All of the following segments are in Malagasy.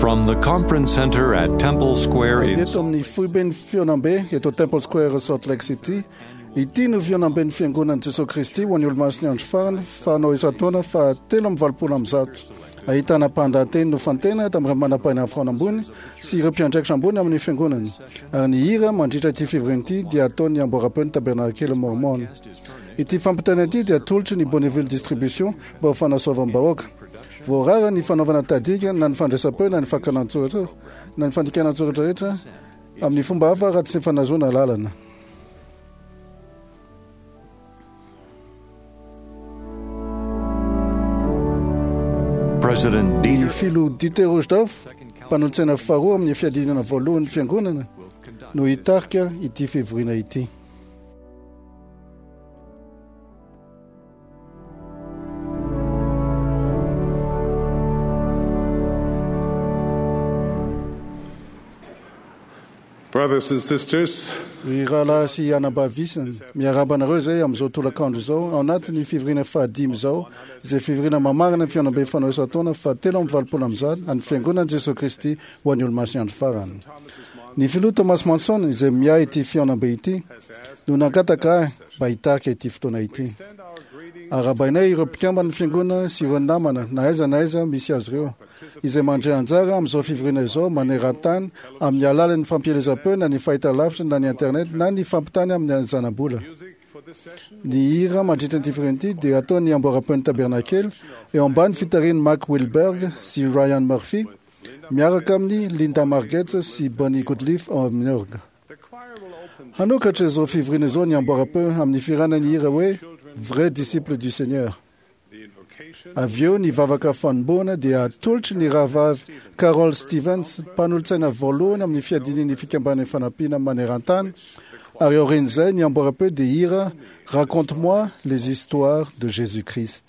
From the Conference Center at Temple Square Avy in eto amin'ny foiben'ny fihaonambe eto Temple Square Salt Lake City, ity no fihaonamben'ny Fiangonan'i Jesoa Kristy ho an'ny Olomasin'ny Andro Farany fanao isan-taona faha 183. Ahitana mpandahateny nofantena tamin'ireo manam-pahaizana foana ambony sy ireo mpiandraikitra ambony amin'ny Fiangonana. Ary ny hira mandritra ity fivoriana ity dia ataon'ny Amboaram-peon'ny Tabernakely Mormon. Ity fampitana ity dia atolotry ny Bonneville Distribution mba ho fanasoavam-bahoaka. Voarara ny fanaovana tahadika na ny fandraisam-peo na ny fakana an-tsoratra na ny fandikana an-tsoratra rehetra amin'ny fomba hafa raha tsy fanazoana alalana. President Ny Dieter filoha Dieter Uchtdorf, mpanolotsaina faharoa amin'ny fiadiana voalohan'ny fiangonana, no hitarika ity fivoriana ity. Brothers and sisters, Ry rahalahy sy anabavy isany, miarahaba anareo izay amin'izao tolakandro izao, ao anatin'ny fivoriana fahadimy izao, izay fivoriana mamarana ny fihaonambe fanao isan-taona faha 183 an'ny Fiangonan'i Jesoa Kristy ho an'ny Olomasin'ny Andro Farany. Ny filoha Thomas Monson, izay miahy ity fihaonambe ity, no nangataka ahy mba hitarika ity fotoana ity. Arahabainay ireo mpikamban'ny Fiangonana sy ireo namana na aiza na aiza misy azy ireo, izay mandray anjara amin'izao fivoriana izao maneran-tany amin'ny alalan'ny fampielezam-peo na ny fahitalavitra na ny internet na ny fampitany amin'ny zanabola. Ny hira mandritra ity fivoriana ity dia ataon'ny Amboaram-peon'ny Tabernakely eo ambany fitarihan'i Mack Wilberg sy Ryan Murphy miaraka amin'ny Linda Margetts sy Bonnie Goodleaf ao amin'ny orga. Hanokatra izao fivoriana izao ny Amboaram-peo amin'ny fihirana ny hira hoe Vrai disciple du Seigneur. Avy eo ny vavaka fanombohana dia atolotry ny rahavavy Carol Stevens, mpanolotsaina voalohany amin'ny fiadiana ny fikambanan'ny fanampiana maneran-tany, ary aorian'izay ny amboaram-peo dia hira Raconte-moi les histoires de Jésus-Christ.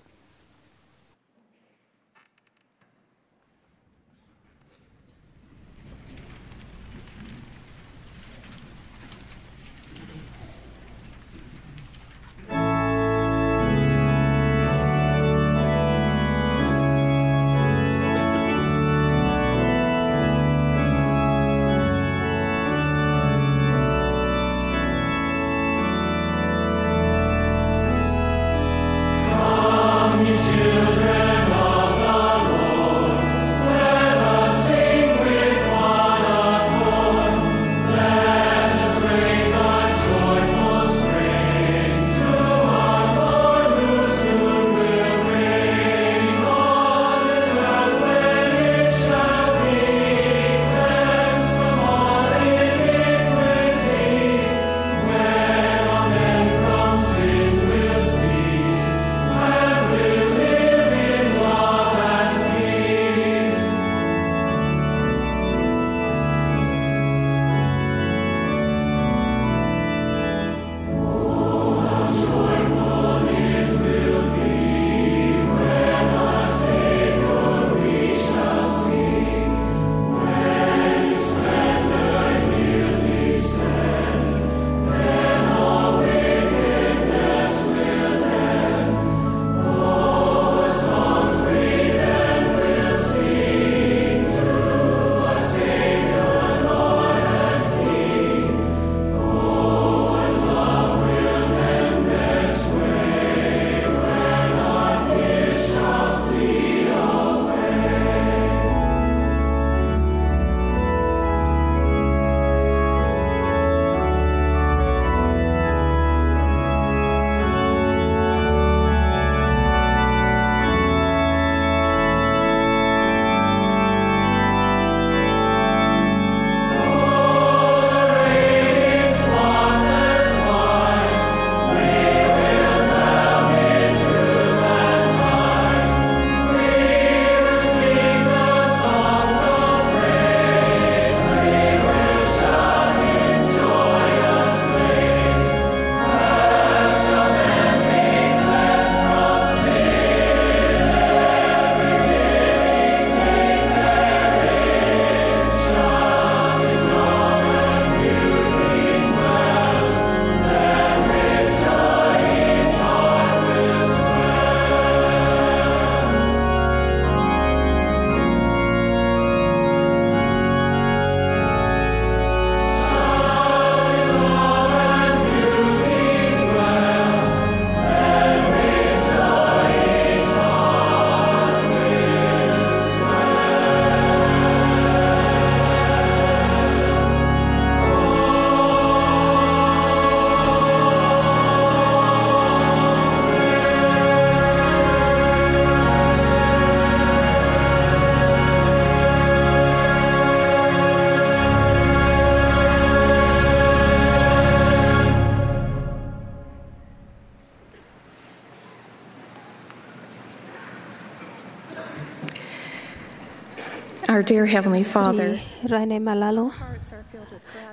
Our dear Heavenly Father, Ry Rainay malala,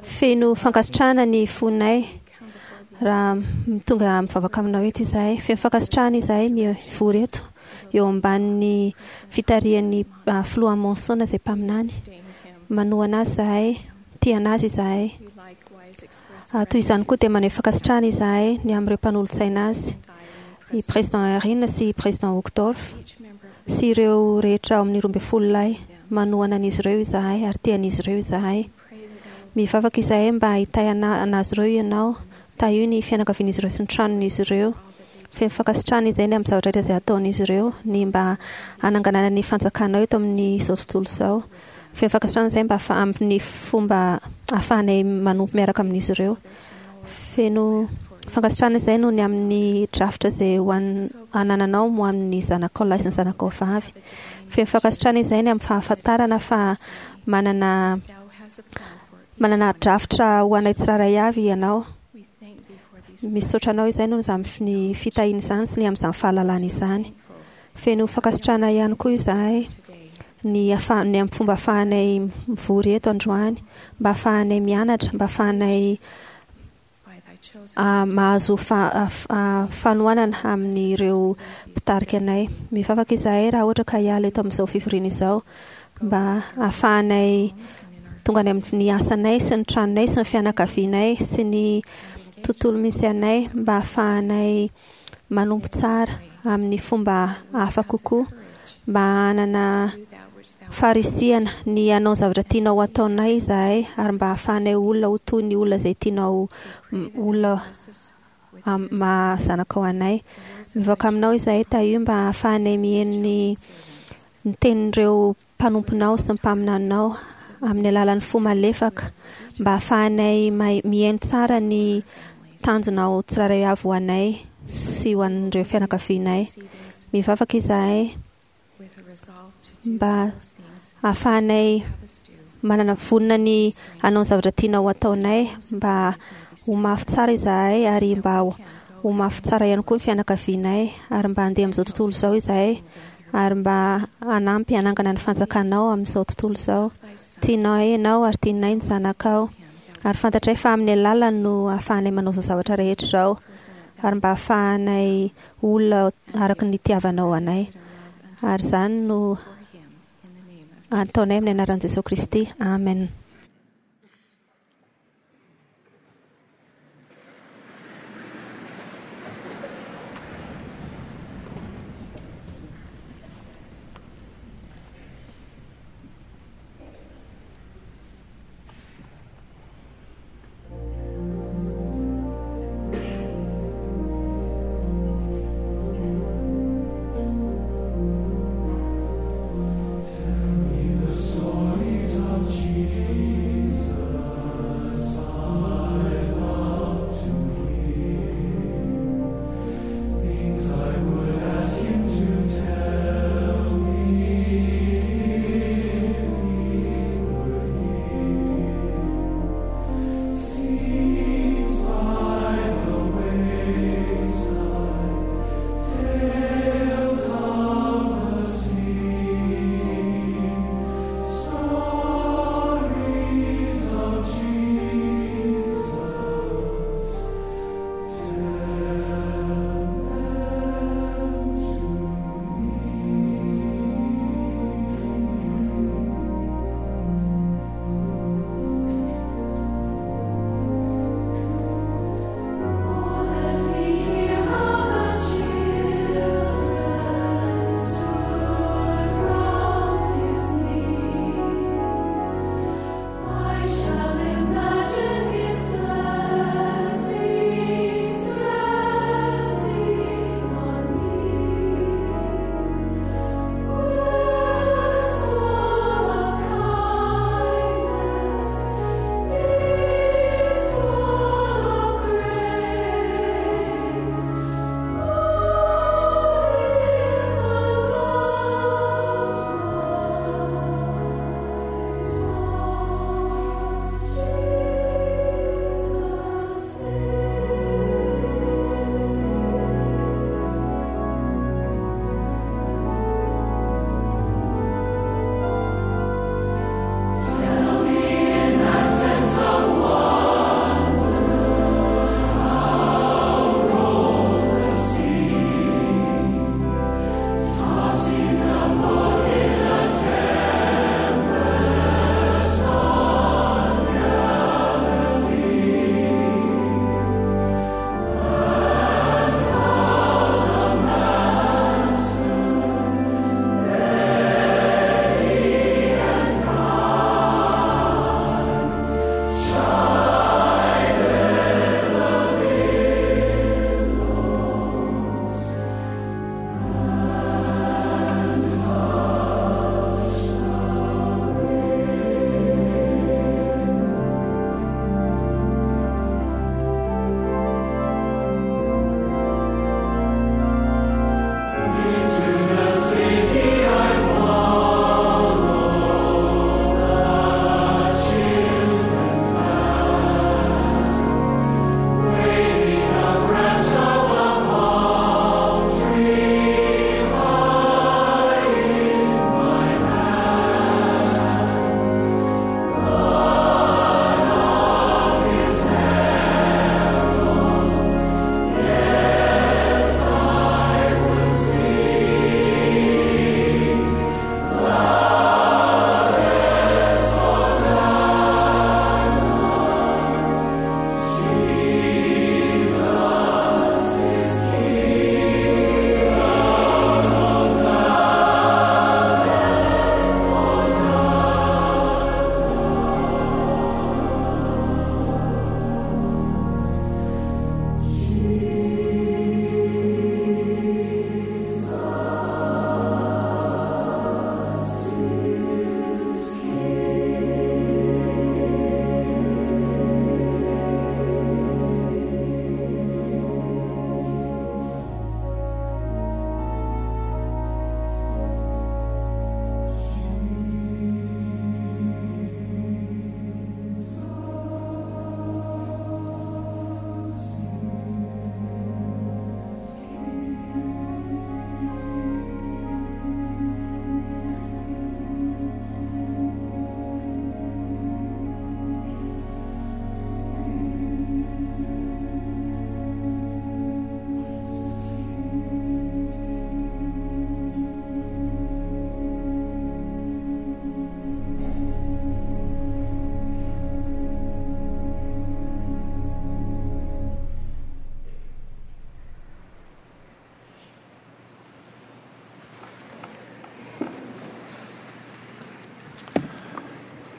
feno fankasitrahana ny fonay raha tonga mivavaka aminao eto izahay. Feno fankasitrahana izahay mivory eto eo ambanin'ny fitarihan'ny filoha Monson izay mpaminany. Manohana azy izahay, tia anazy izahay. Toy izany koa dia maneho fankasitrahana izahay ny amin'ireo mpanolotsaina azy, i Président Eyring sy i Président Uchtdorf sy ireo rehetra ao amin'ny 12 lahy. Manohana an'izy ireo izahay ary tia an'izy ireo izahay. Mivavaka izahay mba hitahy anazy ireo Ianao. Tahio ny fianakavian'izy ireo sy ny tranon'izy ireo. Feno fankasitrahana izahay ny amin'ny zavatra rehetra izay ataon'izy ireo, ny mba hananganana ny fanjakanao eto amin'izao tontolo izao. Feno fankasitrahana izahay mba amin'ny fomba ahafahanay manompo miaraka amin'izy ireo. Feno fankasitrahana izahay noho ny amin'ny drafitra izay ho an- anananao ho an'ny zanakao lahy sy ny zanakao vavy. Feno fankasitrahana izahay ny amin'ny fahafantarana fa manana manana drafitra ho anay tsirairay avy ianao. Misaotra anao izahay noho izany ny fitahiana izany sy ny amin'izany fahalalana izany. Feno fankasitrahana ihany koa izahay ny afa- ny amin'ny fomba ahafahanay mivory eto androany, mba ahafahanay mianatra, mba ahafahanay mahazo fanohanana amin'ireo mpitarika anay. Mivavaka izahay raha ohatra ka hiala eto amin'izao fivoriana izao mba hahafahanay tonga any amin'ny asanay sy ny tranonay sy ny fianakavianay sy ny tontolo misy anay mba hahafahanay manompo tsara amin'ny fomba hafa kokoa mba hanana faharisihana ny hanao ny zavatra tianao hataonay izahay ary mba hahafahanay olona ho toy ny olona izay tianao olona maha zanakao anay. Mivavaka aminao izahay tahio mba hahafahanay mihaino ny ny tenin'ireo mpanomponao sy ny mpaminaninao amin'ny alalan'ny fo malefaka mba hahafahanay mihaino tsara ny tanjonao tsirairay avy ho anay sy ho an'ireo fianakavianay. Mivavaka izahay mba hahafahanay manana vonona ny hanao ny zavatra tianao ho ataonay mba ho mafy tsara izahay ary mba ho mafy tsara ihany koa ny fianakavianay ary mba handeha amin'izao tontolo izao izahay ary mba hanampy hanangana ny fanjakanao amin'izao tontolo izao. Tianay ianao ary tianay ny zanakao ary fantatray fa amin'ny alalany no ahafahanay manao izao zavatra rehetra izao ary mba ahafahanay olona araka ny nitiavanao anay. Ary izany no ataonay amin'ny anaran'i Jesoa Kristy. Amen. Tell me the stories of Jesus.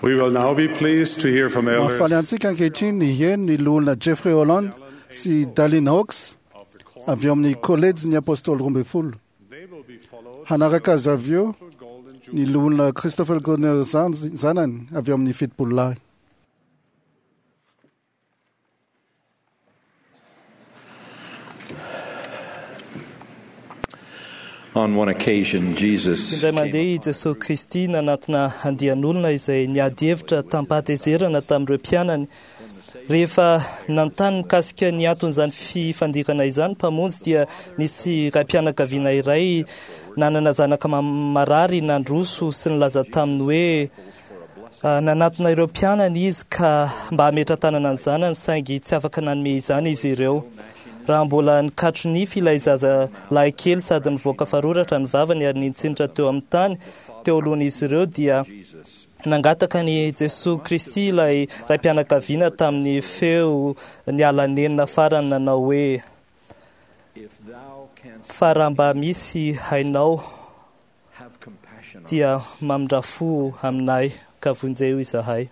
We will now be pleased to hear from Mahafaly elders antsika ankehitriny ny heno ny loholona Jeffrey Holland sy Dallin Hawks of the Quorum. avy eo amin'ny kolejy ny apôstôly 12. They will be followed Hanaraka azy avy eo by Golden ny loholona Christopher Goldner zanany avy eo amin'ny 70 lahy. On one occasion, Jesus Indray mandeha i Jesosy Kristy nanatona andian'olona izay niady hevitra tampahatezerana tamin'ireo mpianany. Rehefa nanontany mikasika ny anton'izany fifandirana izany Mpamonjy dia nisy ray-pianakaviana iray nanana zanaka marary nandroso sy nilaza taminy hoe nanatona ireo mpianany izy ka mba hametra-tanana ny zanany saingy tsy afaka nanome izany izy ireo. Raha mbola nikatro nify ilay zaza lahy kely sady nivoaka faroratra ny vavany ary nitsinitra teo amin'ny tany teo alohan'izy ireo dia nangataka ny Jesosy Kristy ilay ray-pianakaviana tamin'ny feo niala nenina farany nanao hoe fa raha mba misy hainao dia mamindra fo aminay ka vonjeo izahay.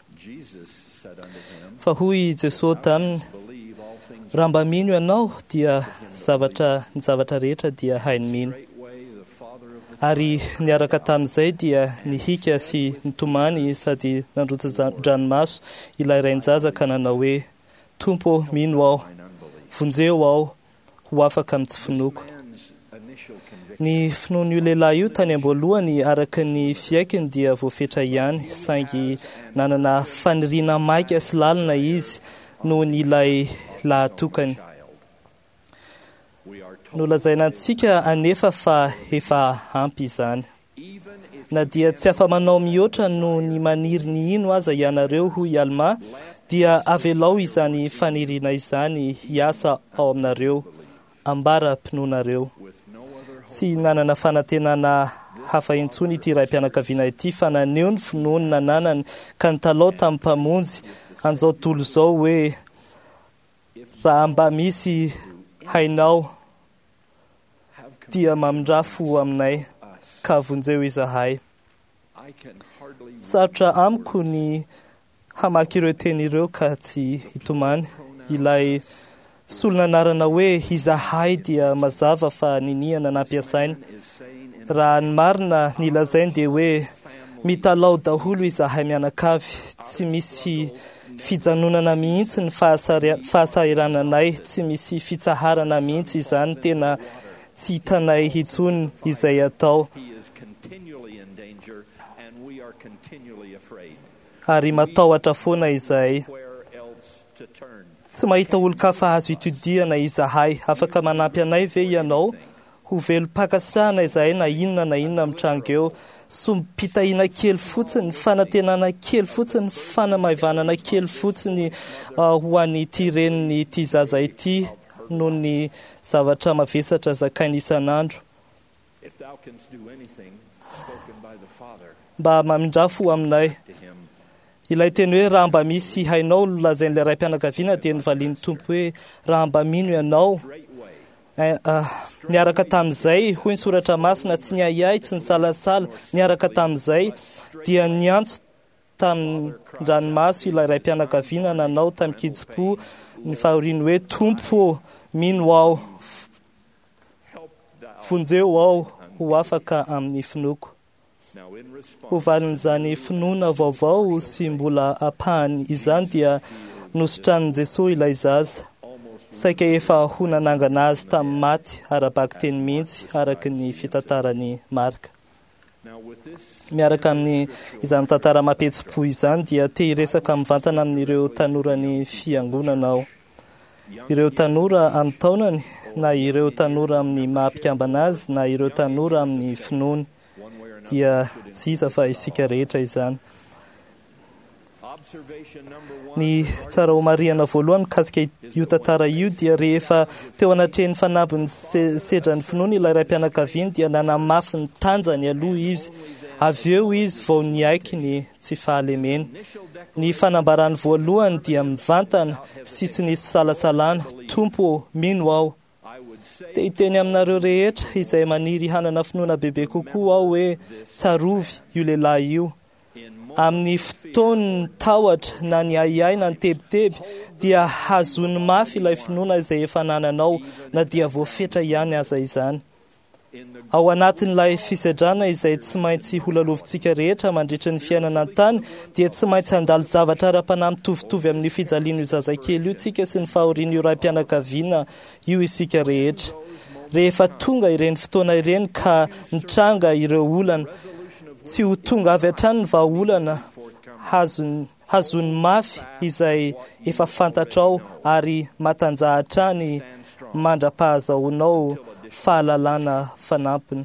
Fa hoy i Jesosy taminy, raha mba mino ianao dia zavatra ny zavatra rehetra dia hainy mino. Ary niaraka tamin'izay dia nihika sy nitomany sady nandrotsa-dranomaso ilay rain-jaza ka nanao hoe Tompo, mino aho, vonjeo aho ho afaka amin'ny tsy finoako. Ny finoan'io lehilahy io tany am-boalohany araka ny fiaikiny dia voafetra ihany, saingy nanana faniriana maika sy lalina izy noho ny ilay lahatokany. Nolazaina antsika anefa fa efa ampy izany. Na dia tsy afa-manao mihoatra noho ny maniry ny hino aza ianareo, hoy Alma, dia avelao izany faniriana izany hiasa ao aminareo, ambara-pinoanareo. Tsy nanana fanantenana hafa intsony ity ray-pianakaviana ity fa naneho ny finoany nananany ka nitalao tamin'ny Mpamonjy an'izao tontolo izao hoe raha mba misy hainao dia mamindra fo aminay ka vonjeo izahay. Sarotra amiko ny hamaky ireo teny ireo ka tsy hitomany. Ilay solon'anarana hoe izahay dia mazava fa niniana nampiasaina. Raha ny marina ny lazainy dia hoe mitalao daholo izahay mianakavy, tsy misy fijanonana mihitsy ny fahasahirananay, tsy misy fitsaharana mihitsy izany, tena tsy hitanay intsony izay atao. Ary matahotra foana izahay. Tsy mahita olon-kafa azo itodihana izahay. Afaka manampy anay ve ianao? Ho velom-pankasitrahana izahay na inona na inona mitranga eo. Sombim-pitahiana kely fotsiny, fanantenana kely fotsiny, fanamaivanana kely fotsiny ho an'ity reniny ity zaza ity noho ny zavatra mavesatra zakainy isan'andro. Mba mamindra fo aminay. Ilay teny hoe raha mba misy hainao no lazain'ilay ray-pianakaviana dia novalian'ny Tompo hoe raha mba mino ianao. Niaraka tamin'izay, hoy ny soratra masina, tsy niahiahy, tsy nisalasala, niaraka tamin'izay dia niantso tamin-dranomaso ilay ray-pianakaviana nanao tamin-kitsim-po ny fahoriany hoe Tompo, mino aho, vonjeo aho ho afaka amin'ny finoako. Ho valin'izany finoana vaovao sy mbola ampahany izany dia nositranin'i Jesosy ilay zaza. Saika efa ho nanangana azy tamin'ny maty ara-bakiteny mihitsy araka ny fitantaran'i Marka. Miaraka amin'ny izany tantara mampihetsi-po izany dia te hiresaka mivantana amin'ireo tanoran'ny fiangonana aho. Ireo tanora amin'ny taonany na ireo tanora amin'ny maha-mpikambana azy na ireo tanora amin'ny finoany dia tsy iza fa isika rehetra izany. Ny tsara ho marihana voalohany mikasika io tantara io dia rehefa teo anatrehan'ny fanambin'ny sedran'ny finoany ilay ray-pianakaviany dia nanamafy ny tanjany aloha izy. Avy eo izy vao niaiky ny tsy fahalemeny. Ny fanambarany voalohany dia mivantana sy tsy nisy fisalasalana, Tompo, mino aho. Te hiteny aminareo rehetra izay maniry hanana finoana bebe kokoa aho hoe tsarovy io lehilahy io. Amin'ny fotoan'ny tahotra na ny ahiahy na ny tebiteby dia hazony mafy ilay finoana izay efa anananao na dia voafetra ihany aza izany. Ao anatin'ilay fisedrana izay tsy maintsy holalovintsika rehetra mandritra ny fiainana an-tany dia tsy maintsy handalo zavatra ara-panahy mitovitovy amin'ny fijalian'io zazakely io tsika sy ny fahorian'io raim-pianakaviana io isika rehetra. Rehefa tonga ireny fotoana ireny ka nitranga ireo olana, tsy ho tonga avy hatrany ny vahaolana hazony mafy izay efa fantatrao ary matanjaha hatrany mandra-pahazahoanao fahalalana fanampiny.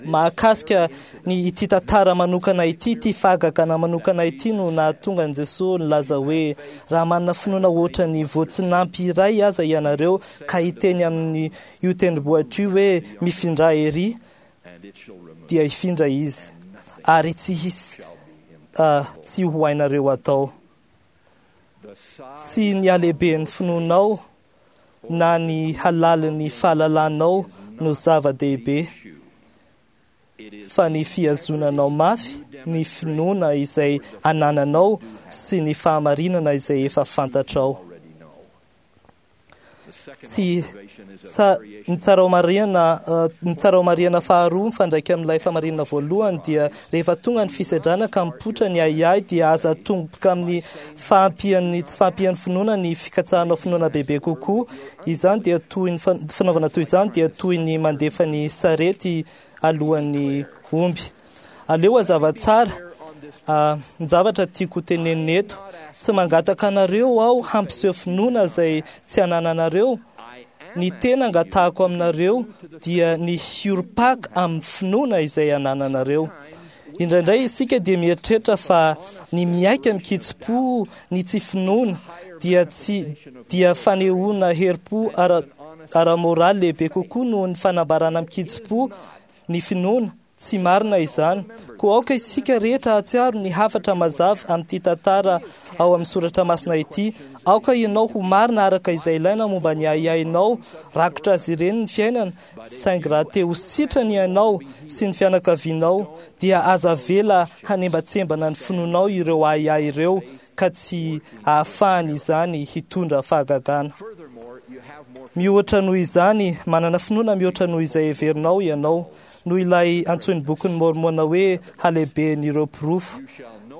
Mahakasika ny ity tantara manokana ity, ity fahagagana manokana ity no nahatonga an'i Jesoa nilaza hoe raha manana finoana ohatra ny voatsinampy iray aza ianareo ka hiteny amin'ny io tendrombohitra io hoe mifindra ery, dia hifindra izy ary tsy hisy tsy ho hainareo atao. Tsy ny halehiben'ny finoanao na ny halalin'ny fahalalanao no zava-dehibe, fa ny fihazonanao mafy ny finoana izay anananao sy ny fahamarinana izay efa fantatrao. Tsy ny tsara ho marihana faharoa mifandraika amin'ilay famarinana voalohany dia rehefa tonga ny fisedrana ka mipoitra ny ahiahy dia aza tomboka amin'ny fahampian'ny tsy fahampian'ny finoana ny fikatsahanao finoana bebe kokoa. Izany dia toy ny fanaovana toy izany dia toy ny mandefa ny sarety alohan'ny omby. Aleo hazava tsara ny zavatra tiako tenenina eto. Tsy mangataka anareo aho hampiseho finoana izay tsy anananareo. Ny tena angatahako aminareo dia ny hiorim-paka amin'ny finoana izay anananareo. Indraindray isika dia mieritreritra fa ny miaika mikitsi-po ny tsy finoana dia tsy dia fanehoana herim-po ara-moraly lehibe kokoa noho ny fanambarana mikitsi-po ny finoana. Tsy marina izany. Koa aoka isika rehetra hahatsiaro ny hafatra mazava amin'ity tantara ao amin'ny soratra masina ity. Aoka ianao ho marina araka izay ilaina momba ny ahiahinao, rakotra azy ireny ny fiainana, saingy raha te ho sitrana ianao sy ny fianakavianao, dia aza avela hanembatsembana ny finoanao ireo ahiahy ireo ka tsy ahafahany izany hitondra fahagagana. Mihoatra noho izany, manana finoana mihoatra noho izay heverinao ianao, noho ilay antsoin'ny bokin'ny Môrmôna hoe halehiben'ireo porofo.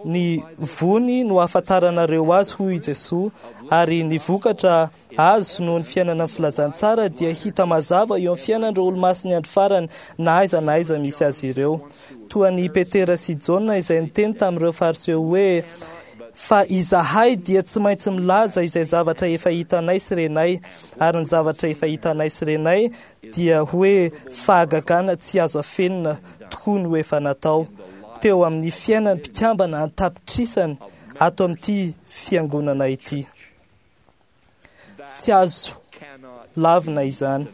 Ny vony no ahafantaranareo azy, hoy i Jesoa, ary ny vokatra azo noho ny fiainana ny filazantsara dia hita mazava eo amin'ny fiainan'ireo olomasin'ny andro farany na aiza na aiza misy azy ireo. Toa an'i Petera sy Jaona izay niteny tamin'ireo Fariseo hoe, Fa izahay dia tsy maintsy milaza izay zavatra efa hitanay sy renay, ary ny zavatra efa hitanay sy renay dia hoe fahagagana tsy azo afenina tokoa no efa natao teo amin'ny fiainan'ny mpikambana an-tapitrisany ato amin'ity fiangonana ity. Tsy azo lavina izany.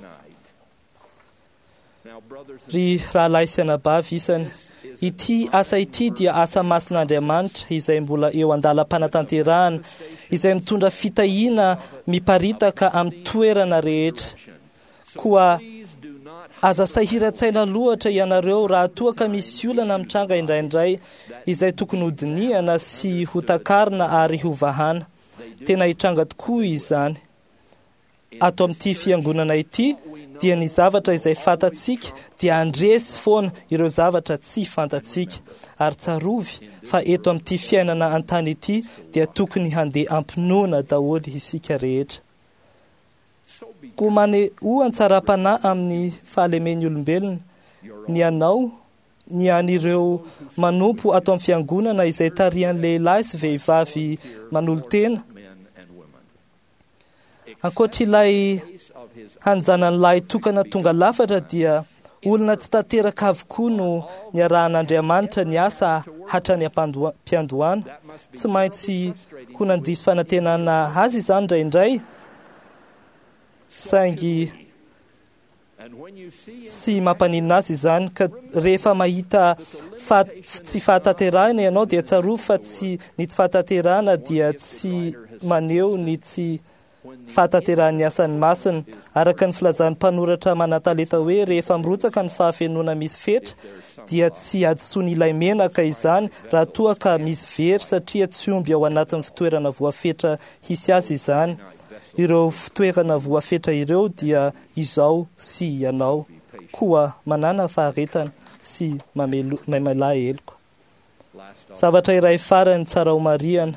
Ry rahalahy sy anabavy isany, ity asa ity dia asa masin'Andriamanitra izay mbola eo an-dalam-panatanterahana, izay mitondra fitahiana miparitaka amin'ny toerana rehetra. Koa aza sahiran-tsaina loatra ianareo raha toa ka misy olana mitranga indraindray izay tokony hodinihana sy hotakarina ary hovahana. Tena hitranga tokoa izany. Ato amin'ity fiangonana ity dia ny zavatra izay fantatsika dia handresy foana ireo zavatra tsy fantatsika. Ary tsarovy fa eto amin'ity fiainana an-tany ity dia tokony handeha am-pinoana daholo isika rehetra. Koa manehoa an-tsaram-panahy amin'ny fahalemen'ny olombelona ny anao, ny an'ireo manompo ato amin'ny fiangonana izay tarihan'ny lehilahy sy vehivavy manolo-tena. Ankoatr'ilay hanjanany lahy tokana tonga lafatra dia olona tsy tanteraka avokoa no niarahan'Andriamanitra ny asa hatrany am-piandohana. Tsy maintsy ho nandiso fanantenana azy izany indraindray, saingy tsy mampaninona azy izany. Ka rehefa mahita tsy fahatanterahana ianao dia tsarovy fa tsy ny tsy fahatanterahana dia tsy maneho ny tsy fahatanterahan'ny asany masina. Araka ny filazan'ny mpanoratra manan-talenta hoe rehefa mirotsaka ny fahafenoana misy fetra dia tsy hadisoan'ilay menaka izany raha toa ka misy very satria tsy omby ao anatin'ny fitoerana voafetra hisy azy izany. Ireo fitoerana voafetra ireo dia izao sy ianao. Koa manana faharetana sy mamelà heloka. Zavatra iray farany tsara ho marihana,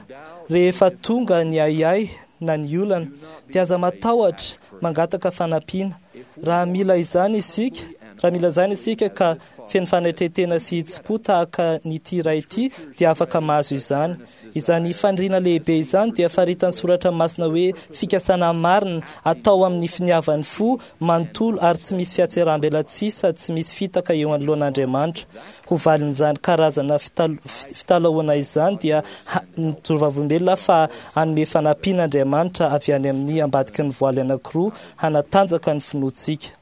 rehefa tonga ny ahiahy na ny olana dia aza matahotra mangataka fanampiana. Raha mila izany isika, raha mila izany isika ka feno fanetren-tena sy hitsim-po tahaka ny ity iray ity dia afaka mahazo izany. Izany faniriana lehibe izany dia faritan'ny soratra masina hoe fikasana marina atao amin'ny finiavan'ny fo manontolo ary tsy misy fihatseram-belatsihy sady tsy misy fitaka eo anoloan'Andriamanitra. Ho valin'izany karazana fitalahoana izany dia mijoro vavolombelona fa hanome fanampiana Andriamanitra avy any amin'ny ambadiky ny voaly anankiroa hanatanjaka ny finoantsika.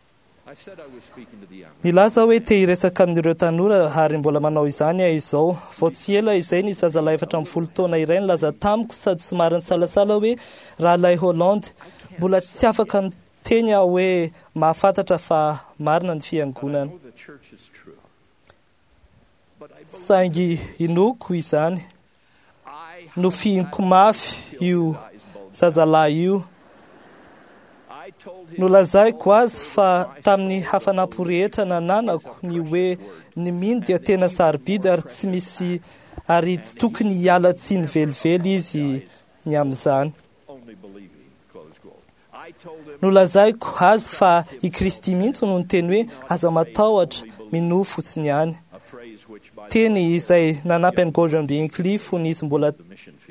Nilaza hoe te hiresaka amin'ireo tanora ary mbola manao izany aho izao. Vao tsy ela izay ny zazalahy 14 taona iray nilaza tamiko sady somary nisalasala hoe rahalahy Holland, mbola tsy afaka miteny aho hoe mahafantatra fa marina ny fiangonana. Saingy inoako izany. Nofihiniko mafy io zazalahy io. Nolazaiko azy fa tamin'ny hafanam-po rehetra nananako ny hoe ny mino dia tena sarobidy ary tsy misy ary tsy tokony hiala tsiny velively izy ny amin'izany. Nolazaiko azy fa i Kristy mihitsy no niteny hoe aza matahotra, minoa fotsiny ihany. Teny izay nanampy an'i Gordon B. Hinckley fony izy mbola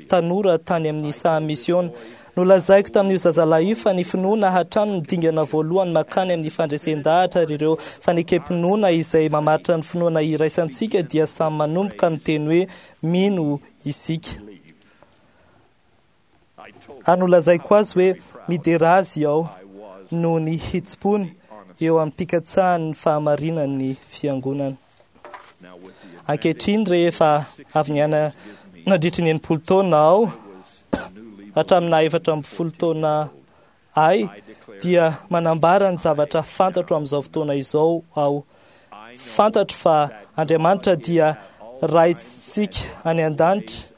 tanora tany amin'ny saha misiona. Nolazaiko tamin'io zazalahy io fa ny finoana hatrany no dingana voalohany mankany amin'ny fandresen-dahatra ary ireo fanekem-pinoana izay mamaritra ny finoana iraisantsika dia samy manomboka miteny hoe mino isika. Ary nolazaiko azy hoe midera azy aho noho ny hitsim-pony eo amin'ny fikatsahany ny fahamarinan'ny fiangonana. Ankehitriny rehefa avy niaina nandritry ny 60 taona aho hatramin'ny 14 taona ahy dia manambara ny zavatra fantatro amin'izao fotoana izao aho. Fantatro fa Andriamanitra dia Raintsika any an-danitra,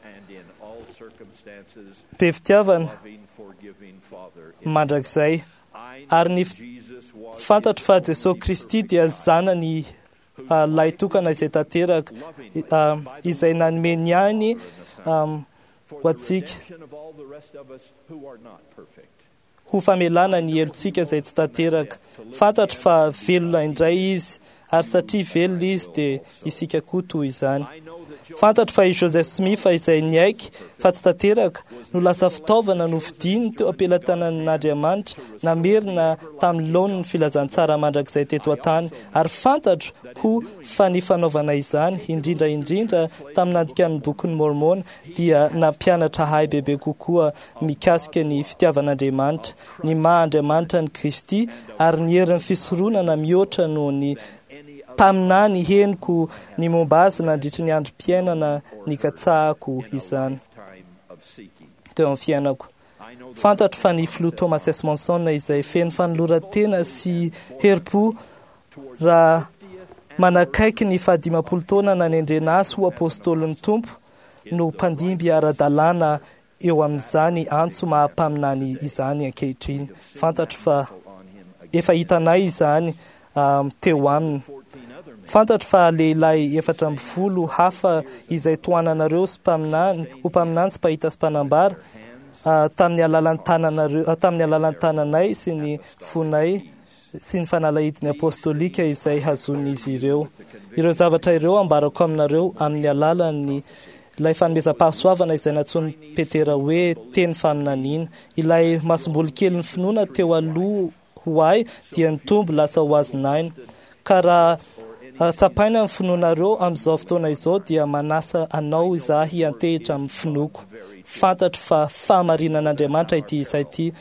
be fitiavana mandrakizay. Ary ny fantatro fa Jesosy Kristy dia zanany lahy tokana izay tanteraka, izay nanome ny ainy ho antsika ho famelana ny helotsika izay tsy tanteraka. Fantatro fa velona indray izy, ary satria velona izy dia isika koa toy izany. Fantatro fa i Joseph Smith izay niaiky fa tsy tanteraka no lasa fitaovana nofidiny teo am-pelatanan'Andriamanitra namerina tamin'ny laoniny filazantsara mandrakizay teto an-tany. Ary fantatro koa fa ny fanaovana izany, indrindra indrindra tamin'ny nandikan'ny bokin'ny Mormona, dia nampianatra ahy bebe kokoa mikasika ny fitiavan'Andriamanitra, ny maha Andriamanitra an'i Kristy ary ny herin'ny fisoronana mihoatra noho ny mpaminany henoko ny momba azy nandritry ny androm-piainana nikatsahako izany teo amin'ny fiainako. Fantatro fa ny filoha Thomas S. Monson izay feno fanoloran-tena sy herim-po raha manakaiky ny faha-50 taona nanendrena azy ho apôstôlin'ny Tompo no mpandimby ara-dalàna eo amin'izany antso maha-mpaminany izany ankehitriny. Fantatro fa efa hitanay izany teo aminy. Fantatro fa lehilahy 14 hafa izay tohananareo sy mpaminany, ho mpaminany sy mpahita sy mpanambara tamin'ny alalan'ny tananareo, tamin'ny alalan'ny tananay sy ny fonay sy ny fanalahidiny apôstôlika izay hazonin'izy ireo. Ireo zavatra ireo ambarako aminareo amin'ny alalan'ny ilay fanomezam-pahasoavana izay nantsoin'i Petera hoe teny faminaniana. Ilay masomboly kelin'ny finoana teo aloha ho ahy dia nitombo lasa ho azon'aina. Ka raha tsapaina ny finoanareo amin'izao fotoana izao dia manasa anao izaho hiantehitra amin'ny finoako. Fantatro fa fahamarinan'Andriamanitra ity isa ity.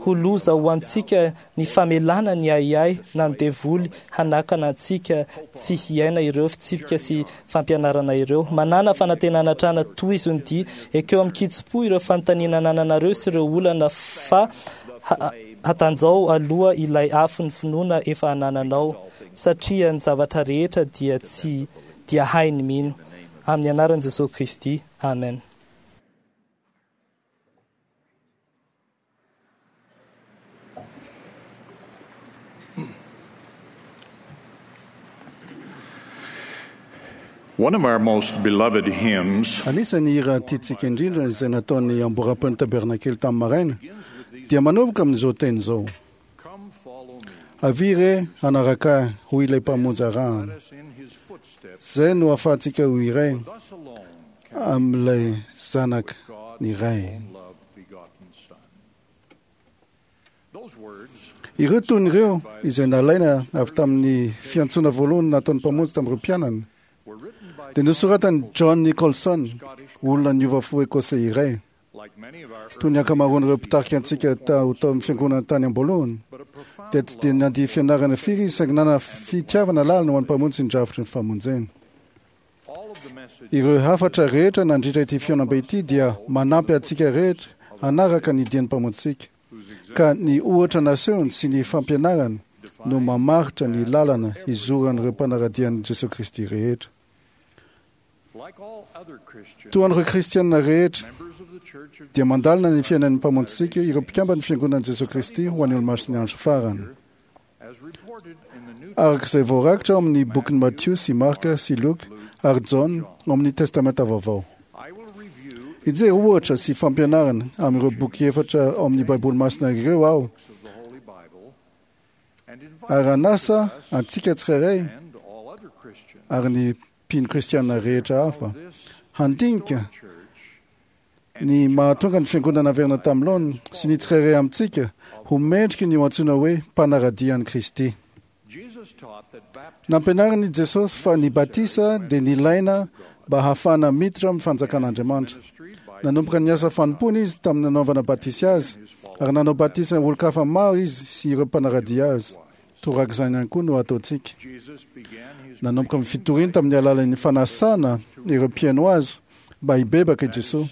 Ho loza ho antsika ny famelana ny ahiahy na ny devoly hanakana antsika tsy hiaina ireo fitsipika sy fampianarana ireo. Manana fanantenana hatrany tohizo ny dia. Ekeo amin'ny kitsim-po ireo fanontaniana anananareo sy ireo olana fa Hatanjao aloha ilay afon'ny finoana efa anananao, satria ny zavatra rehetra dia tsy dia hainy mino. Amin'ny anaran'i Jesosy Kristy. Amen. One of our most beloved hymns Anisan'ny hira tiantsika indrindra izay nataon'ny amboram-pon'ny tabernakely tamin'ny maraina dia manomboka amin'izao teny izao: Avia re hanaraka ahy, hoy ilay Mpamonjy arahana. Izay no ahafahantsika ho iray amin'ilay Zanaka ny Ray. Ireo tony ireo izay nalaina avy tamin'ny fiantsoana voalohany nataon'ny Mpamonjy tamin'ireo mpianany dia nosoratan'i John Nicholson, olona niova fo Ekosey iray. Toy ny ankamaroan'ireo mpitarika antsika tao tamin'ny fiangonana tany am-boalohany, dia tsy dia nandia fianarana firy izy saingy nanana fitiavana lalina ho an'ny Mpamonjy sy ny drafitry ny famonjena. Ireo hafatra rehetra nandritra ity fihaonambe ity dia manampy antsika rehetra hanaraka ny dian'ny Mpamonjintsika, ka ny ohatra nasehony sy ny fampianarany no mamaritra ny lalana hizoran'ireo mpanara-dia an'i Jesoa Kristy rehetra. Toa an'ireo Kristiana rehetra, dia mandalina ny fiainan'ny Mpamonjintsika ireo mpikamban'ny Fiangonan'i Jesoa Kristy ho an'ny Olomasin'ny Andro Farany. Araka izay voarakitra ao amin'ny bokin'i Matio sy Marka sy Lioka ary Jaona ao amin'ny Testamenta Vaovao. Hijery ohatra sy fampianarana amin'ireo boky efatra ao amin'ny Baiboly Masina ireo aho ary hanasa antsika tsirairay ary ny mpino kristiana rehetra hafa handinika ny mahatonga ny fiangonana haverina tamin'ny laoniny sy ny tsirairay amintsika ho mendriky ny ho antsoina hoe mpanara-dia an'i Kristy. Nampianarin'i Jesosy fa ny batisa dia nilaina mba hahafahana miditra amin'ny fanjakan'Andriamanitra. Nanomboka ny asa fanompoana izy tamin'ny nanaovana batisa azy, ary nanao batisa olon-kafa maro izy sy ireo mpanara-dia azy. Torak'izany ihany koa no ataontsika. Nanomboka ny fitoriany tamin'ny alalan'ny fanasana ireo mpihaino azy mba hibebaka i Jesoa.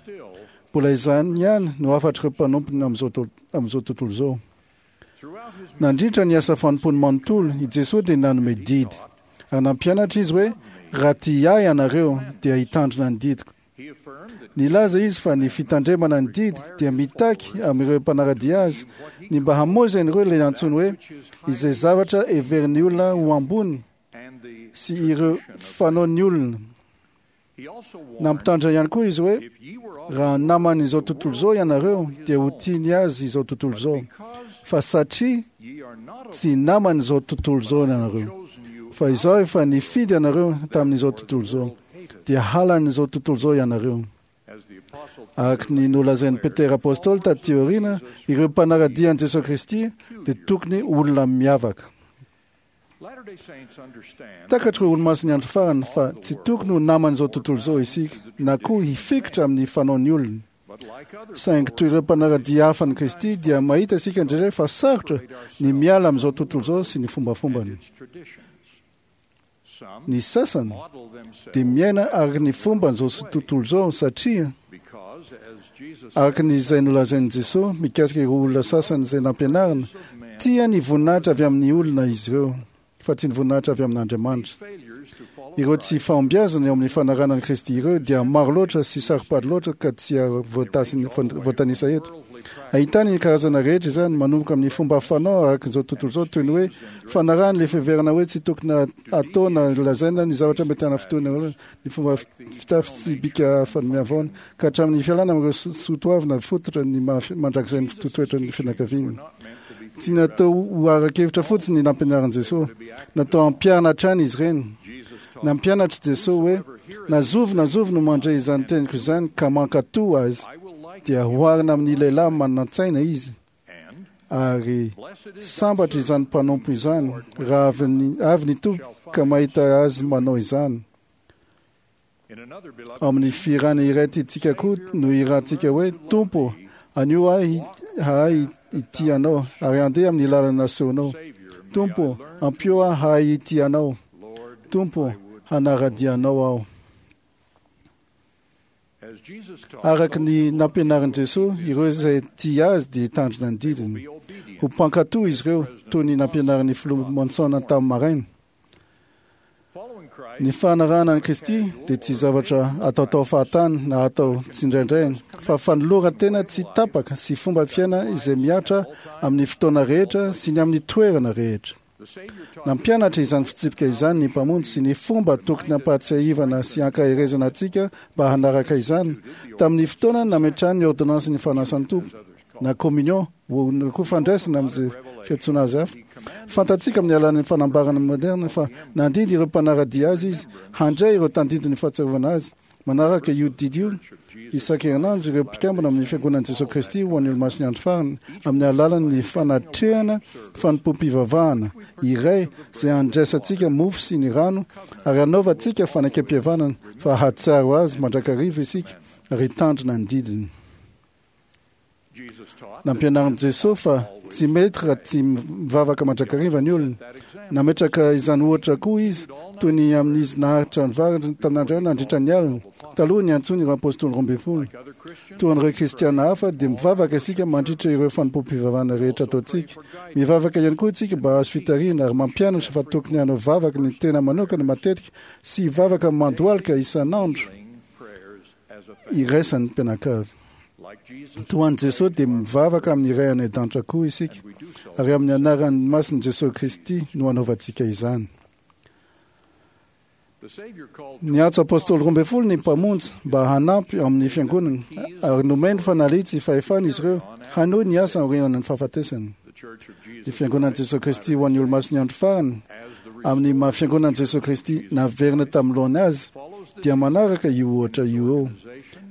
Mbola izany ihany no hafatr'ireo mpanompony amin'izao tontolo izao. Nandritra ny asa fanompoany manontolo, i Jesoa dia nanome didy, ary nampianatra izy hoe, Raha tia ahy ianareo, dia hitandrina ny didiko. Nilaza izy fa ny fitandremana ny didy dia mitaky amin'ireo mpanara-dia azy ny mba hamoizan'ireo ilay antsoiny hoe izay zavatra heverin'ny olona ho ambony sy ireo fanaon'ny olona. Nampitandrina ihany koa izy hoe raha naman'izao tontolo izao ianareo dia ho tiany azy izao tontolo izao, fa satria tsy naman'izao tontolo izao ianareo, fa izaho efa nifidy anareo tamin'izao tontolo izao, dia halan'izao tontolo izao ianareo. Araka ny nolazain'i Petera Apostoly taty aoriana, ireo mpanara-dia an'i Jesoa Kristy dia tokony olona miavaka. Takatr'ireo olomasin'ny andro farany fa tsy tokony ho naman'izao tontolo izao isika, na koa hifikitra amin'ny fanaon'ny olona. Saingy toy ireo mpanara-dia hafa an'i Kristy dia mahita isika indraindray fa sarotra ny miala amin'izao tontolo izao sy ny fombafombany. Ny sasany dia miaina araka ny fomban'izao tontolo izao satria araka ny izay nolazain'i Jesoa mikasika ireo olona sasany izay nampianarina, tia ny voninahitra avy amin'ny olona izy ireo fa tsy ny voninahitra avy amin'Andriamanitra. Ireo tsy fahombiazana eo amin'ny fanarahana an'i Kristy ireo dia maro loatra sy saro-pady loatra ka tsy voatanisa eto. Ahitana ny karazana rehetra izany, manomboka amin'ny fomba fanao araka izao tontolo izao toy ny hoe fanarahana ilay fiheverana hoe tsy tokony atao na lazaina ny zavatra mety hanafintohina ny fomba fitafy sy bika fanome ka hatramin'ny fialana amin'ireo soatoavina fototra ny mandrakizay ny toetoetran'ny fianakaviana. Tsy natao ho ara-kevitra fotsiny ny nampianarin'i Jesosy. Natao hampiharina hatrany izy ireny. Nampianatra Jesosy hoe, Na zovy na zovy no mandre izany teniko izany ka mankatò azy, dia hoharina amin'ny lehilahy manan-tsaina izy. Ary sambatra izany mpanompo izany raha avy ny Tompo ka mahita azy manao izany. Ao amin'ny fihirana iray tiantsika koa no hirantsika hoe, Tompo, anio ahy hahay hitia Anao ary handeha amin'ny lalana nasehonao. Tompo, ampio ahy hahay hitia Anao. Tompo, hanara-dia Anao aho. Araka ny nampianarin'i Jesosy, ireo izay tia azy dia hitandrina ny didiny. Ho mpankatò izy ireo, toy ny nampianarin'ny filoha Monson tamin'ny maraina. Ny fanarahana an'i Kristy dia tsy zavatra ataotao fahatany na atao tsindraindray, fa fanoloran-tena tsy tapaka sy fomba fiaina izay mihatra amin'ny fotoana rehetra sy ny amin'ny toerana rehetra. Nampianatra izany fitsipika izany ny Mpamonjy sy ny fomba tokony hampahatsiahivana sy hankaherezana antsika mba hanaraka izany, tamin'ny fotoana nametrahany ny ôrdônansin'ny fanasan'ny Tompo, na communion, na koa fandraisana amin'izay fiantsoana azy hafa. Fantatsika amin'ny alalan'ny fanambarana moderna fa nandidy ireo mpanara-dia azy izy handray ireo tandindon'ny fahatsiarovana azy. Manaraka io didy io isan-kerinandro ireo mpikambana amin'ny Fiangonan'i Jesoa Kristy ho an'ny Olomasin'ny Andro Farany amin'ny alalan'ny fanatrehana fanompoam-pivavahana iray izay handraisantsika mofo sy ny rano ary hanaovantsika fanekempihavanana fa hahatsiaro azy mandrakariva isika ary hitandrina ny didiny. Nampianarin'i Jesosy fa tsy mety raha tsy mivavaka mandrakariva ny olona. Nametraka izany ohatra koa izy, toy ny amin'izy naharitra nivavaka tamin'Andriamanitra nandritra ny alina, taloha niantsoany ireo apostoly 12. Toa an'ireo kristiana hafa, dia mivavaka isika mandritra ireo fanompoam-pivavahana rehetra ataontsika. Mivavaka ihany koa isika mba hahazo fitarihana ary mampianatra fa tokony hanao vavaka ny tena manokana matetika sy hivavaka mandohalika isan'andro iraisan'ny mpianakavy. Toa an'i Jesosy dia mivavaka amin'ny Ray any an-danitra koa isika, ary amin'ny anaran'ny masin'i Jesosy Kristy no anaovantsika izany. Niantso apostoly 12 ny Mpamonjy mba hanampy amin'ny fiangonana, ary nomeny fanalitsy sy fahefana izy ireo hanohy ny asa aorianan'ny fahafatesany. Ny fiangonan'i Jesosy Kristy ho an'ny Olomasin'ny Andro Farany, amin'ny maha fiangonan'i Jesosy Kristy naverina tamin'ny laony azy, dia manaraka io ohatra io eo.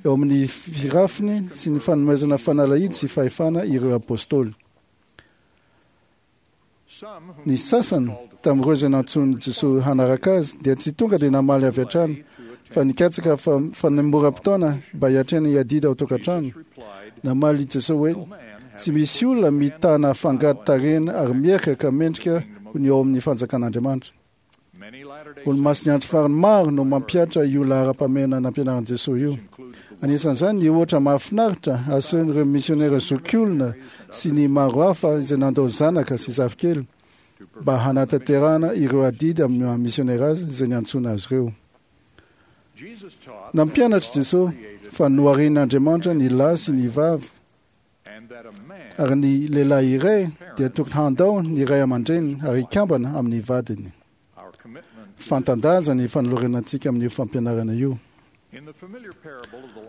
Eo amin'ny firafiny sy ny fanomezana fanalahidy sy fahefana ireo apostoly. Ny sasany tamin'ireo izay nantsoin'i Jesosy hanaraka azy dia tsy tonga dia namaly avy hatrany fa nikatsaka fanemoram-potoana mba hiatrehana hiadidy ao an-tokantrano. Namaly i Jesosy hoe, Tsy misy olona mitana fangady tarehina ary miherika ka mendrika ho ny ao amin'ny fanjakan'Andriamanitra. Olomasin'ny andro farany maro no mampihatra io laharam-pahamehana nampianarin'i Jesosy io. Anisan'izany ny ohatra mahafinaritra asehon'ireo misionera zokiolona sy ny maro hafa izay nandao zanaka sy zafikely mba hanatanterahana ireo adidy amin'ny maha misionera azy izay niantsoana azy ireo. Nampianatra Jesosy fa noharian'Andriamanitra ny lahy sy ny vavy ary ny lehilahy iray dia tokony handao ny ray aman-dreniny ary hikambana amin'ny vadiny. Fantan-daza ny fanolorana antsika amin'io fampianarana io.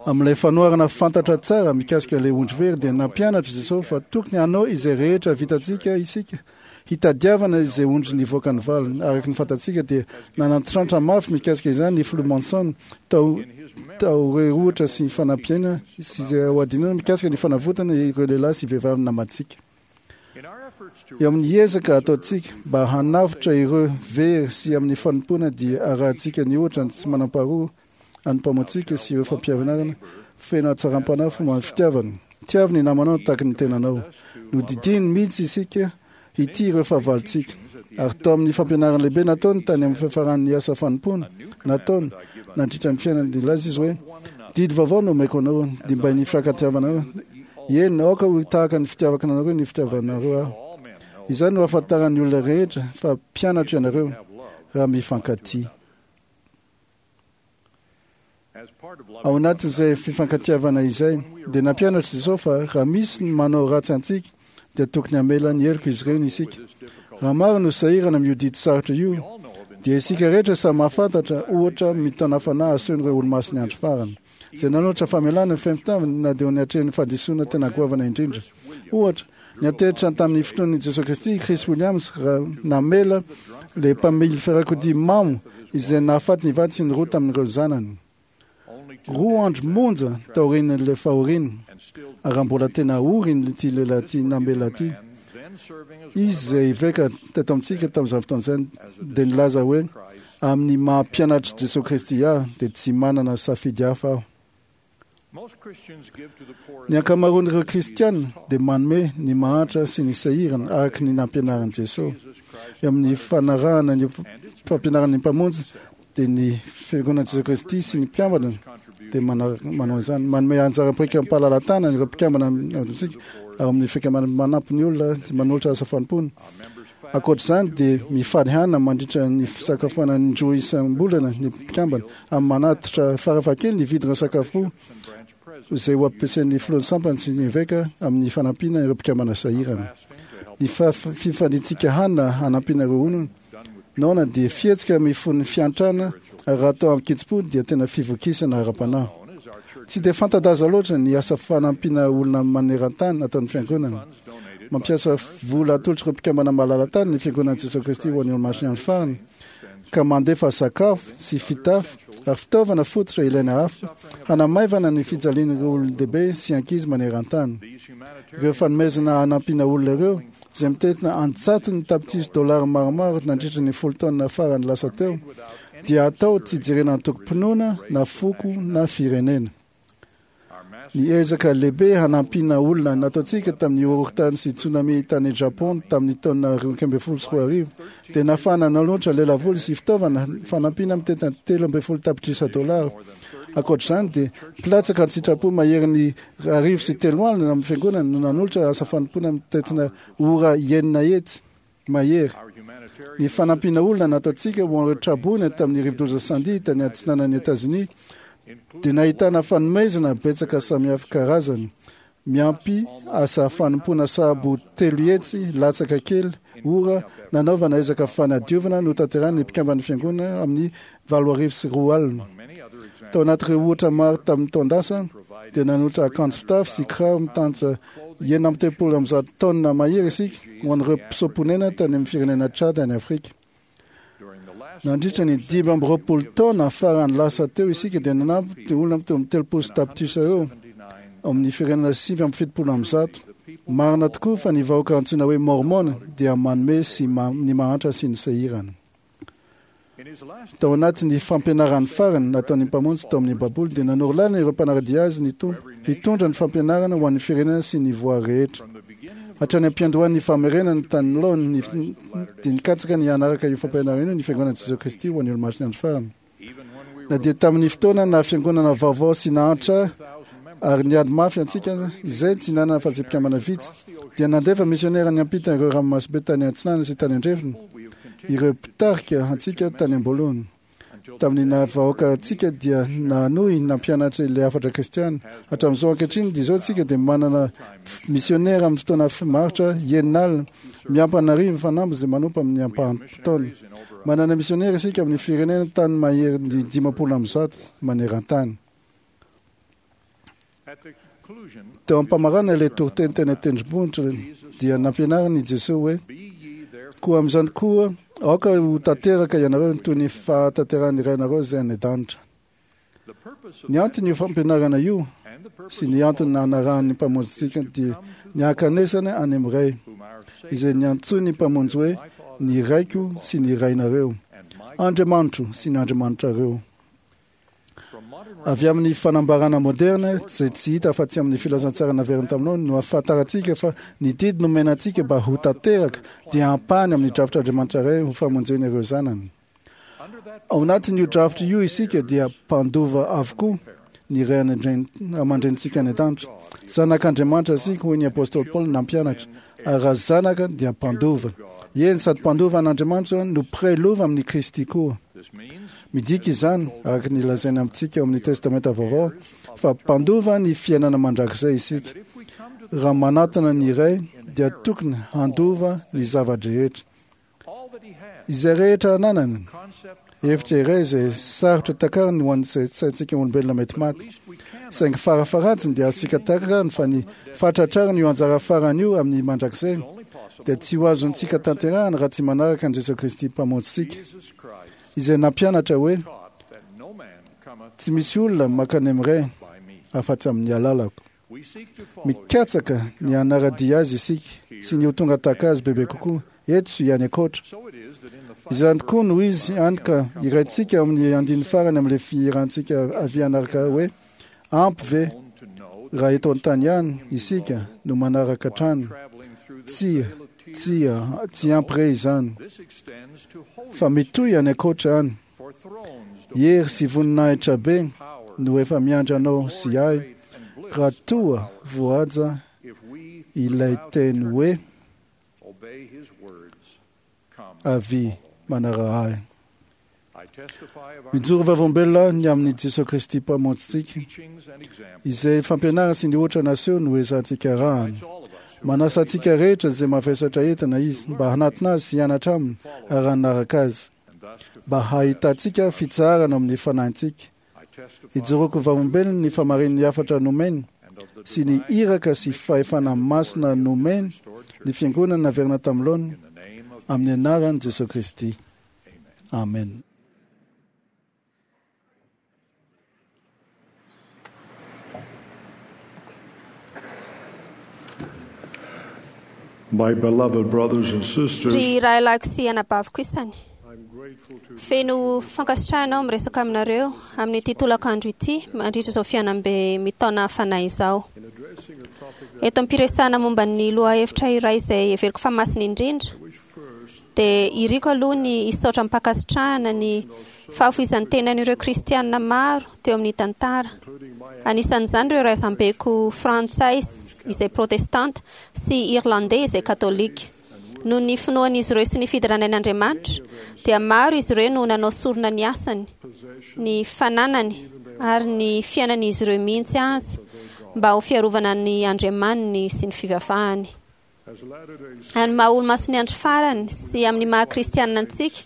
Amin'ilay fanoharana fantatra tsara mikasika ilay ondry very dia nampianatra Jesosy fa tokony hanao izay rehetra vitantsika isika hitadiavana izay ondry nivoaka ny valiny. Araka ny fantatsika dia nanantrantra mafy mikasika izany ny filoha Monson tao taoreohatra sy fanampiana sy izay ho adinoina mikasika ny fanavotana ireo lehilahy sy vehivavy namantsika. Eo amin'ny ezaka ataontsika mba hanavotra ireo very sy amin'ny fanompoana dia arahantsika ny ohatra ny tsy manam-paharoa an'ny Mpamontsika sy ireo fampianarana feno hatsaram-panahy fomba fitiavana. Tiavo ny namanao tahaka ny tenanao. Nodidiany mihitsy isika hitia ireo fahavalontsika. Ary tao amin'ny fampianarana lehibe nataony tany amin'ny fiafaran'ny asa fanompoana nataony nandritra ny fiainany dia nilaza izy hoe, Didy vaovao no omeko anareo, dia mba ny fifankatiavanareo. Eny, aoka ho tahaka ny fitiavako anareo ny fitiavanareo ahy. Izany no ahafantaran'ny olona rehetra fa mpianatro ianareo, raha mifankatia. Ao anatin'izay fifankatiavana izay, dia nampianatra Jesosy fa raha misy ny manao ratsy antsika, dia tokony hamela ny heloka izy ireny isika. Raha maro no sahirana amin'io didy sarotra io, dia isika rehetra samy mahafantatra ohatra mitaona fanahy asehon'ireo olomasin'ny andro farany, izay nanolotra famelana ny feno fitiavana na dia eo anatrehan'ny fahadisoana tena goavana indrindra. Ohatra, Niantehitra tamin'ny finoan'i Jesoa Kristy i Chris Williams raha namela ilay mpamily fiarakodia mamo izay nahafaty ny vady sy ny roa tamin'ireo zanany. Roa andro monja taorian'ilay fahoriana, ary raha mbola tena ory ity lehilahy ity namela ity, izy izay eveka teto amintsika tamin'izany fotoana izany dia nilaza hoe, Amin'ny maha mpianatr'i Jesoa Kristy ahy dia tsy manana safidy hafa aho. Ny ankamaroan'ireo Kristiana dia manome ny mahantra sy ny sahirana araka ny nampianarin'i Jesosy. Eo amin'ny fanarahana ny fampianaran'ny Mpamonjy dia ny Fiangonan'i Jesosy Kristy sy ny mpiambana dia manao izany. Manome anjara biriky amim-pahalalan-tanana ireo mpikambana amintsika ao amin'ny fikambanana manampy ny olona manolotra asa fanompoana. Ankoatra izany dia mifaly hanina mandritra ny fisakafoanana indroa isam-bolana ny mpikambana amin'ny manatitra farafahakeliny ny vidin'ireo sakafo izay ho ampiasain'ny filohan'ny sampana sy ny eveka amin'ny fanampiana ireo mpikambana sahirana. Ny fifaliantsika hanina hanampiana ireo olona noana dia fihetsika mifono fiantrana ary raha atao amin-kitsim-po dia tena fivokisana ara-panahy. Tsy dia fanta-daza loatra ny asa fanampiana olona maneran-tany ataon'ny fiangonana. Mampiasa vola atolotr'ireo mpikambana malala-tany ny Fiangonan'i Jesoa Kristy ho an'ny Olomasin'ny Andro Farany, ka mandefa sakafo sy fitafy ary fitaovana fototra ilaina hafa hanamaivana ny fijalian'ireo olon-dehibe sy ankizy maneran-tany. Ireo fanomezana hanampiana olona ireo, izay mitentina an-tsatony tapitrisa dolara maromaro nandritra ny folo taona farany lasa teo, dia atao tsy jerena antokom-pinoana na foko na firenena. Ny ezaka lehibe hanampiana olona nataontsika tamin'ny horohorontany sy tsunami tany Japon tamin'ny taona 2012 dia nahafahana nanolotra lelavola sy fitaovana fanampiana mitentina 13 tapitrisa dolara. Ankoatra izany dia mpilatsaka an-tsitrapo maherin'ny 1030 amin'ny fiangonana no nanolotra asa fanompoana mitentina ora 600 mahery. Ny fanampiana olona nataontsika ho an'ireo traboina tamin'ny rivodoza Sandy tany atsinanan'i Etazonia dia nahitana fanomezana betsaka samihafa karazany, miampy asa fanompoana sahabo 300 latsaka kely ora nanaovana ezaka fanadiovana notanterahin'ny mpikamban'ny fiangonana amin'ny 2008. Tao anatin'ireo ohatra maro tamin'ny taon-dasa dia nanolotra akanjo fitafy sy kiraro mitantsa 136 taonina mahery isika ho an'ireo mpisoa-ponena tany amin'ny firenena Tchad any Afrika. Nandritra ny 25 taona farany lasa teo isika dia nanampy olona teo amin'ny 30 tapitrisa eo amin'ny firenena 179. Marina tokoa fa ny vahoaka antsoina hoe Mormon dia manome sy ny mahantra sy ny sahirana. Tao anatin'ny fampianarany farany nataon'ny Mpamonjy tao amin'ny Baiboly dia nanoro lalana ireo mpanara-dia azy ny Tompo hitondra ny fampianarana ho an'ny firenena sy ny voary rehetra. Hatrany am-piandohan'ny famerenana tany laoniny dia nikatsaka ny hanaraka io fampianarana io ny Fiangonan'i Jesoa Kristy ho an'ny Olomasin'ny Andro Farany. Na dia tamin'ny fotoana naha fiangonana vaovao sy nahantra ary niady mafy antsika aza, izay tsy nanana afa-tsy mpikambana vitsy, dia nandefa misionera niampita ireo ranomasimbe tany atsinanana sy tany andrefana ireo mpitarika antsika tany am-boalohany. Tamin'ny naha vahoaka antsika dia nanohy nampianatra ilay hafatra kristiana. Hatramin'izao ankehitriny dia izao tsika dia manana misionera amin'ny fotoana maharitra 60 miampy an'arivo fanamby izay manompo amin'ny ampaham-potoana. Manana misionera isika amin'ny firenena tany maherin'ny 150 maneran-tany. Teo am-pamarana ilay toriteny teny an-tendrombohitra dia nampianarin'i Jesoa hoe: Koa amin'izany koa aoka ho tanteraka ianareo toy ny fahatanterahan'ny Rainareo izay any an-danitra. Ny anton'io fampianarana io sy ny antony nanarahan'ny Mpamonjintsika dia ny hankanesana any amin'ny Ray, izay niantsoin'ny Mpamonjy hoe ny Raiko sy ny Rainareo, Andriamanitro sy ny Andriamanitrareo. Avy amin'ny fanambarana moderna izay tsy hita afa-tsy amin'ny filazantsara naverina taminao no ahafantarantsika fa ny didy nomena antsika mba ho tanteraka dia ampahany amin'ny drafitr'Andriamanitra Ray ho famonjena ireo zanany. Ao anatin'io drafitra io isika dia mpandova avokoa ny ray aman-drenintsika any an-danitra. Zanak'Andriamanitra isika, hoy ny apostoly Paoly nampianatra, ary raha zanaka dia mpandova. Eny, sady mpandova an'Andriamanitra no mpiray lova amin'i Kristy koa. Midika izany, araka ny lazaina amintsika ao amin'ny Testamenta Vaovao, fa mpandova ny fiainana mandrakizay isika. Raha manatona ny Ray, dia tokony handova ny zava-drehetra. Izay rehetra ananany. Hevitra iray izay sarotra takariny ho an'ny saintsika olombelona mety maty. Saingy farafaharatsiny dia azontsika takarina fa ny fahatratrarana io anjara farany io amin'ny mandrakizay dia tsy ho azontsika tanterahana raha tsy manaraka an'i Jesoa Kristy Mpamonjintsika, izay nampianatra hoe, Tsy misy olona mankany amin'ny Ray afa-tsy amin'ny alalako. Mikatsaka ny hanara-dia Azy isika sy ny ho tonga tahaka Azy bebe kokoa, eto sy any ankoatra. Izany tokoa no izy, hany ka hiraintsika ao amin'ny andininy farany amin'ilay fihirantsika avia hanaraka hoe, Ampy ve raha eto an-tany ihany isika no manaraka hatrany? Tsia, tsia, tsy ampy re izany. Fa mitohy any ankoatra any. Hery sy voninahitra be no efa miandry anao sy ahy raha toa voahaja ilay teny hoe avia manaraha ahy. Mijoro vavolombelona ny amin'i Jesosy Kristy Mpamonjintsika, izay fampianarana sy ny ohatra naseho no ezahantsika arahana. Manasa antsika rehetra izay mavesatra entana izy mba hanatona azy sy hianatra aminy ary hanaraka azy, mba hahitantsika fitsaharana amin'ny fanahintsika. Ijoroako vavolombelona ny famarin'ny hafatra nomeny sy ny iraka sy fahefana masina nomeny ny fiangonana naverina tamin'ny laoniny amin'ny anaran'i Jesosy Kristy. Amen. My beloved brothers and sisters, Ry rahalahiko sy anabaviko isany, I'm grateful to feno fankasitrahana aho miresaka aminareo amin'ity tolakandro ity mandritra izao fihaonambe mitaona fanahy izao. in addressing a topic that Eto am-piresahana momba ny lohahevitra iray izay heveriko fa masina indrindra, I wish first dia iriko aloha ny hisaotra am-pankasitrahana ny fahafoizan'ny tenan'ireo kristianina maro teo amin'ny tantara. including my Anisan'izany ireo razambeko frantsay izay protestanta sy irlandais izay katolika. Noho ny finoan'izy ireo sy ny fiderana an'Andriamanitra, dia maro izy ireo no nanao sorona ny asany, possession ny fananany ary ny fiainan'izy ireo mihitsy azy mba ho fiarovana ny Andriamaniny sy ny fivavahany. as Latter-day Saints Amin'ny maha olo-mason'ny andro farany sy amin'ny maha kristianina antsika,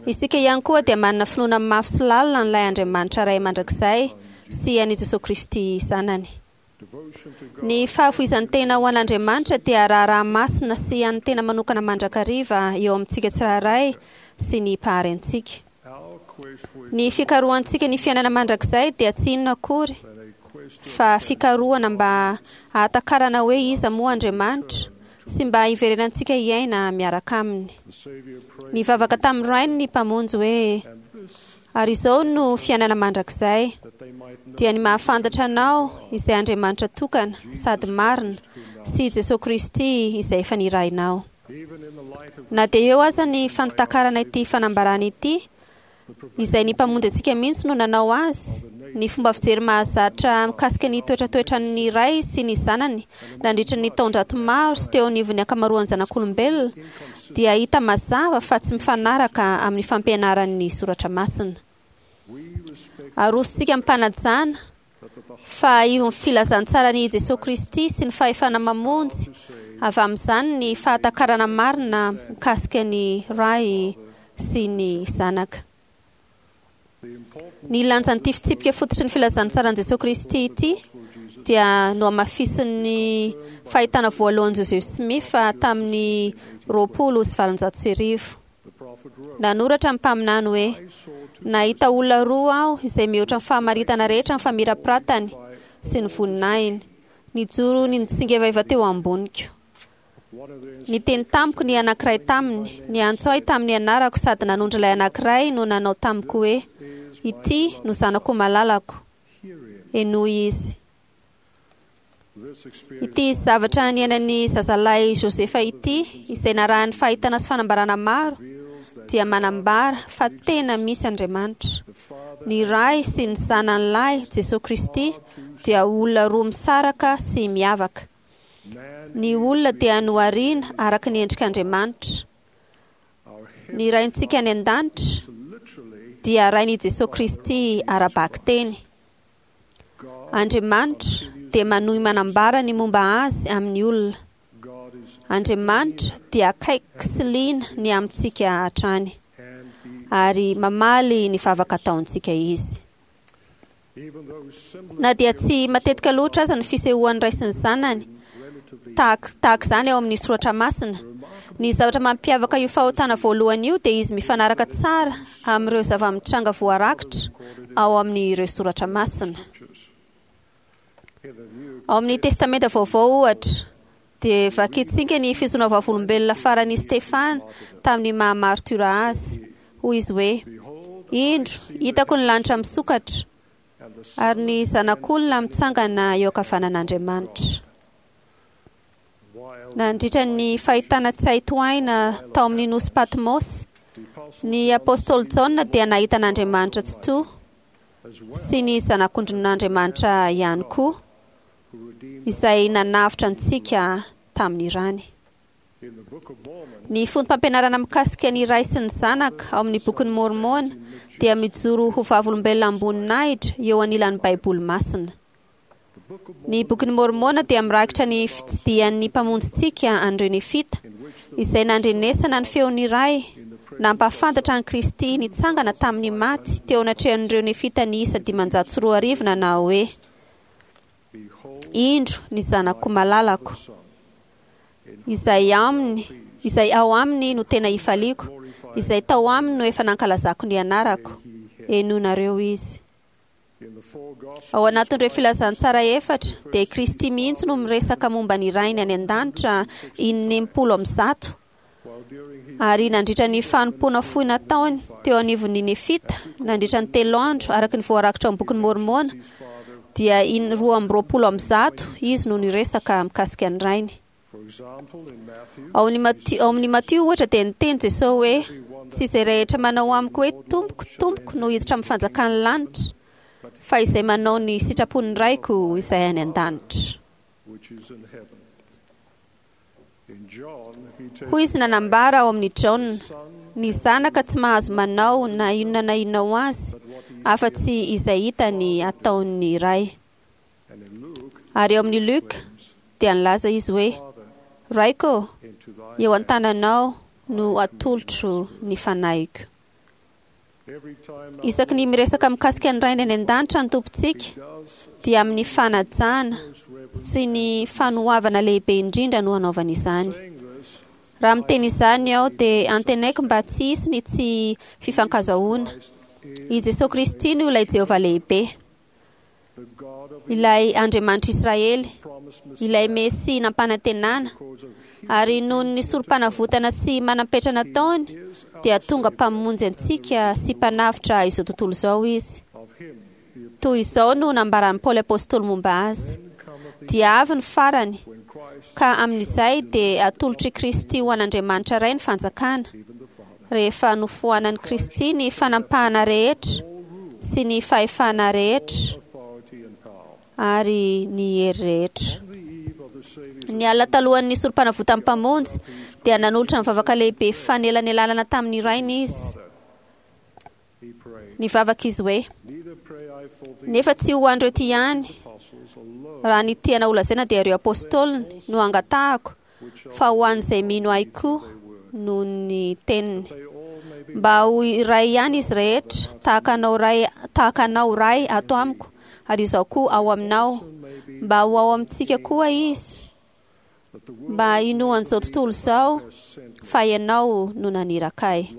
isika ihany koa dia manana finoana mafy sy lalina an'ilay Andriamanitra Ray mandrakizay sy an'i Jesosy Kristy zanany. devotion to God Ny fahafoizan'ny tena ho an'Andriamanitra dia raharaha masina sy an'ny tena manokana mandrakariva eo amintsika tsirairay sy ny mpahary antsika. our quest for Ny fikarohantsika ny fiainana mandrakizay dia tsy inona akory than a quest to fa fikarohana mba hahatakarana hoe iza moa Andriamanitra sy mba hiverenantsika hiaina miaraka aminy. the Savior prayed Nivavaka tamin'ny rainy ny mpamonjy hoe and this ary izao no fiainana mandrakizay that they might know dia ny mahafantatra anao izay Andriamanitra tokana sady marina sy Jesosy Kristy izay efa nirahinao. even in the light of Na dia eo aza ny fantakarana ity fanambarana ity, izay ny mpamonjy antsika mihitsy no nanao azy, ny fomba fijery mahazatra mikasika ny toetratoetran'ny ray sy ny zanany nandritra ny taonjato maro sy teo anivon'ny ankamaroan'ny zanak'olombelona dia hita mazava fa tsy mifanaraka amin'ny fampianaran'ny soratra masina. we respect Arosontsika am-panajana that at the fa ivon'ny filazantsaran'i Jesosy Kristy sy ny fahefana mamonjy avy amin'izany ny fahatakarana marina mikasika ny ray sy ny zanaka. the important Ny lanjan'ity fitsipika fototry ny filazantsaran'i Jesosy Kristy ity dia nohamafisin'ny fahitana voalohan'i Joseph Smith tamin'ny 1820. the prophet wrote Nanoratra ny mpaminany hoe I saw two nahita olona roa aho izay mihoatra ny fahamaritana rehetra ny famirapiratany sy ny voninahiny. Nijoro ny nitsingevaiva teo amboniko. one of the Niteny tamiko ny anankiray taminy, niantso ahy tamin'ny anarako sady nanondro ilay anankiray no nanao tamiko hoe ity no zanako malalako, hear him henoy izy. this experience Ity zavatra niainan'ny zazalahy Josefa ity, izay narahan'ny fahitana sy fanambarana maro, reveals that dia manambara fa tena misy Andriamanitra. the Father Ny Ray sy ny zanany lahy, Jesosy Kristy, dia olona roa misaraka sy miavaka. man Ny olona dia nohariana araka ny endrik'Andriamanitra. our Ny raintsika any an-danitra is literally dia rain'i Jesosy Kristy ara-bakiteny. God Andriamanitra dia manohy manambara ny momba azy amin'ny olona. God is Andriamanitra dia akaiky sy liana ny amintsika hatrany and he ary mamaly ny vavaka ataontsika izy. even though similar Na dia tsy matetika loatra aza ny fisehoan'ny ray sy ny zanany relatively tahaka izany ao amin'ny soratra masina, ny zavatra mampiavaka io fahotana voalohany io dia izy mifanaraka tsara amin'ireo zava-mitranga voarakitra ao amin'ireo soratra masina. scriptures in the new Ao amin'ny Testamenta Vaovao ohatra, dia vakintsika ny fizoana vavolombelona faran'i Stefana tamin'ny maha martyra azy. Hoy izy hoe: behold Indro, hitako ny lanitra misokatra and the ary ny zanak'olona mitsangana eo ankavanan'Andriamanitra. while Nandritra ny fahitana tsy hay tohaina tao amin'ny nosy Patmos, Ny apôstôly Jaona dia nahita an'Andriamanitra Tsitoha sy ny Zanak'ondrin'Andriamanitra ihany koa, izay nanavotra antsika tamin'ny rany. Ny foto-pampianarana mikasika ny Ray sy ny Zanaka ao amin'ny Bokin'i Môrmôna dia mijoro ho vavolombelona am-boninahitra eo anilan'ny Baiboly Masina. Ny Bokin'i Môrmôna dia mirakitra ny fitsidihan'ny Mpamonjintsika an'ireo Nefita, izay nandrenesana ny feon'ny Ray nampahafantatra an'i Kristy nitsangana tamin'ny maty teo anatrehan'ireo Nefita niisa 2500 nanao hoe, Indro ny Zanako malalako, izay aminy, izay ao aminy no tena ifaliako, izay tao aminy no efa nankalazako ny anarako. Henoinareo izy. Ao anatin'ireo filazantsara efatra, dia i Kristy mihitsy no miresaka momba ny Rainy any an-danitra in-160. Ary nandritra ny fanompoana fohy nataony teo anivon'ny Nefita, nandritra ny telo andro, araka ny voarakitra ao amin'ny Bokin'i Môrmôna, dia in-122 izy no niresaka mikasika ny Rainy. Ao amin'ny Matio, ohatra, dia niteny Jesosy hoe, Tsy izay rehetra manao amiko hoe, Tompoko, Tompoko, no hiditra amin'ny fanjakan'ny lanitra, fa izay manao ny sitrapon'ny Raiko izay any an-danitra. Hoy izy nanambara ao amin'ny Jaona, Ny Zanaka tsy mahazo manao na inona na inona ho azy, afa-tsy izay hitany ataon'ny Ray. Ary ao amin'ny Luka dia nilaza izy hoe, Raiko ô, eo an-tananao no atolotro ny fanahiko. Isaky ny miresaka mikasika ny Rainy any An-danitra ny Tompontsika, dia amin'ny fanajana sy ny fanoavana lehibe indrindra no anaovany izany. Raha miteny izany aho, dia antenaiko mba tsy hisy ny tsy fifankazahoana. I Jesoa Kristy no ilay Jehovah lehibe. Ilay Andriamanitr'i Israely, ilay Mesia nampanantenana, ary noho ny sorompanavotana tsy manam-petra nataony, dia tonga Mpamonjy antsika sy Mpanavotra izao tontolo izao Izy. Toy izao no nambaran'i Paoly Apostoly momba Azy, Dia avy ny farany, ka amin'izay dia atolotr'i Kristy ho an'Andriamanitra Ray ny fanjakana, rehefa nofoanan'i Kristy ny fanampahana rehetra sy ny fahefana rehetra ary ny hery rehetra. Ny alina talohan'ny Sorompanavotan'ny Mpamonjy, dia nanolotra ny vavaka lehibe fanelanelanana tamin'ny Rainy Izy. Nivavaka Izy hoe, Nefa tsy ho an'ireo ity ihany, raha ny tiana holazaina dia ireo Apôstôliny, no angatahako, fa ho an'izay mino Ahy koa noho ny teniny. Mba ho iray ihany izy rehetra, tahaka Anao Ray, tahaka Anao Ray ato amiko, ary Izaho koa ao aminao, mba ho ao amintsika koa izy, mba hinoan'izao tontolo izao fa Ianao no naniraka Ahy.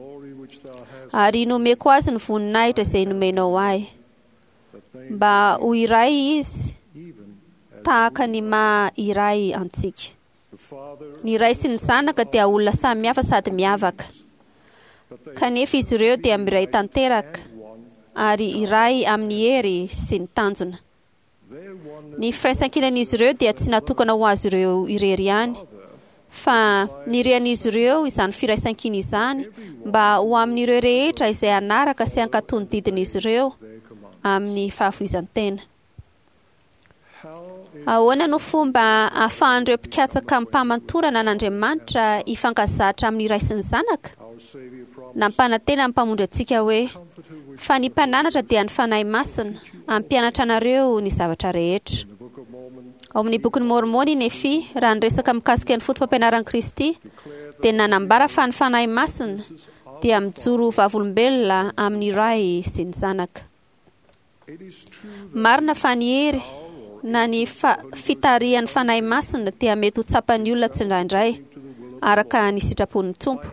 Ary nomeko azy ny voninahitra izay nomenao Ahy, mba ho iray izy, tahaka ny maha iray antsika. Ny Ray sy ny Zanaka dia olona samy hafa sady miavaka. Kanefa izy ireo dia miray tanteraka ary iray amin'ny hery sy ny tanjona. Ny firaisankinan'izy ireo dia tsy natokana ho azy ireo irery ihany, fa nirian'izy ireo izany firaisankina izany mba ho amin'ireo rehetra izay hanaraka sy hankatò ny didin'izy ireo amin'ny fahafoizan-tena. Ahoana no fomba ahafahan'ireo mpikatsaka amim-pahamantorana an'Andriamanitra hifankazatra amin'ny Ray sy ny Zanaka? Nampanantena ny Mpamonjy antsika hoe, Fa ny Mpananatra dia ny Fanahy Masina, hampianatra anareo ny zavatra rehetra. Ao amin'ny Bokin'i Môrmôna i Nefia, raha niresaka mikasika ny fotopampianaran'i Kristy, dia nanambara fa ny Fanahy Masina dia mijoro ho vavolombelona amin'ny Ray sy ny Zanaka. Marina fa ny hery na ny fitarihan'ny Fanahy Masina dia mety ho tsapan'ny olona tsindraindray, araka ny sitrapon'ny Tompo,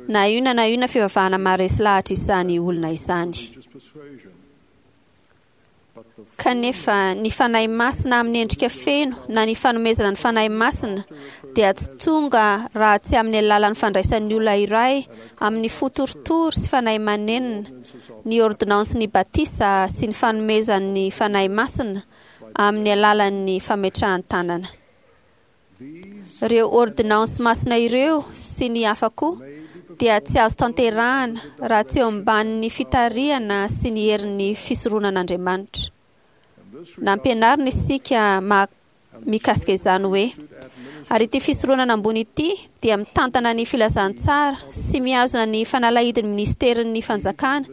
na inona na inona fivavahana maharesy lahatra izany olona izany. Kanefa, ny Fanahy Masina amin'ny endrika feno na ny fanomezana ny Fanahy Masina dia tsy tonga raha tsy amin'ny alalan'ny fandraisan'ny olona iray amin'ny fo torotoro sy fanahy manenina ny ôrdônansin'ny batisa sy ny fanomezan'ny Fanahy Masina amin'ny alalan'ny fametrahan-tanana. Ireo ôrdônansy masina ireo sy ny hafa koa dia tsy azo tanterahana raha tsy eo ambanin'ny fitarihana sy ny herin'ny fisoronan'Andriamanitra. Nampianarina isika mikasika izany hoe ary ity fisoronana ambony ity dia mitantana ny filazantsara sy mihazona ny fanalahidin'ny ministerin'ny fanjakana,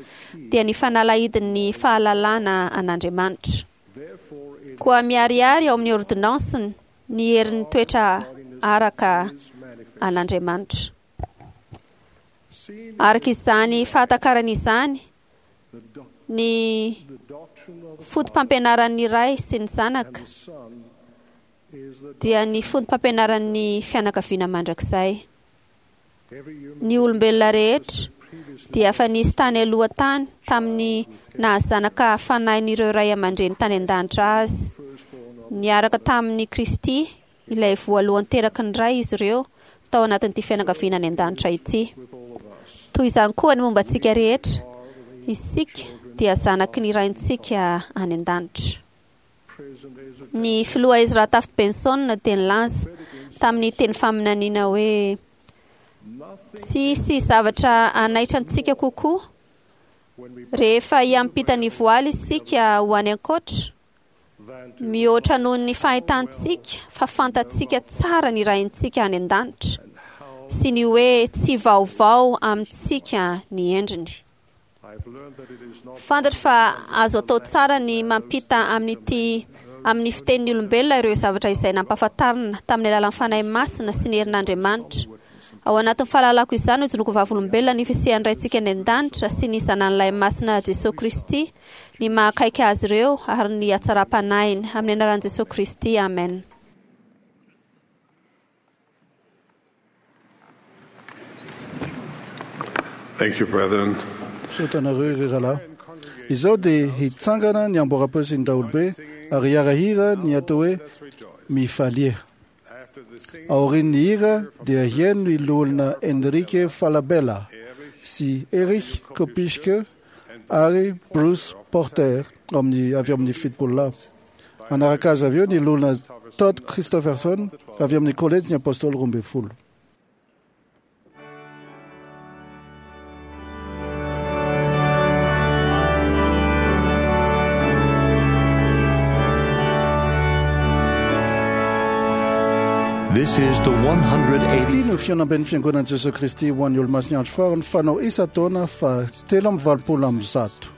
dia ny fanalahidin'ny fahalalana an'Andriamanitra. Koa miharihary ao amin'ny ordinansiny ny herin'ny toetra araka an'Andriamanitra. Araka izany fahatakarana izany, ny foto-pampianaran'ny Ray sy ny Zanaka dia ny foto-pampianaran'ny fianakaviana mandrakizay. Ny olombelona rehetra dia efa nisy tany aloha tany tamin'ny nahazanaka fanahin'ireo ray aman-dreny tany an-danitra azy. Niaraka tamin'i Kristy, ilay voalohany teraky ny Ray izy ireo tao anatin'ity fianakaviana any an-danitra ity. Toy izany koa ny momba antsika rehetra, isika dia zanaky ny Raintsika any an-danitra. Ny filoha Ezra Taft Benson dia nilaza tamin'ny teny faminaniana hoe, Tsy hisy zavatra hanaitra antsika kokoa rehefa hiampita ny voaly isika ho any ankoatra, mihoatra noho ny fahitantsika fa fantatsika tsara ny Raintsika any an-danitra sy ny hoe tsy vaovao amintsika ny endriny. Fantatro fa azo atao tsara ny mampita amin'ity amin'ny fitenin'ny olombelona ireo zavatra izay nampahafantarina tamin'ny alalan'ny Fanahy Masina sy ny herin'Andriamanitra. Ao anatin'ny fahalalako izany no ijoroako vavolombelona ny fisian'ny Raintsika any An-danitra sy ny Zanany Lahy Masina Jesoa Kristy, ny maha akaiky Azy ireo ary ny hatsaram-panahiny. Amin'ny anaran'i Jesoa Kristy, amen. Thank you, brethren. Misaotra anareo ry rahalahy. Izao dia hitsangana ny amboaram-peo sy ny daholobe ary hiara-hira ny atao hoe Mifalia. Aorian'ny hira dia hihaino ny loholona Enrique Falabella sy Erich Kopischke ary Bruce Porter amin'ny avy amin'ny Fitbollah. Hanaraka azy avy eo ny loholona Todd Christofferson avy amin'ny Kolejin'ny Apôstôly 12. This is the 180. Ity no fihaonamben'ny Fiangonan'i Jesoa Kristy ho an'ny Olomasin'ny Andro Farany fanao isan-taona faha 183.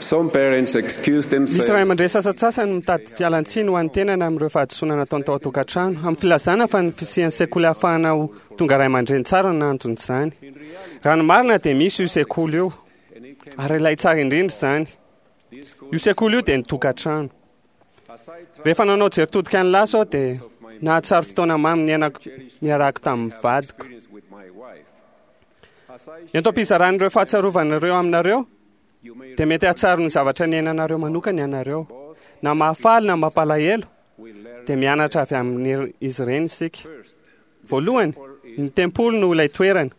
Some parents excuse Misy themselves ray aman-dreny sasantsasany mitady fialan-tsiny ho an'ny tenany amin'ireo fahadisoana nataony tao an-tokantrano, amin'ny filazana fa ny fisian'ny sekoly ahafahana ho tonga ray aman-dreny tsara no anton'izany. Raha ny marina dia misy io sekoly io, ary ilay tsara indrindra izany. Io sekoly io dia ny tokantrano. Rehefa nanao jery todika ny lasa aho dia nahatsiaro fotoana mamy niainako niarahako tamin'ny vadiko. Ento am-pizaran'ireo fahatsiarovana ireo aminareo dia mety hahatsiaro ny zavatra niainanareo manokana ianareo. Na mahafaly na mampalahelo dia mianatra avy amin'izy ireny isika. Voalohany, ny tempoly no ilay toerana.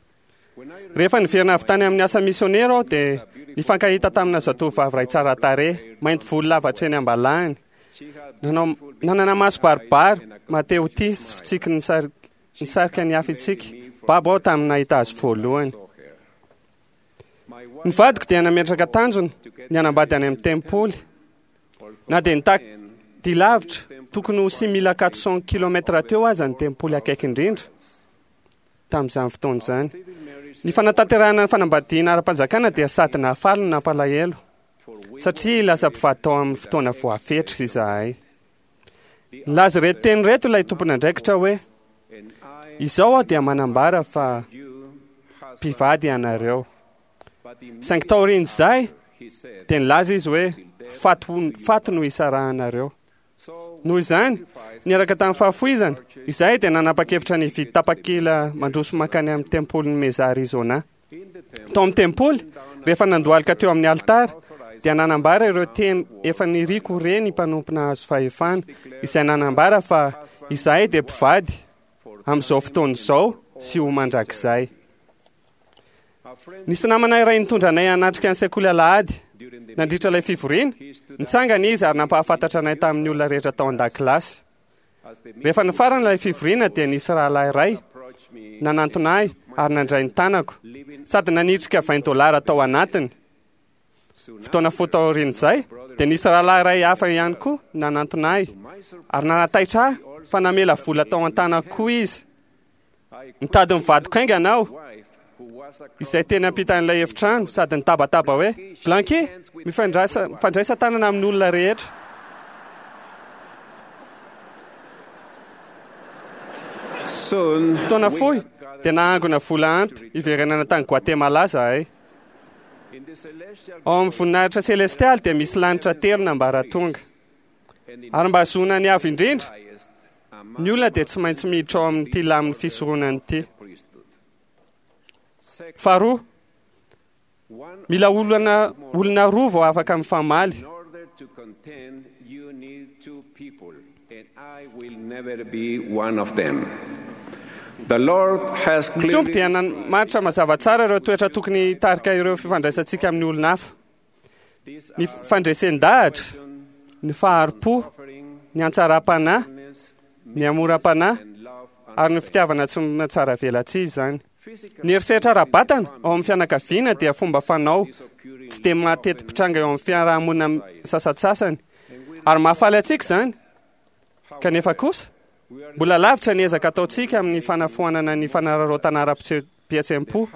Rehefa niverina avy tany amin'ny asa misionera aho dia nifankahita tamina zatovovavy iray tsara tarehy, mainty volo lava hatreny am-balahany. Nanao nanana maso baribary, mahatehotia sy fitsiky nisarika ny hafa itsika. Babo aho tamin'ny nahita azy voalohany. Ny vadiko dia nametraka tanjona ny hanambady any amin'ny tempoly. Na dia nitaky dia lavitra, tokony ho 6400 kilomètres teo aza ny tempoly akaiky indrindra tamin'izany fotoana izany. Ny fanatanterahana ny fanambadiana ara-panjakana dia sady nahafaly no nampalahelo, satria lasa mpivady tao amin'ny fotoana voafetra izahay. Nilaza ireto teny ireto ilay tompon'andraikitra hoe: Izao aho dia manambara fa mpivady ianareo. Saingy taorian'izay dia nilaza izy hoe faty no hisarahanareo. Noho izany, niaraka tamin'ny fahafoizana, izahay dia nanapa-kevitra ny hividy tapakila mandroso mankany amin'ny tempolin'i Mesa Arizona. Tao amin'ny tempoly, rehefa nandohalika teo amin'ny alitara, dia nanambara ireo teny efa niriko ho re ny mpanompo nahazo fahefana, izay nanambara fa izahay dia mpivady amin'izao fotoana izao sy ho mandrakizay. Nisy namana iray nitondra anay hanatrika ny sekoly alahady. Nandritra ilay fivoriana, nitsangana izy ary nampahafantatra anay tamin'ny olona rehetra tao an-dakilasy. Rehefa nifarana ilay fivoriana dia nisy rahalahy iray nanantona ahy ary nandray ny tanako, sady nanitrika vingt dollars tao anatiny. Fotoana fohy taorian'izay dia nisy rahalahy iray hafa ihany koa nanantona ahy ary nanataitra ahy fa namela vola tao an-tanako koa izy. Nitady ny vadiko haingana aho, izay teny ampitan'ilay efitrano, sady nitabataba hoe, Blanqui, mifandraisa, mifandraisa tanana amin'ny olona rehetra. Fotoana fohy dia nahangona vola ampy hiverenana tany Guatemala izahay. Ao amin'ny voninahitra selestialy dia misy lanitra telo nambaratonga. Ary mba hahazoana ny avo indrindra, ny olona dia tsy maintsy miditra ao amin'ity lamin'ny fisoronana ity. Faharoa, mila olona olona roa vao afaka mifamaly. Ny Tompo dia namaritra mazava tsara ireo toetra tokony hitarika ireo fifandraisantsika amin'ny olona hafa. Ny fandresen-dahatra, ny fahari-po, ny hatsaram-panahy, ny hamoram-panahy ary ny fitiavana tsy mihatsaravelatsihy izany. Ny herisetra ara-batana ao amin'ny fianakaviana dia fomba fanao tsy dia mateti-pitranga eo amin'ny fiarahamonina sasantsasany ary mahafaly antsika izany. Kanefa kosa, mbola lavitra ny ezaka ataontsika amin'ny fanafoanana ny fanararaotana ara-pihetseham-po.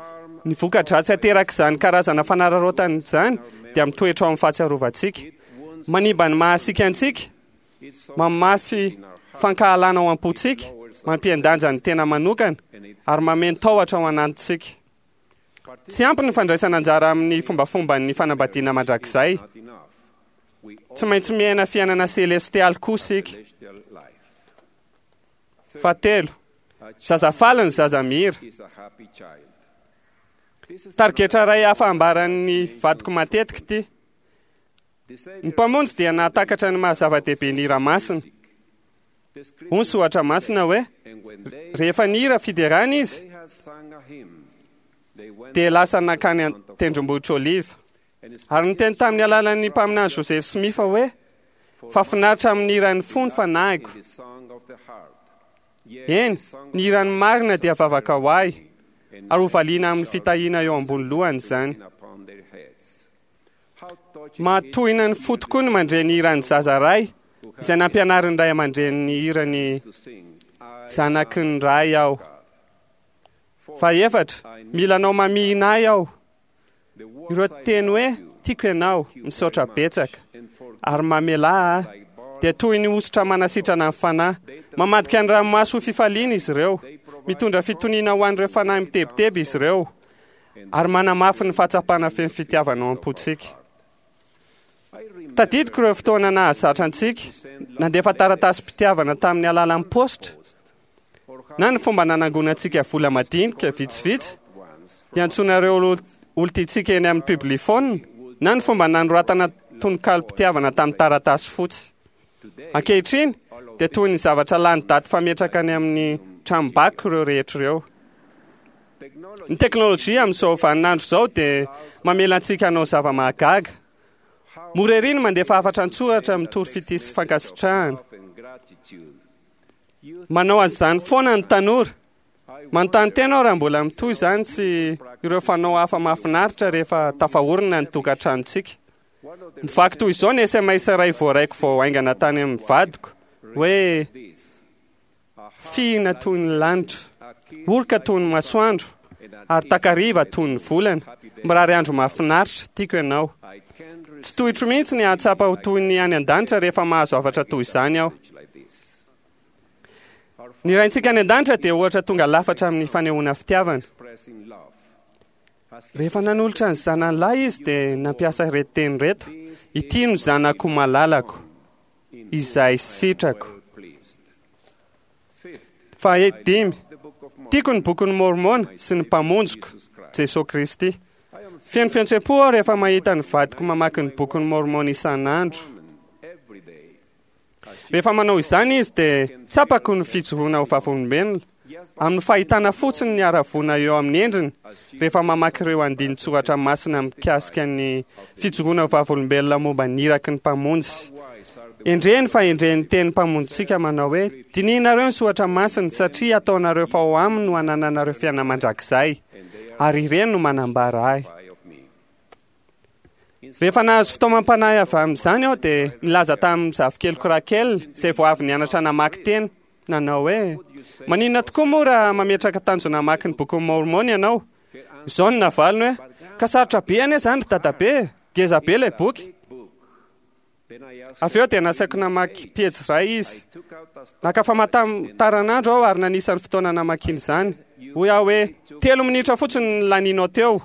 Ny voka-dratsy aterak'izany karazana fanararaotana izany dia mitoetra ao amin'ny fahatsiarovantsika. Manimba ny maha-isika antsika, mamafy fankahalana ao am-pontsika, mampihen-danja ny tena manokana, ary mameno tahotra ao anatintsika. Tsy ampy ny fandraisana anjara amin'ny fombafomban'ny fanambadiana mandrakizay. Tsy maintsy miaina fiainana selestialy koa isika. Fahatelo, zaza faly ny zaza mihira. Tarigetra iray hafa ambaran'ny vadiko matetika ity. Ny Mpamonjy dia nahatakatra ny maha zava-dehibe ny hira masina. Hoy ny soratra masina hoe, rehefa nihira fiderana izy, dia lasa nankany an-tendrombohitra Oliva. Ary niteny tamin'ny alalan'ny mpaminany Joseph Smith hoe, fa finaritra amin'ny hiran'ny fo ny fanahiko. Eny, ny hiran'ny marina dia vavaka ho ahy, ary hovaliana amin'ny fitahiana eo ambony lohany izany. Mahatohina ny fo tokoa ny mandre ny hiran'ny zaza ray izay nampianarin'ny ray aman-dreniny ny hirany Zanaky ny Ray aho. Fahefatra, mila anao mamihina ahy aho. Ireo teny hoe Tiako ianao, misaotra betsaka, ary mamelà ahy, dia toy ny hosotra manasitrana ny fanahy. Mamadika ny ranomaso ho fifaliana izy ireo. Mitondra fitoniana ho an'ireo fanahy mitebiteby izy ireo, ary manamafy ny fahatsapana feno fitiavana ao am-pontsika. Tadidiko ireo fotoana nahazatra antsika, nandefa taratasim-pitiavana tamin'ny alalan'ny paositra, na ny fomba nanangonantsika vola madinika vitsivitsy hiantsoana ireo olon-tiantsika eny amin'ny publiphone, na ny fomba nanoratana tononkalom-pitiavana tamin'ny taratasy fotsy. Ankehitriny, dia toy ny zavatra lany daty fametraka any amin'ny tranombakoka ireo rehetra ireo. Ny teknolojia amin'izao vaninandro izao dia mamela antsika hanao zava-mahagaga. Mora ery ny mandefa hafatra an-tsoratra mitory fitia sy fankasitrahana. Manao an'izany foana ny tanora. Manontany tena aho raha mbola mitohy izany sy ireo fanao hafa mahafinaritra rehefa tafaorina ny tokantranontsika. Mivaky toy izao ny sms iray voaraiko vao haingana tany amin'ny vadiko, hoe, Fihina toy ny lanitra, oroka toy ny masoandro, ary takariva toy ny volana. Mirary andro mahafinaritra, tiako ianao. Tsy tohitro mihitsy ny hahatsapa ho toy ny any an-danitra rehefa mahazo hafatra toy izany aho. Ny Raintsika any an-danitra dia ohatra tonga lafatra amin'ny fanehoana fitiavana. Rehefa nanolotra ny zanany lahy izy dia nampiasa ireto teny ireto, Ity no zanako malalako, izay sitrako. Fahadimy, tiako ny Bokin'i Môrmôna sy ny Mpamonjiko, Jesoa Kristy. Feno fihetseham-po aho rehefa mahita ny vadiko mamaky ny Bokin'i Môrmôna isan'andro. Rehefa manao izany izy dia tsapako ny fijoroana ho vavolombelona, amin'ny fahitana fotsiny ny haravoana eo amin'ny endriny rehefa mamaky ireo andinin-tsoratra masina mikasika ny fijoroana ho vavolombelona momba ny iraky ny Mpamonjy. Endrey ny fahendren'ny teny Mpamonjintsika manao hoe, Dinihinareo ny soratra masina, satria ataonareo fa ao aminy no anananareo fiainana mandrakizay, ary ireny no manambara Ahy. Rehefa nahazo fitaomam-panahy avy amin'izany aho dia nilaza tamin'ny zafikeliko Raquel, izay vao avy nianatra namaky teny, nanao hoe, Maninona tokoa moa raha mametraka tanjona hamaky ny Bokin'i Môrmôna ianao? Izao no navaliny hoe, Ka sarotra be anie izany ry dadabe e! Ngeza be ilay boky! Avy eo dia nasaiko namaky pejy iray izy. Naka famantaranandro aho ary nanisa ny fotoana namakiany izany. Hoy aho hoe, Telo minitra fotsiny no laninao teo,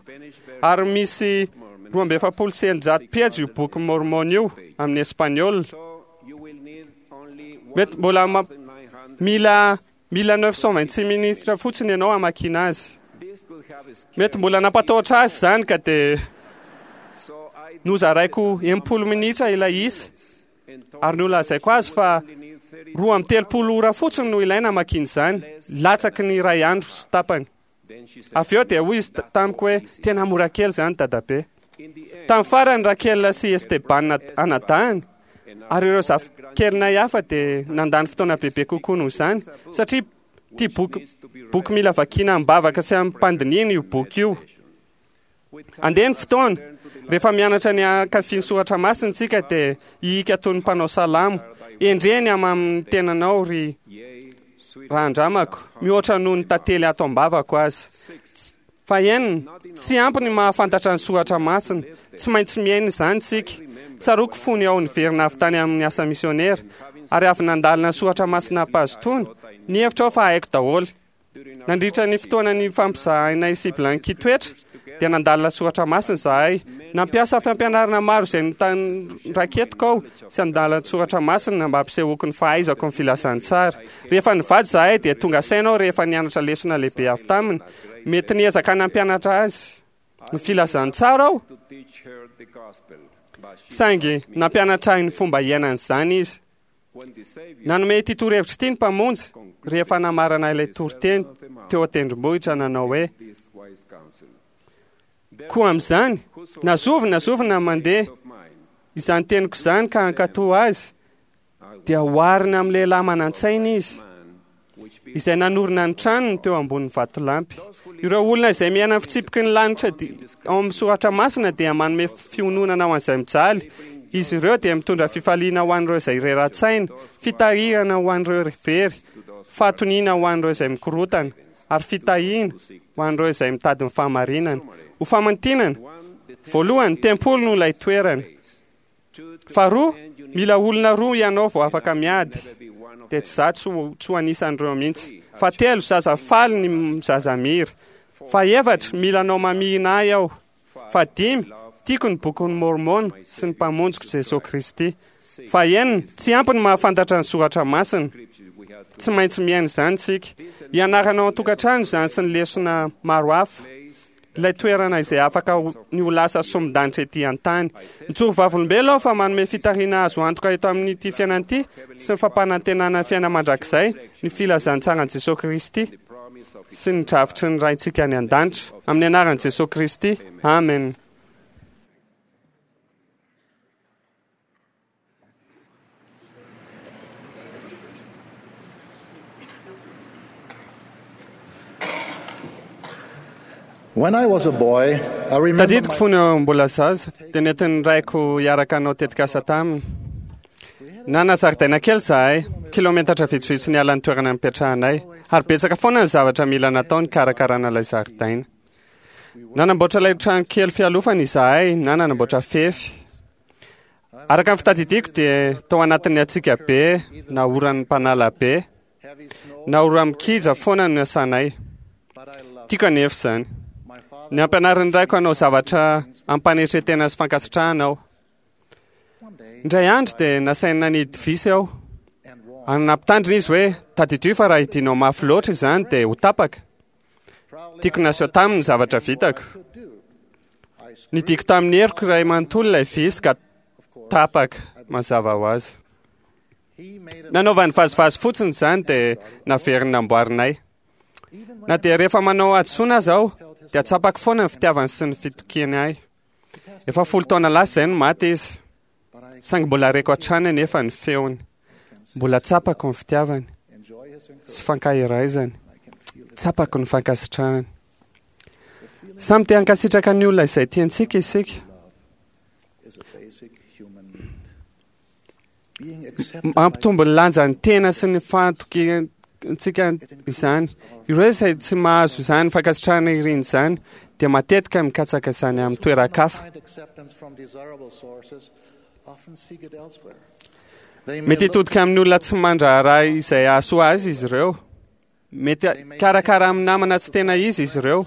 ary misy 642 pejy io Boky Môrmôna io amin'ny espaniola. Mety mbola mila mila 926 minitra fotsiny ianao hamakiana azy. Mety mbola nampatahotra azy izany ka dia nozaraiko 60 minitra ilay isa ary nolazaiko azy fa 32 ora fotsiny no ilaina hamakiana izany, latsaky ny iray andro sy tapany. Avy eo dia hoy izy tamiko hoe, Tena mora kely izany, dadabe. Tamin'ny farany, Raquel sy Esteban anadahiny ary ireo zafikelinay hafa dia nandany fotoana bebe kokoa noho izany, satria tia boky, boky mila vakiana amim-bavaka sy amim-pandinihana io boky io. Andeha ny fotoana, rehefa mianatra ny hankafy ny soratra masina isika dia hihika toy ny mpanao salamo, Endrey ny hamamin'ny tenanao, ry rahandramako, mihoatra noho ny tantely ato am-bavako aza. Fahenina, tsy ampy ny mahafantatra ny soratra masina, tsy maintsy miaina izany isika. Tsaroako fony aho niverina avy tany amin'ny asa misionera, ary avy nandalina ny soratra masina am-pahazotoana, nihevitra aho fa haiko daholo. Nandritra ny fotoana nifampizahainay sy Blanqui toetra, dia nandalina soratra masina izahay. Nampiasa fampianarana maro izay noraketiko aho sy andalan-tsoratra masina mba hampisehoako ny fahaizako ny filazantsara. Rehefa nivady izahay dia tonga saina aho rehefa nianatra lesona lehibe avy taminy. Mety niezaka nampianatra azy ny filazantsara aho, saingy nampianatra ahy ny fomba hiainana izany izy. Nanome ity torohevitra ity ny Mpamonjy rehefa namarana ilay toriteny teo an-tendrombohitra nanao hoe, Koa amin'izany, na zovy na zovy na mandeha izany teniko izany ka hankatò azy, dia oharina amin'ny lehilahy manan-tsaina izy, izay nanorina ny tranony teo ambonin'ny vatolampy. Ireo olona izay miaina ny fitsipiky ny lanitra ao amin'ny soratra masina dia manome fiononana ho an'izay mijaly. Izy ireo dia mitondra fifaliana ho an'ireo izay rera-tsaina, fitarihana ho an'ireo very, fahatoniana ho an'ireo izay mikorotana, ary fitahiana ho an'ireo izay mitady ny fahamarinana. Ho famintinana, Voalohany, tempoly no ilay toerana. Faharoa, mila olona roa ianao vao afaka miady. Dia tsy izaho tsy ho anisan'ireo mihitsy. Fahatelo, zaza faly ny zaza mira. Fahefatra, mila anao mamihina ahy aho. Fahadimy, tiako ny Bokin'i Môrmôna sy ny Mpamonjiko Jesoa Kristy. Fahenina, tsy ampy ny mahafantatra ny soratra masina. Tsy maintsy miaina izany isika. Ianarana ao an-tokantrano izany sy ny lesona maro hafa. Ilay toerana izay afaka ny ho lasa sombin-danitra ety an-tany. Mijoro vavolombelona aho fa manome fitariana azo antoka eto amin'ity fiainana ity sy ny fampanantenana ny fiainana mandrakizay ny filazantsaran'i Jesoa Kristy sy ny drafitry ny Raintsika any an-danitra. Amin'ny anaran'i Jesoa Kristy, amena. Tadidiko fony aho mbola zaza, dia nentin'ny raiko hiaraka hanao tetikasa taminy. Nanana zaridaina kely izahay, kilometatra vitsivitsy niala ny toerana nipetrahanay, ary betsaka foana ny zavatra mila natao nikarakarana ilay zaridaina. Nanamboatra ilay trano kely fialofana izahay na nanamboatra fefy. Araka ny fitadidiako dia tao anatin'ny hatsiaka be na oran'ny mpanala be na ora-mikija foana no niasanay. Tiako anefa izany. Nampianarin'ny raiko hanao zavatra am-panetren-tena sy fankasitrahana aho. Indray andro dia nasainy nanidy visy aho. Ary nampitandrina izy hoe, tadidio fa raha hidinao mafy loatra izany dia ho tapaka. Tiako naseho taminy ny zavatra vitako. Nidiko tamin'ny heriko iray manontolo ilay visy ka tapaka, mazava ho azy. Nanaovany vazivazy fotsiny izany dia naveriny namboarinay. Na dia rehefa manao hadisoana aza aho, dia tsapako foana ny fitiavany sy ny fitokiany ahy. Efa 10 taona lasa izay no maty izy, saingy mbola reko hatrany anefa ny feony. Mbola tsapako ny fitiavany sy fankaheraizany. Tsapako ny fankasitrahany. Samy te hankasitraka ny olona izay tiantsika isika. Mampitombo ny lanjan'ny tena sy ny fahatokiantsika izany. Ireo izay tsy mahazo izany fankasitrahana iriny izany dia matetika mikatsaka izany amin'ny toeran-kafa. Mety hitodika amin'ny olona tsy mandraharaha izay hahasoa azy izy ireo. Mety hikarakara amin'ny namana tsy tena izy izy ireo,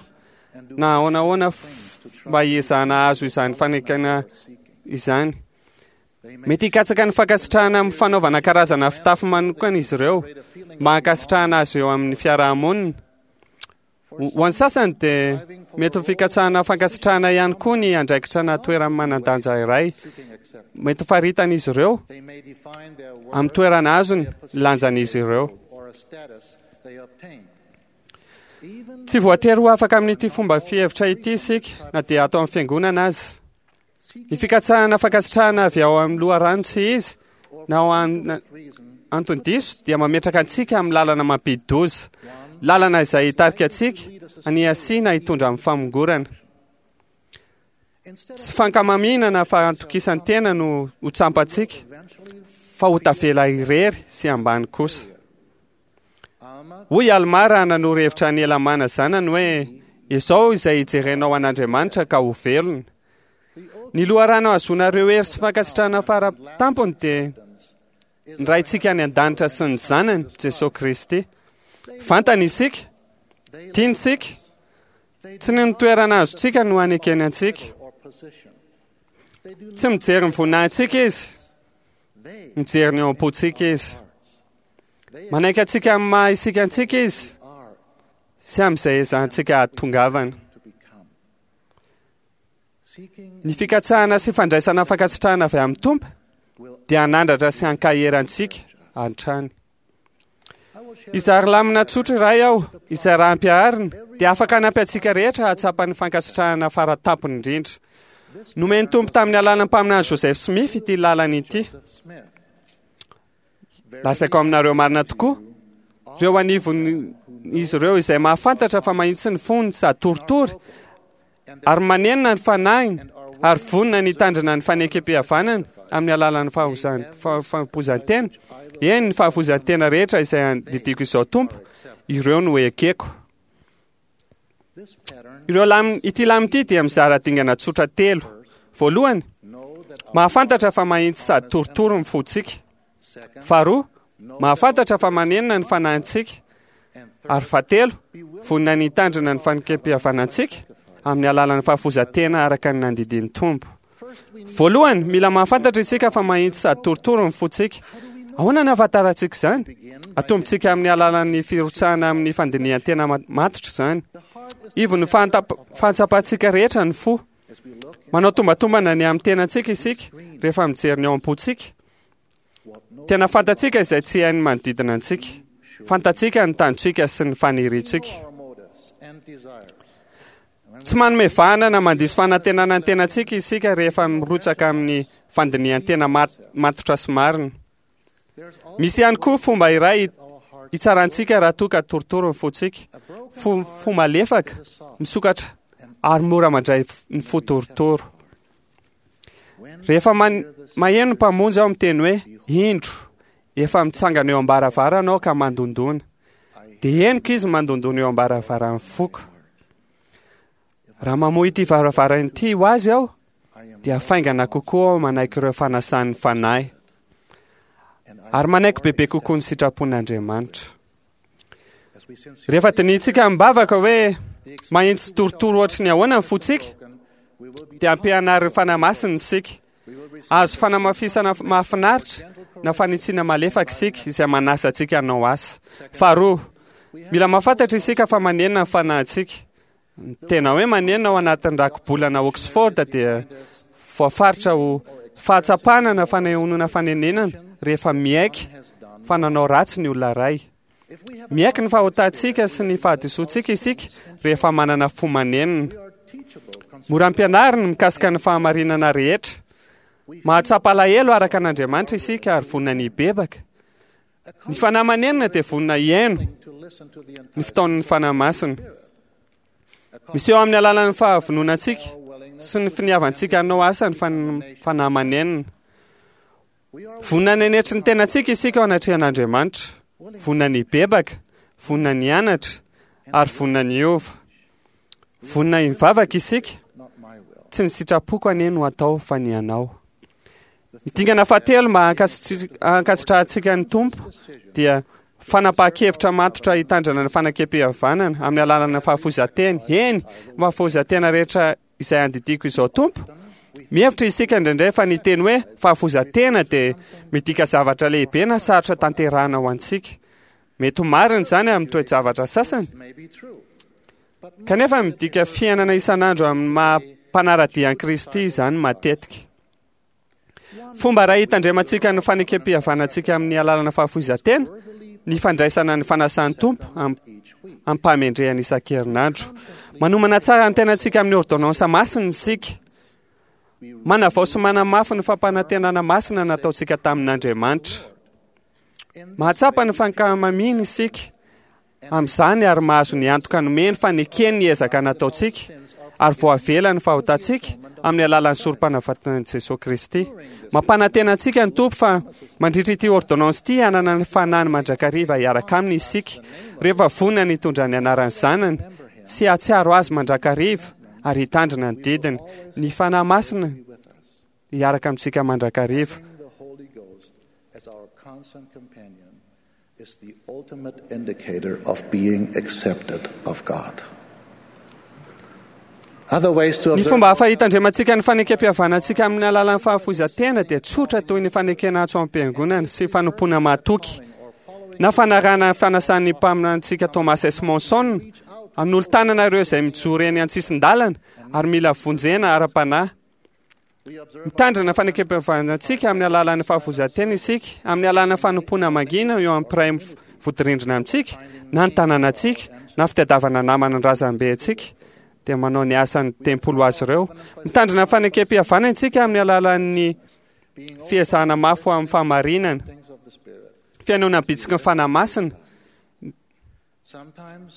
na ahoana ahoana mba hiezahana hahazo izany fanekena izany. Mety hikatsaka ny fankasitrahana amin'ny fanaovana karazana fitafy manokana izy ireo, mba hankasitrahana azy eo amin'ny fiarahamonina. Ho an'ny sasany dia mety ho fikatsahana fankasitrahana ihany koa ny andraikitra na toerana manan-danja iray. Mety ho faritan'izy ireo amin'ny toerana azony ny lanjan'izy ireo. Tsy voatery ho afaka amin'ity fomba fihevitra ity isika na dia ato amin'ny fiangonana aza. Ny fikatsahana fankasitrahana avy ao amin'ny loharano tsy izy na ao antony diso dia mametraka antsika amin'ny lalana mampidi-doza, lalana izay hitarika antsika haniasiana hitondra amin'ny famongorana. Tsy fankamamiana na fahantokisan-tena no ho tsampantsika fa ho tavela irery sy ambany kosa. Hoy Almà raha nanoro hevitra an'i Helamàna zanany hoe, Izao izay hijerenao an'Andriamanitra ka ho velona. Ny loharano ahazoanareo hery sy fankasitrahana fara tampony dia ny Raintsika any an-danitra sy ny Zanany, Jesoa Kristy. Fantany isika, tiany isika, tsy ny toerana azontsika no anekeny antsika. Tsy mijery ny voninahitsika Izy, mijery ny ao am-pontsika Izy. Manaiky antsika amin'ny maha isika antsika Izy sy amin'izay ezahantsika hahatongavana. Ny fikatsahana sy fandraisana fankasitrahana avy amin'ny Tompo dia hanandratra sy hankahery antsika hatrany. Hizary lamina tsotra iray aho, izay raha ampiharina dia afaka hanampy antsika rehetra hahatsapa ny fankasitrahana fara tampony indrindra. Nomen'ny Tompo tamin'ny alalan'ny mpaminany Joseph Smith ity lalana ity. Lazaiko aminareo marina tokoa, ireo anivon'izy ireo izay mahafantatra fa mahitsy ny fony sady toritory ary manenina ny fanahiny ary vonona ny hitandrina ny fanekempihavanana amin'ny alalan'ny fahafoizan-tena, eny, ny fahafoizan-tena rehetra izay andidiako izao Tompo, ireo no ekeko. Ireo lam, ity lamina ity dia mizara dingana tsotra telo. Voalohany, mahafantatra fa mahitsy sady torotoro ny fontsika. Faharoa, mahafantatra fa manenina ny fanahintsika. Ary fahatelo, vonona ny hitandrina ny fanekem-pihavanantsika amin'ny alalan'ny fahafoizan-tena araka ny nandidian'ny Tompo. Voalohany, mila mahafantatra isika fa mahitsy sady torotoro ny fontsika. Ahoana no ahafantarantsika izany? Atombontsika amin'ny alalan'ny firotsahana amin'ny fandinihan-tena matotra izany. Ivon'ny fahatsapantsika rehetra ny fo. Manao tombatombana ny amin'ny tenantsika isika rehefa mijery ny ao am-pontsika. Tena fantatsika izay tsy hain'ny manodidina antsika. Fantatsika ny tanjontsika sy ny faniriantsika. Tsy manome vahana na mandiso fanantenana ny tenantsika isika rehefa mirotsaka amin'ny fandinihan-tena matotra sy marina. Misy ihany koa fomba iray hitsarantsika raha toa ka torotoro ny fontsika. Fo, fo malefaka, misokatra ary mora mandray ny fo torotoro. Rehefa maheno ny Mpamonjy aho miteny hoe, Indro, efa mitsangana eo am-baravarana aho ka mandondona. Dia henoko izy mandondona eo am-baravaran'ny foko. Raha mamoha ity varavarana ity ho azy aho, dia faingana kokoa aho manaiky ireo fanasan'ny Fanahy. Ary manaiky bebe kokoa ny sitrapon'Andriamanitra. Rehefa dinihintsika amim-bavaka hoe mahitsy torotoro ohatry ny ahoana ny fontsika, dia ampianarin'ny Fanahy Masina isika. Azo fanamafisana mahafinaritra na fanitsiana malefaka isika izay manasa antsika hanao asa. Faharoa, mila mahafantatra isika fa manenina ny fanahintsika. Ny tena hoe manenina ao anatin'ny rakibolana Oxford dia voafaritra ho fahatsapana na fanehoana fanenenana rehefa miaiky fa nanao ratsy ny olona iray. Miaiky ny fahotantsika sy ny fahadisoantsika isika rehefa manana fo manenina. Mora ampianariny mikasika ny fahamarinana rehetra. Mahatsapa alahelo araka an'Andriamanitra isika ary vonona ny hibebaka. Ny fanahy manenina dia vonona hihaino ny fitaon'ny Fanahy Masina. Miseho amin'ny alalan'ny fahavononantsika sy ny finiavantsika hanao asa ny fanahy manenina. Vonona ny hanetry ny tenantsika isika eo anatrehan'Andriamanitra. Vonona ny hibebaka, vonona ny hianatra, ary vonona ny hiova. Vonona hivavaka isika, tsy ny sitrapoko anie no atao fa ny anao. Ny dingana fahatelo mba hankasitrahantsika ny Tompo dia fanapahan-kevitra matotra hitandrana ny fanakempihavanana amin'ny alalan'ny fahafoizan-tena. Eny, fahafoizan-tena rehetra izay andidiako izao Tompo. Mihevitra isika indraindray fa ny teny hoe fahafoizan-tena dia midika zavatra lehibe na sarotra tanterahana ho antsika. Mety ho marina izany amin'ny toe-javatra sasany. Kanefa midika fiainana isan'andro amin'ny maha mpanara-dia an'i Kristy izany matetika. Fomba iray hitandremantsika ny fanekem-pihavanantsika amin'ny alalana fahafoizan-tena ny fandraisana ny fanasan'ny Tompo am-pahamendrehana isan-kerinandro. Manomana tsara ny tenantsika amin'ny ôrdônansa masina isika. Manavao sy manamafy ny fampanantenana masina nataontsika tamin'Andriamanitra. Mahatsapa ny fankamamiany isika amin'izany ary mahazo ny antoka nomeny fa nekeny ny ezaka nataontsika ary voavela ny fahotantsika amin'ny alalan'ny sorom-panavatan'i Jesoa Kristy. Mampanantena antsika ny Tompo fa mandritra ity ôrdônansy ity hanana ny Fanahiny mandrakariva hiaraka aminy isika rehefa vonona ny hitondra ny anaran'ny Zanany sy hahatsiaro Azy mandrakariva ary hitandrina ny didiny. Ny Fanahy Masina hiaraka amintsika mandrakariva. Is the ultimate indicator of being accepted of God. Other ways to Ny observe fomba hafa hitandremantsika ny fanekem-pihavanantsika amin'ny alalan'ny fahafoizan-tena dia tsotra toy ny fanekena antso am-piangonana sy fanompoana mahatoky, na fanarahana ny fanasan'ny mpaminanintsika Thomas S. Monson hanolo-tanana ireo izay mijoro eny an-tsisin-dalana ary mila vonjena ara-panahy. Mitandrina fanekem-pihavanantsika amin'ny alalan'ny fahafoizan-tena isika, amin'ny alalan'ny fanompoana mangina eo amin'ny mpiray vodirindrina amintsika, na ny tanànantsika, na fitadiavana namana ny razambe antsika, dia manao ny asan'ny tempoly ho azy ireo. Mitandrina fanekem-pihavanana isika amin'ny alalan'ny fiezahana mafy ho amin'ny fahamarinana, fihainoana ny bitsiky ny Fanahy Masina.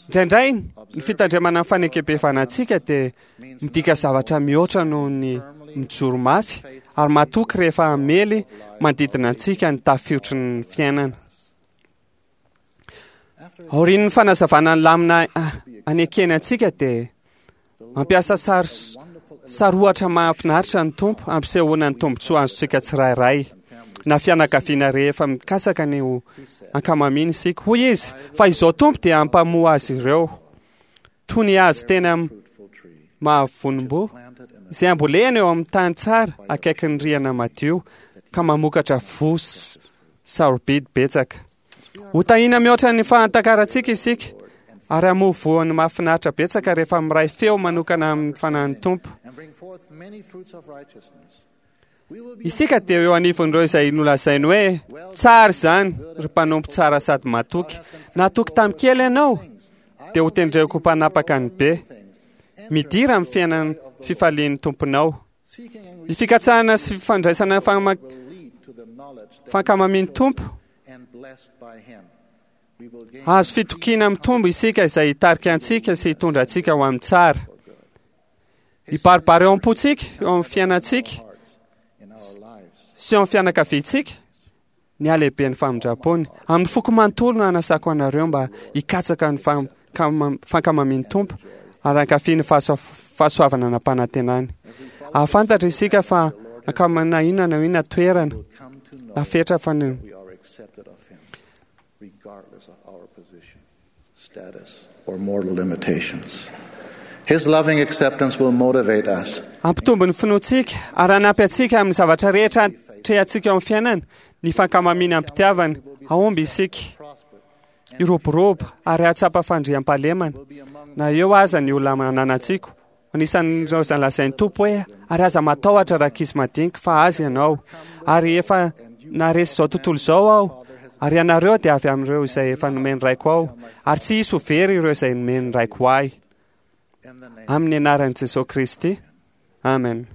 Indraindray, ny fitandremana ny fanekem-pihavanantsika dia midika zavatra mihoatra noho ny mijoro mafy ary matoky rehefa hamely manodidina antsika ny tafiotry ny fiainana. Aorian'ny fanazavana ny lamina anekeny antsika dia Mampiasa sary sarohatra mahafinaritra ny Tompo hampisehoana ny tombontsoa azontsika tsirairay na fianakaviana rehefa mikasaka ny ho ankamamiana isika. Hoy izy fa izao Tompo dia hampamoa azy ireo toy ny hazo tena mahavonim-boa izay ambolena eo amin'ny tany tsara akaikin'ny rihana madio ka mamokatra voa sarobidy betsaka. Ho tahiana mihoatra ny fahatakarantsika isika ary hamoa voany mahafinaritra betsaka rehefa miray feo manokana amin'ny fanahin'ny Tompo. Isika dia eo anivon'ireo izay nolazainy hoe tsara izany ry mpanompo tsara sady matoky. Natoky tamin'ny kely ianao dia ho tendreko ho mpanapaka ny be. Midira amin'ny fiainan'ny fifalian'ny Tomponao. Ny fikatsahana sy fifandraisana fankamamian'ny Tompo Azo fitokiana mitombo isika izay hitarika antsika sy hitondra antsika ho amin'ny tsara. Hibaribary eo am-pontsika, eo amin'ny fiainantsika sy eo amin'ny fianakaviantsika ny halehiben'ny famindram-pony. Amin'ny foko manontolo no hanasako anareo mba hikatsaka ny fankamamian'ny Tompo ary hankafy ny fahasoavana nampanantenany. Ahafantatra isika fa ankamana inona na inona toerana na fetra fa ny regardless of our position, status, or mortal limitations. His loving acceptance will motivate us. Hampitombo ny finoantsika ary hanampy antsika amin'ny zavatra rehetra atrehantsika eo amin'ny fiainana ny fankamamiana am-pitiavana. Hahomby isika, hiroborobo ary hahatsapa fandriampahalemana na eo aza ny olona ananantsika. Anisan'ireo izay lazain'ny Tompo hoe, ary aza matahotra rankizy madinika fa azy ianao. Ary efa naharesy izao tontolo izao aho, ary ianareo dia avy amin'ireo izay efa nomen'ny Raiko aho, ary tsy hisy ho very ireo izay nomen'ny Raiko ahy. Amin'ny anaran'i Jesosy Kristy. Amen.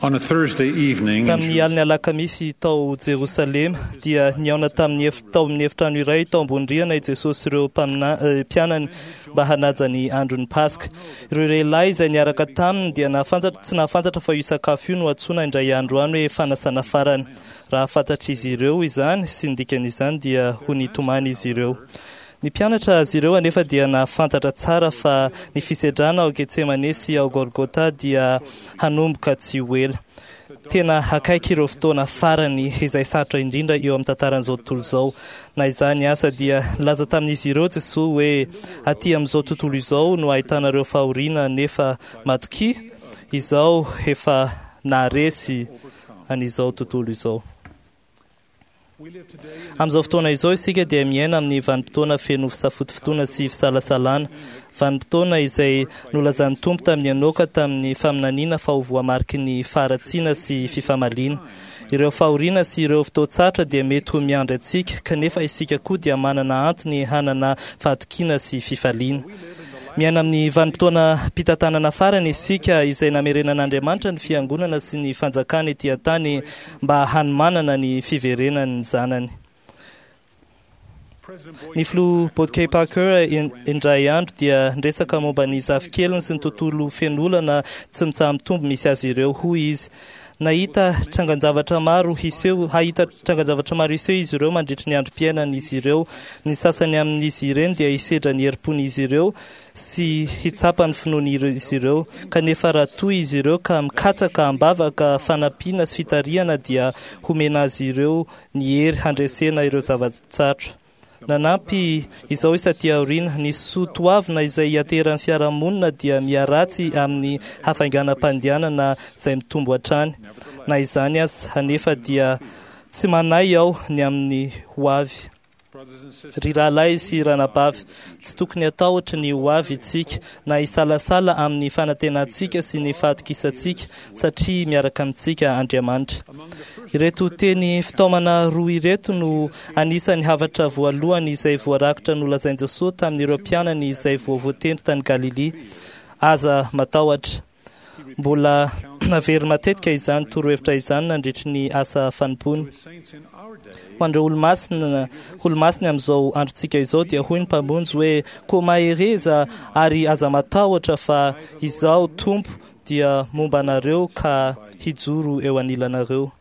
On a Thursday evening, Tamin'ny alin'ny alakamisy tao Jerosalema dia nihaona tamin'ny tao amin'ny efitrano iray tao ambony rihana i Jesosy sy ireo mpianany mba hanaja ny andron'ny Paska. Ireo lehilahy izay niaraka taminy dia nahafantatra, tsy nahafantatra fa io sakafo io no antsoina indray andro any hoe fanasana farany. Raha fantatr'izy ireo izany sy ny dikan'izany dia ho nitomany izy ireo. Ny mpianatra azy ireo anefa dia nahafantatra tsara fa ny fisedrana ao Getsemane sy ao Golgota dia hanomboka tsy ho ela. Tena akaiky ireo fotoana farany izay sarotra indrindra eo amin'ny tantaran'izao tontolo izao. Na izany asa dia nilaza tamin'izy ireo Jesoa hoe aty amin'izao tontolo izao no ahitanareo fahoriana nefa matokia, izao efa naharesy an'izao tontolo izao. Amin'izao fotoana izao isika dia miaina amin'ny vanim-potoana feno fisafotofotoana sy fisalasalana, vanim-potoana izay nolazan'ny Tompo tamin'i Enoka tamin'ny faminaniana fa ho voamariky ny faharatsiana sy fifamaliana. Ireo fahoriana sy ireo fotoan-tsarotra dia mety ho miandry antsika, kanefa isika koa dia manana antony hanana fahatokiana sy fifaliana. Miaina amin'ny vanim-potoanam-pitantanana farany isika izay namerenan'Andriamanitra ny Fiangonana sy ny Fanjakany ety an-tany mba hanomanana ny fiverenan'ny Zanany. Ny filoha Boyd K. Parker indray andro dia niresaka momba ny zafikeliny sy ny tontolo feno olana tsy mitsaha-mitombo misy azy ireo. Hoy izy, Nahita trangan-javatra maro hiseho, hahita trangan-javatra maro hiseho izy ireo mandritry ny androm-piainan'izy ireo. Ny sasany amin'izy ireny dia hisedra ny herim-pon'izy ireo sy hitsapa ny finoan'izy ireo. Kanefa raha toa izy ireo ka mikatsaka am-bavaka fanampiana sy fitarihana dia homena azy ireo ny hery handresena ireo zava-tsarotra. Nanampy izao izy taty aoriana, ny soa toavina izay ianteheran'ny fiarahamonina dia miharatsy amin'ny hafainganam-pandehanana izay mitombo hatrany. Na izany aza anefa dia tsy manahy aho ny amin'ny ho avy. Ry rahalahy sy ranabavy, tsy tokony hatahotra ny ho avy isika na hisalasala amin'ny fanantenantsika sy ny fahatokisantsika satria miaraka amintsika Andriamanitra. Ireto teny fitaomana roa ireto no anisan'ny hafatra voalohany izay voarakitra nolazain'i Jesoa tamin'ireo mpianany izay vao voatendry tany Galilia, Aza matahotra. Mbola naveriny matetika izany torohevitra izany nandritry ny asa fanompoany. Ho an'ireo olomasina, olomasiny amin'izao androntsika izao dia hoy ny Mpamonjy hoe, Koa mahereza ary aza matahotra fa Izaho Tompo. dia momba anareo ka hijoro eo anilanareo.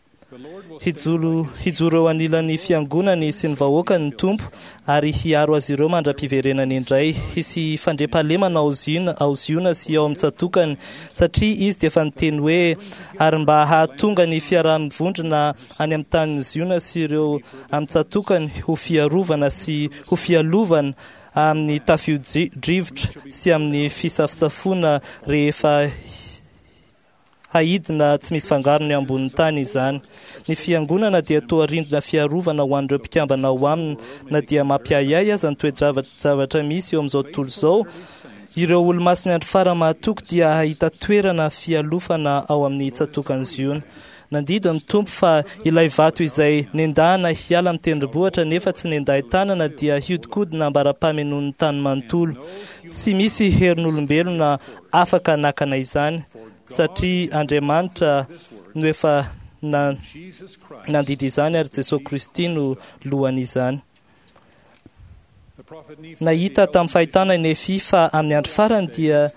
Hijoro eo anilan'ny fiangonany sy ny vahoakany ny Tompo ary hiaro azy ireo mandra-piverenany indray. Hisy fandriampahalemana ao Ziona sy ao amin'ny tsatokany, satria izy dia efa niteny hoe, ary mba hahatonga ny fiaraha-mivondrona any amin'ny tanin'i Ziona sy ireo amin'ny tsatokany ho fiarovana sy ho fialovana amin'ny tafio-drivotra sy amin'ny fisafosafoana rehefa haidina tsy misy fangarony ambonin'ny tany izany. Ny fiangonana dia toa rindrina fiarovana ho an'ireo mpikambana ao aminy, na dia mampiahiahy aza ny toe-javatra misy eo amin'izao tontolo izao. Ireo olomasin'ny andro farany mahatoky dia hahita toerana fialofana ao amin'ny tsatòkan'i Ziona. Nandidy ny Tompo fa ilay vato izay nendahana hiala amin'ny tendrombohitra nefa tsy nendahin-tanana dia hiodikodina ambara-pamenoan'ny tany manontolo. Tsy misy herin'olombelona afaka nakana izany, satria Andriamanitra no efa nandidy izany ary Jesosy Kristy no lohan'izany. Nahita tamin'ny fahitana i Nefy fa amin'ny andro farany dia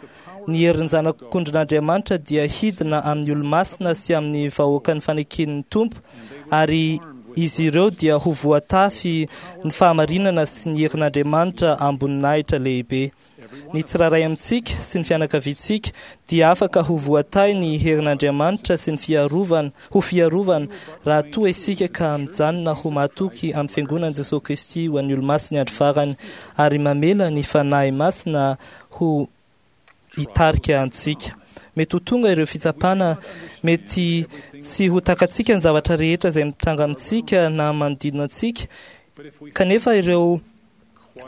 ny herin'ny zanak'ondrin'Andriamanitra dia hidina amin'ny olomasina sy amin'ny vahoakan'ny faneken'ny Tompo, ary izy ireo dia ho voatafy ny fahamarinana sy ny herin'Andriamanitra amboninahitra lehibe. Ny tsirairay amintsika sy ny fianakaviantsika dia afaka ho voatahy ny herin'Andriamanitra sy ny fiarovana, ho fiarovana raha toa isika ka mijanona ho mahatoky amin'ny fiangonan'i Jesosy Kristy ho an'ny olomasin'ny andro farany ary mamela ny Fanahy Masina ho hitarika antsika. Mety ho tonga ireo fitsapana, mety tsy ho takatsika ny zavatra rehetra izay mitranga amintsika na manodidina antsika, kanefa ireo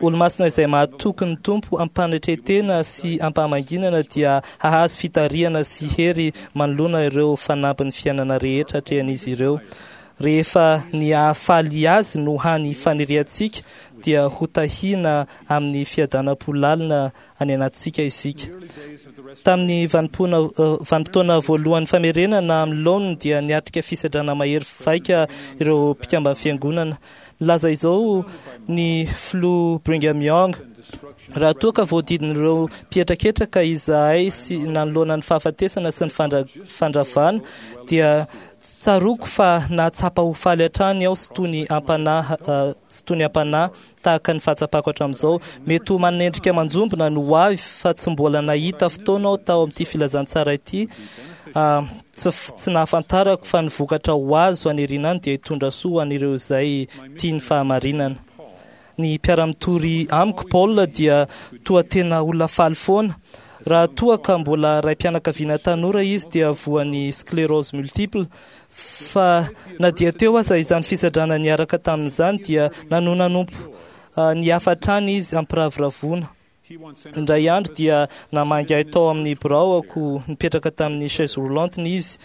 olomasina izay mahatoky ny Tompo am-panetren-tena sy am-pahamanginana dia hahazo fitarihana sy hery manoloana ireo fanampin'ny fiainana rehetra atrehan'izy ireo. Rehefa ny hahafaly azy no hany faniriantsika dia ho tahiana amin'ny fiadanam-po lalina any anatintsika isika. Tamin'ny vanim-potoana voalohan'ny famerenana amin'ny laoniny dia niatrika fisedrana mahery vaika ireo mpikamban'ny fiangonana. Nilaza izao ny filoha Brigham Young: raha toa ka voadidin'ireo mpihetraketraka izahay sy nanoloana ny fahafatesana sy ny fandravana, dia tsaroako fa nahatsapa ho faly hatrany aho sy toy ny ampanahy tahaka ny fahatsapako hatramin'izao. Mety ho manendrika manjombona ny ho avy fa tsy mbola nahita fotoana aho tao amin'ity filazantsara ity. Tsy nahafantarako fa ny vokatra ho azo aniriana any dia hitondra soa ho an'ireo izay tia ny fahamarinana. Ny mpiara-mitory amiko, Paul, dia toa tena olona faly foana. Raha toa ka mbola raim-pianakaviana tanora izy dia voan'ny sclérose multiple. Fa na dia teo aza izany fisedrana niaraka tamin'izany dia nanohy nanompo ny hafa hatrany izy ampiravoravoana. Indray andro dia namangy ahy tao amin'ny biraoko nipetraka tamin'ny chaise roulante izy.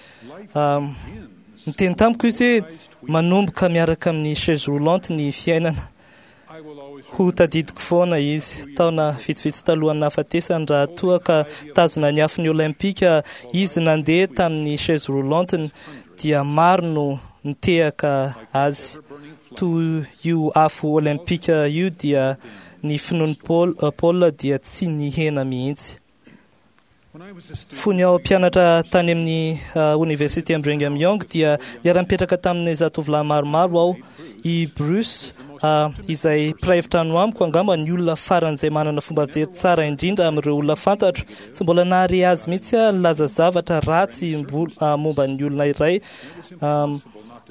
Niteny tamiko izy hoe manomboka miaraka amin'ny chaise roulante ny fiainana. Ho tadidiko foana izy. Taona vitsivitsy talohan'ny nahafatesany, raha toa ka tazona ny afon'ny Olympika izy nandeha tamin'ny chaise roulante-ny, dia maro no nitehaka azy. Toy io afo Olympika io dia ny finoan'i Paul dia tsy nihena mihitsy. Fony aho mpianatra tany amin'ny oniversite Brigham Young dia niara-nipetraka tamin'ny zatovolahy maromaro aho. I Bruce, izay mpiray efitrano amiko, angamba ny olona faran'izay manana fomba fijery tsara indrindra amin'ireo olona fantatro. Tsy mbola nahare azy mihitsy aho nilaza zavatra ratsy momba ny olona iray,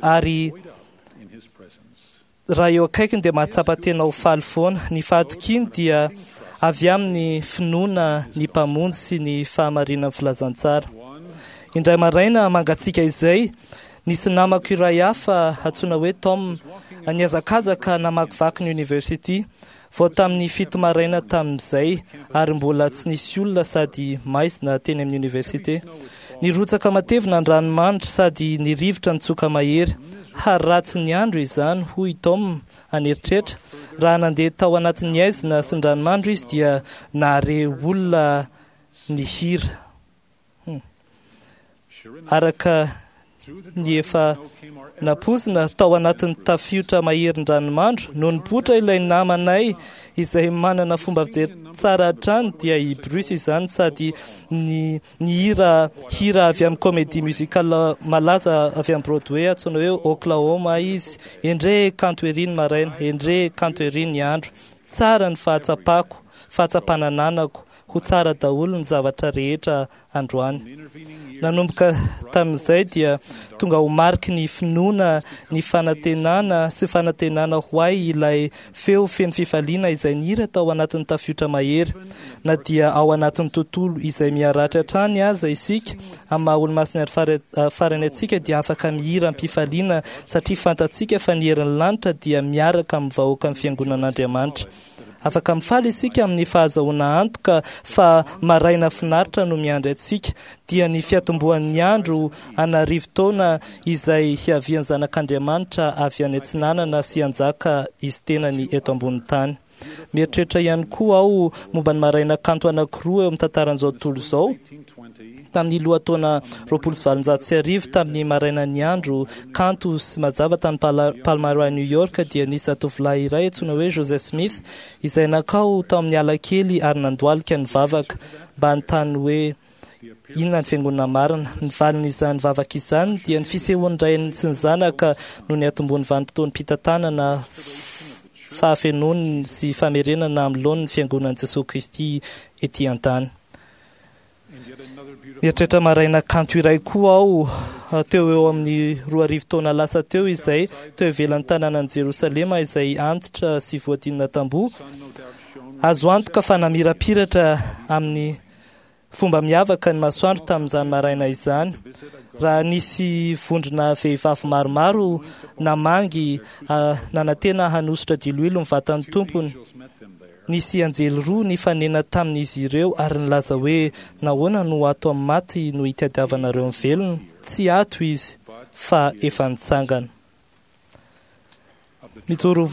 ary raha eo akaikiny dia mahatsapa tena ho faly foana. Ny fahatokiany dia avy amin'ny finoana ny Mpamonjy sy ny fahamarinan'ny filazantsara. Indray maraina mangatsiaka izay, nisy namako iray hafa antsoina hoe Tom nihazakazaka namakivaky ny university. Vao tamin'ny 7 maraina tamin'izay ary mbola tsy nisy olona sady maizina teny amin'ny université. Nirotsaka matevina ny ranomandry sady nirivotra nitsoka mahery. Haratsy ny andro izany, hoy Tom an'eritreritra. Raha nandeha tao anatin'ny aizina sy ny ranomandry izy dia nahare olona nihira. Araka ny efa nampoizina tao anatin'ny tafiotra maherin-dranomandro no nipoitra ilay namanay izay manana fomba fijery tsara hatrany, dia i Bruce izany, sady ny nihira hira avy amin'ny comédie musicale malaza avy amin'ny Broadway antsoina hoe Oklahoma izy. Endrey kanto ery ny maraina, endrey kanto ery ny andro. Tsara ny fahatsapako, fahatsapana ananako, ho tsara daholo ny zavatra rehetra androany. Nanomboka tamin'izay dia tonga ho mariky ny finoana, ny fanantenana sy fanantenana ho ahy ilay feo feno fifaliana izay nihira tao anatin'ny tafiotra mahery. Na dia ao anatin'ny tontolo izay miharatra hatrany aza isika, amin'ny maha olomasina ary farany antsika dia afaka mihira am-pifaliana satria fantatsika fa ny herin'ny lanitra dia miaraka amin'ny vahoakan'ny fiangonan'Andriamanitra. Afaka mifaly isika amin'ny fahazahoana antoka fa maraina finaritra no miandry antsika, dia ny fiatombohan'ny andro an'arivo taona izay hiavian'ny Zanak'Andriamanitra avy any atsinanana sy hanjaka izy tenany eto ambonin'ny tany. Mieritreritra ihany koa aho momba ny maraina kanto anankiroa eo amin'ny tantaran'izao tontolo izao. Tamin'ny lohataona 1820, tamin'ny marainan'ny andro kanto sy mazava tany Palmyra, New York, dia nisy zatovolahy iray antsoina hoe Joseph Smith izay nankao tao amin'ny ala kely ary nandohalika nivavaka mba hanontany hoe inona ny fiangonana marina. Ny valin'izany vavaka izany dia ny fisehoan'ny Ray sy ny Zanaka no niatombohan'ny vanim-potoam-pitantanana fahafenoany sy famerenana amin'ny laoniny ny fiangonan'i Jesoa Kristy ety an-tany. Mieritreritra maraina kanto iray koa aho teo eo amin'ny 2000 taona lasa teo izay teo ivelan'ny tanànan'i Jerosalema izay antitra sy voadinina tamboho. Azo antoka fa namirapiratra amin'ny fomba miavaka ny masoandro tamin'izany maraina izany. Raha nisy vondrona vehivavy maromaro namangy nanantena hanosotra diloilo ny vatan'ny tompony, nisy anjely roa nifanena tamin'izy ireo ary nilaza hoe nahoana no ato amin'ny maty no hitadiavanareo ny velona? Tsy ato izy fa efa nitsangana. Mijoro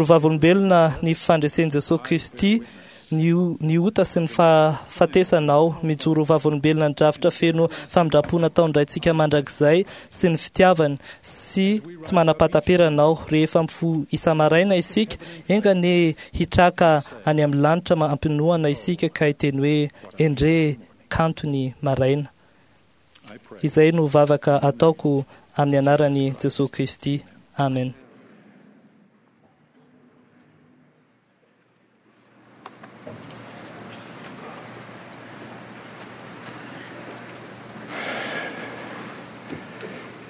vavolombelona ny fandresen'i Jesoa Kristy ny ota sy ny fahafatesana aho. Mijoro vavolombelona ny drafitra feno famindram-po nataon-dRaintsika mandrakizay sy ny fitiavany sy tsy manam-pahataperana aho. Rehefa mifoha isa-maraina isika, enga anie hitraka any amin'ny lanitra ampinoana isika ka hiteny hoe endrey kanto ny maraina. Izay no vavaka ataoko amin'ny anaran'i Jesoa Kristy. Amen.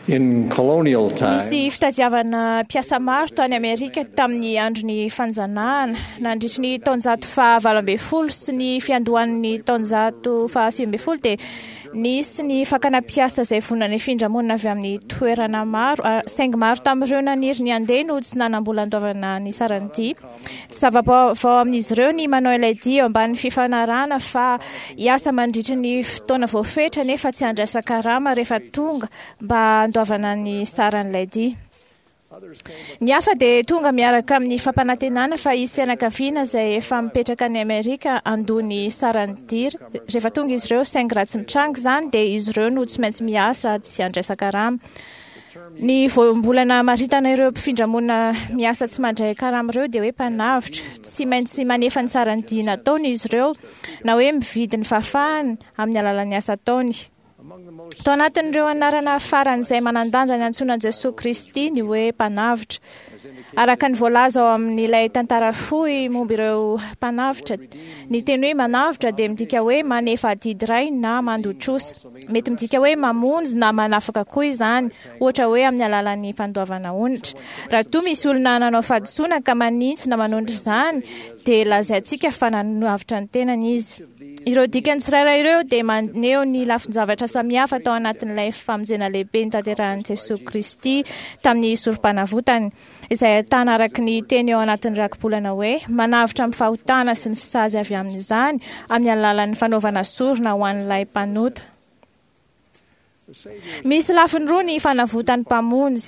In colonial times, Nisy fitadiavana mpiasa maro tany Amerika tamin'ny andron'ny fanjanahana, nandritry ny taonjato faha-18 sy ny fiandohan'ny taonjato faha-19 dia nisy ny fakana mpiasa izay vonona nifindra monina avy amin'ny toerana maro, saingy maro tamin'ireo naniry ny handeha no tsy nanam-bola handoavana ny saran'ny dia. Tsy zava-baovao amin'izy ireo ny manao ilay dia eo ambanin'ny fifanarahana fa hiasa mandritry ny fotoana voafetra nefa tsy handraisa karama rehefa tonga mba handoavana ny saran'ilay dia. Ny hafa dia tonga miaraka amin'ny fampanantenana fa hisy fianakaviana izay efa mipetraka any Amerika handoa ny saran'ny dia rehefa tonga izy ireo, saingy raha tsy mitranga izany dia izy ireo no tsy maintsy miasa tsy handraisa karama. Ny voambolana hamaritana ireo mpifindra-monina miasa tsy mandray karama ireo dia hoe mpanavotra. Tsy maintsy manefa ny saran'ny dia nataony izy ireo, na hoe mividy ny fahafahany amin'ny alalan'ny asa ataony. Tao anatin'ireo anarana faran'izay manan-danja niantsoana an'i Jesoa Kristy ny hoe mpanavotra. Araka ny voalaza ao amin'ilay tantara fohy momba ireo mpanavotra, ny teny hoe manavotra dia midika hoe manefa adidy iray na mandoa trosa. Mety midika hoe mamonjy na manafaka koa izany, ohatra hoe amin'ny alalan'ny fandoavana onitra. Raha toa misy olona nanao fahadisoana ka manitsy na manonitra izany, dia lazaintsika fa nanavotra ny tenany izy. Ireo dikany tsirairay ireo dia maneho ny lafin-javatra samihafa tao anatin'ilay famonjena lehibe notanterahin'i Jesoa Kristy tamin'ny sorom-panavotany, izay ahitana araka ny teny eo anatin'ny rakibolana hoe manavotra amin'ny fahotana sy ny sazy avy amin'izany amin'ny alalan'ny fanaovana sorona ho an'ilay mpanota. Misy lafiny roa ny fanavotan'ny Mpamonjy.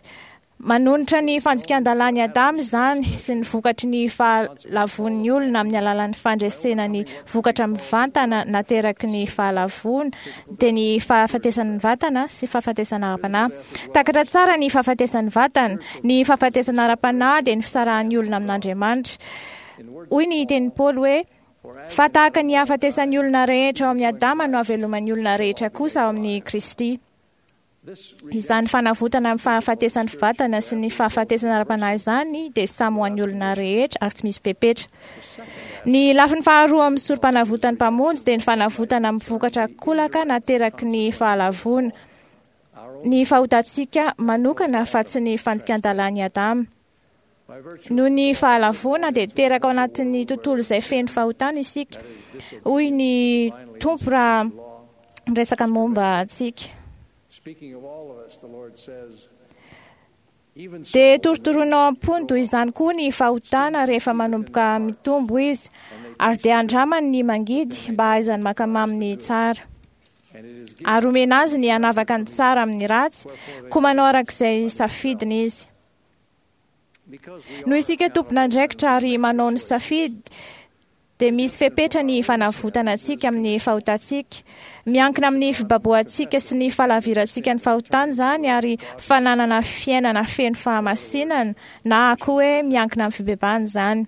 Manonitra ny fandikan-dalàn'i Adama izany sy ny vokatry ny fahalavoan'ny olona amin'ny alalan'ny fandresena ny vokatra mivantana nateraky ny fahalavoana, dia ny fahafatesan'ny vatana sy fahafatesana ara-panahy. Takatra tsara ny fahafatesan'ny vatana. Ny fahafatesana ara-panahy dia ny fisarahan'ny olona amin'Andriamanitra. Hoy ny tenin'i Paoly hoe, Fa tahaka ny hahafatesan'ny olona rehetra ao amin'i Adama no hahaveloman'ny olona rehetra kosa ao amin'i Kristy. Izany fanavotana amin'ny fahafatesan'ny vatana sy ny fahafatesana ara-panahy izany dia samy ho an'ny olona rehetra ary tsy misy fepetra. Ny lafiny faharoa amin'ny sorom-panavotan'ny Mpamonjy dia ny fanavotana amin'ny vokatra kolaka nateraky ny fahalavoana, ny fahotantsika manokana fa tsy ny fandikan-dalàn'i Adama. Noho ny fahalavoana dia teraka ao anatin'ny tontolo izay feno fahotana isika, hoy ny Tompo raha miresaka momba antsika. Dia torotoroina ao am-pony toy izany koa ny fahotana rehefa manomboka mitombo izy, ary dia andramany ny mangidy mba hahaizany mankamamy ny tsara. Ary omena azy ny hanavaka ny tsara amin'ny ratsy, koa manao araka izay safidiny izy. Noho isika tompon'andraikitra ary manao ny safidy, dia misy fepetra ny fanavotana antsika amin'ny fahotantsika. Miankina amin'ny fibabohantsika sy ny fahalavirantsika ny fahotana izany ary fananana fiainana feno fahamasinana na koa hoe miankina amin'ny fibebahana izany.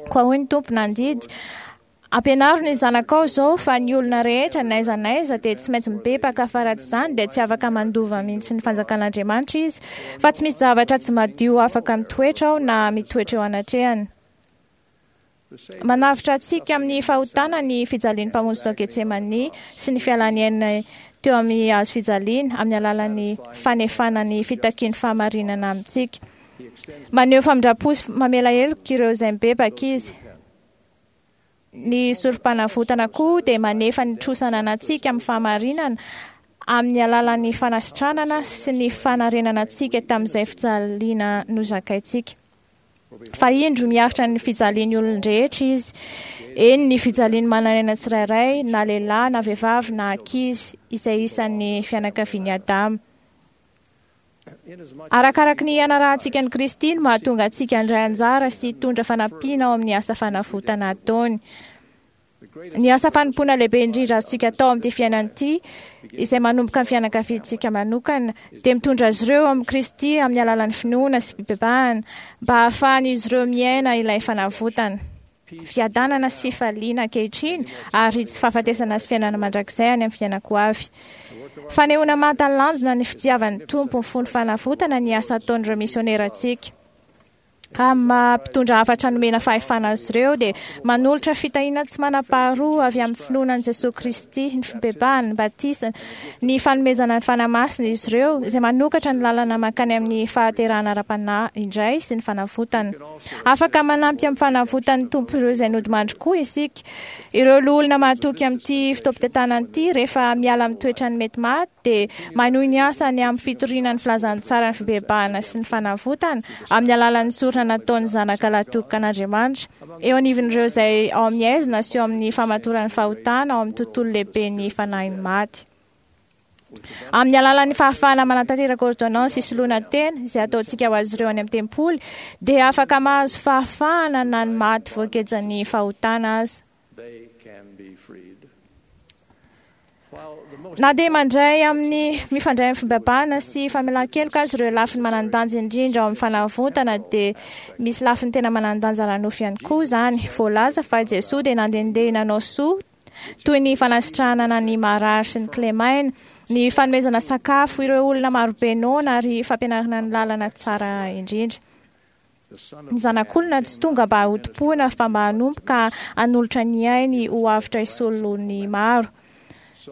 Koa hoy ny Tompo nandidy, Ampianaro ny zanakao izao fa ny olona rehetra n'aiza n'aiza dia tsy maintsy mibebaka fa raha tsy izany dia tsy afaka mandova mihitsy ny fanjakan'Andriamanitra izy, fa tsy misy zavatra tsy madio afaka mitoetra ao na mitoetra eo anatrehany. Manavotra antsika amin'ny fahotana ny fijalian'ny Mpamonjy tao Getsemania sy ny fialany aina teo amin'ny hazo fijaliana amin'ny alalan'ny fanefana ny fitakian'ny fahamarinana amintsika. Maneho famindram-po sy mamela heloka ireo izay mibebaka izy. Ny sorom-panavotana koa dia manefa ny trosa ananantsika amin'ny fahamarinana amin'ny alalan'ny fanasitranana sy ny fanarenana antsika tamin'izay fijaliana nozakaintsika. Fa indro miaritra ny fijalian'ny olon-drehetra izy, eny ny fijalian'ny manan'aina tsirairay, na lehilahy na vehivavy na ankizy, izay isan'ny fianakavian'i Adama. Arakaraky ny ianarahantsika an'i Kristy no mahatonga antsika handray anjara sy hitondra fanampiana ao amin'ny asa fanavotana ataony. Ny asa fanompoana lehibe indrindra azontsika atao amin'ity fiainana ity, izay manomboka ny fianakaviantsika manokana, dia mitondra azy ireo amin'i Kristy amin'ny alalan'ny finoana sy fibebahana, mba hahafahan'izy ireo miaina ilay fanavotana. Fiadanana sy fifaliana ankehitriny ary tsy fahafatesana sy fiainana mandrakizay any amin'ny fiainako avy. Fanehoana mahatalanjona ny fitiavan'ny Tompo mifono fanavotana ny asa ataon'ireo misionerantsika. Amin'ny maha mpitondra hafatra nomena fahefana azy ireo dia manolotra fitahiana tsy manam-paharoa avy amin'ny finoana an'i Jesoa Kristy, ny fibebahana, ny batisa, ny fanomezana ny Fanahy Masina izy ireo, izay manokatra ny lalana mankany amin'ny fahaterahana ara-panahy indray sy ny fanavotana. Afaka manampy amin'ny fanavotan'ny Tompo ireo izay nodimandry koa isika. Ireo loholona mahatoky amin'ity fotoampitantanana ity, rehefa miala amin'ny toetrany mety maty, dia manohy ny asany amin'ny fitoriana ny filazantsaran'ny fibebahana sy ny fanavotana, amin'ny alalan'ny sorona nataon'ny Zanaka lahitokan'Andriamanitra, eo anivon'ireo izay ao amin'ny haizina sy eo amin'ny famatoran'ny fahotana ao amin'ny tontolo lehiben'ny fanahin'ny maty. Amin'ny alalan'ny fahafahana manatanteraka ôrdônansy isoloana tena, izay ataontsika ho azy ireo any amin'ny tempoly, dia afaka mahazo fahafahana na ny maty voagejan'ny fahotana aza. Na dia mandray amin'ny mifandray amin'ny fibebahana sy famelan-keloka aza ireo lafiny manan-danja indrindra ao amin'ny fanavotana, dia misy lafiny tena manan-danja ara-nofo ihany koa izany. Voalaza fa Jesoa dia nandehandeha nanao soa toy ny fanasitranana ny marary sy ny kilemaina, ny fanomezana sakafo ireo olona marobe noana ary fampianarana ny lalana tsara indrindra. Ny Zanak'olona tsy tonga mba hotompoina fa mba hanompo ka hanolotra ny ainy ho avotra hisolo ny maro.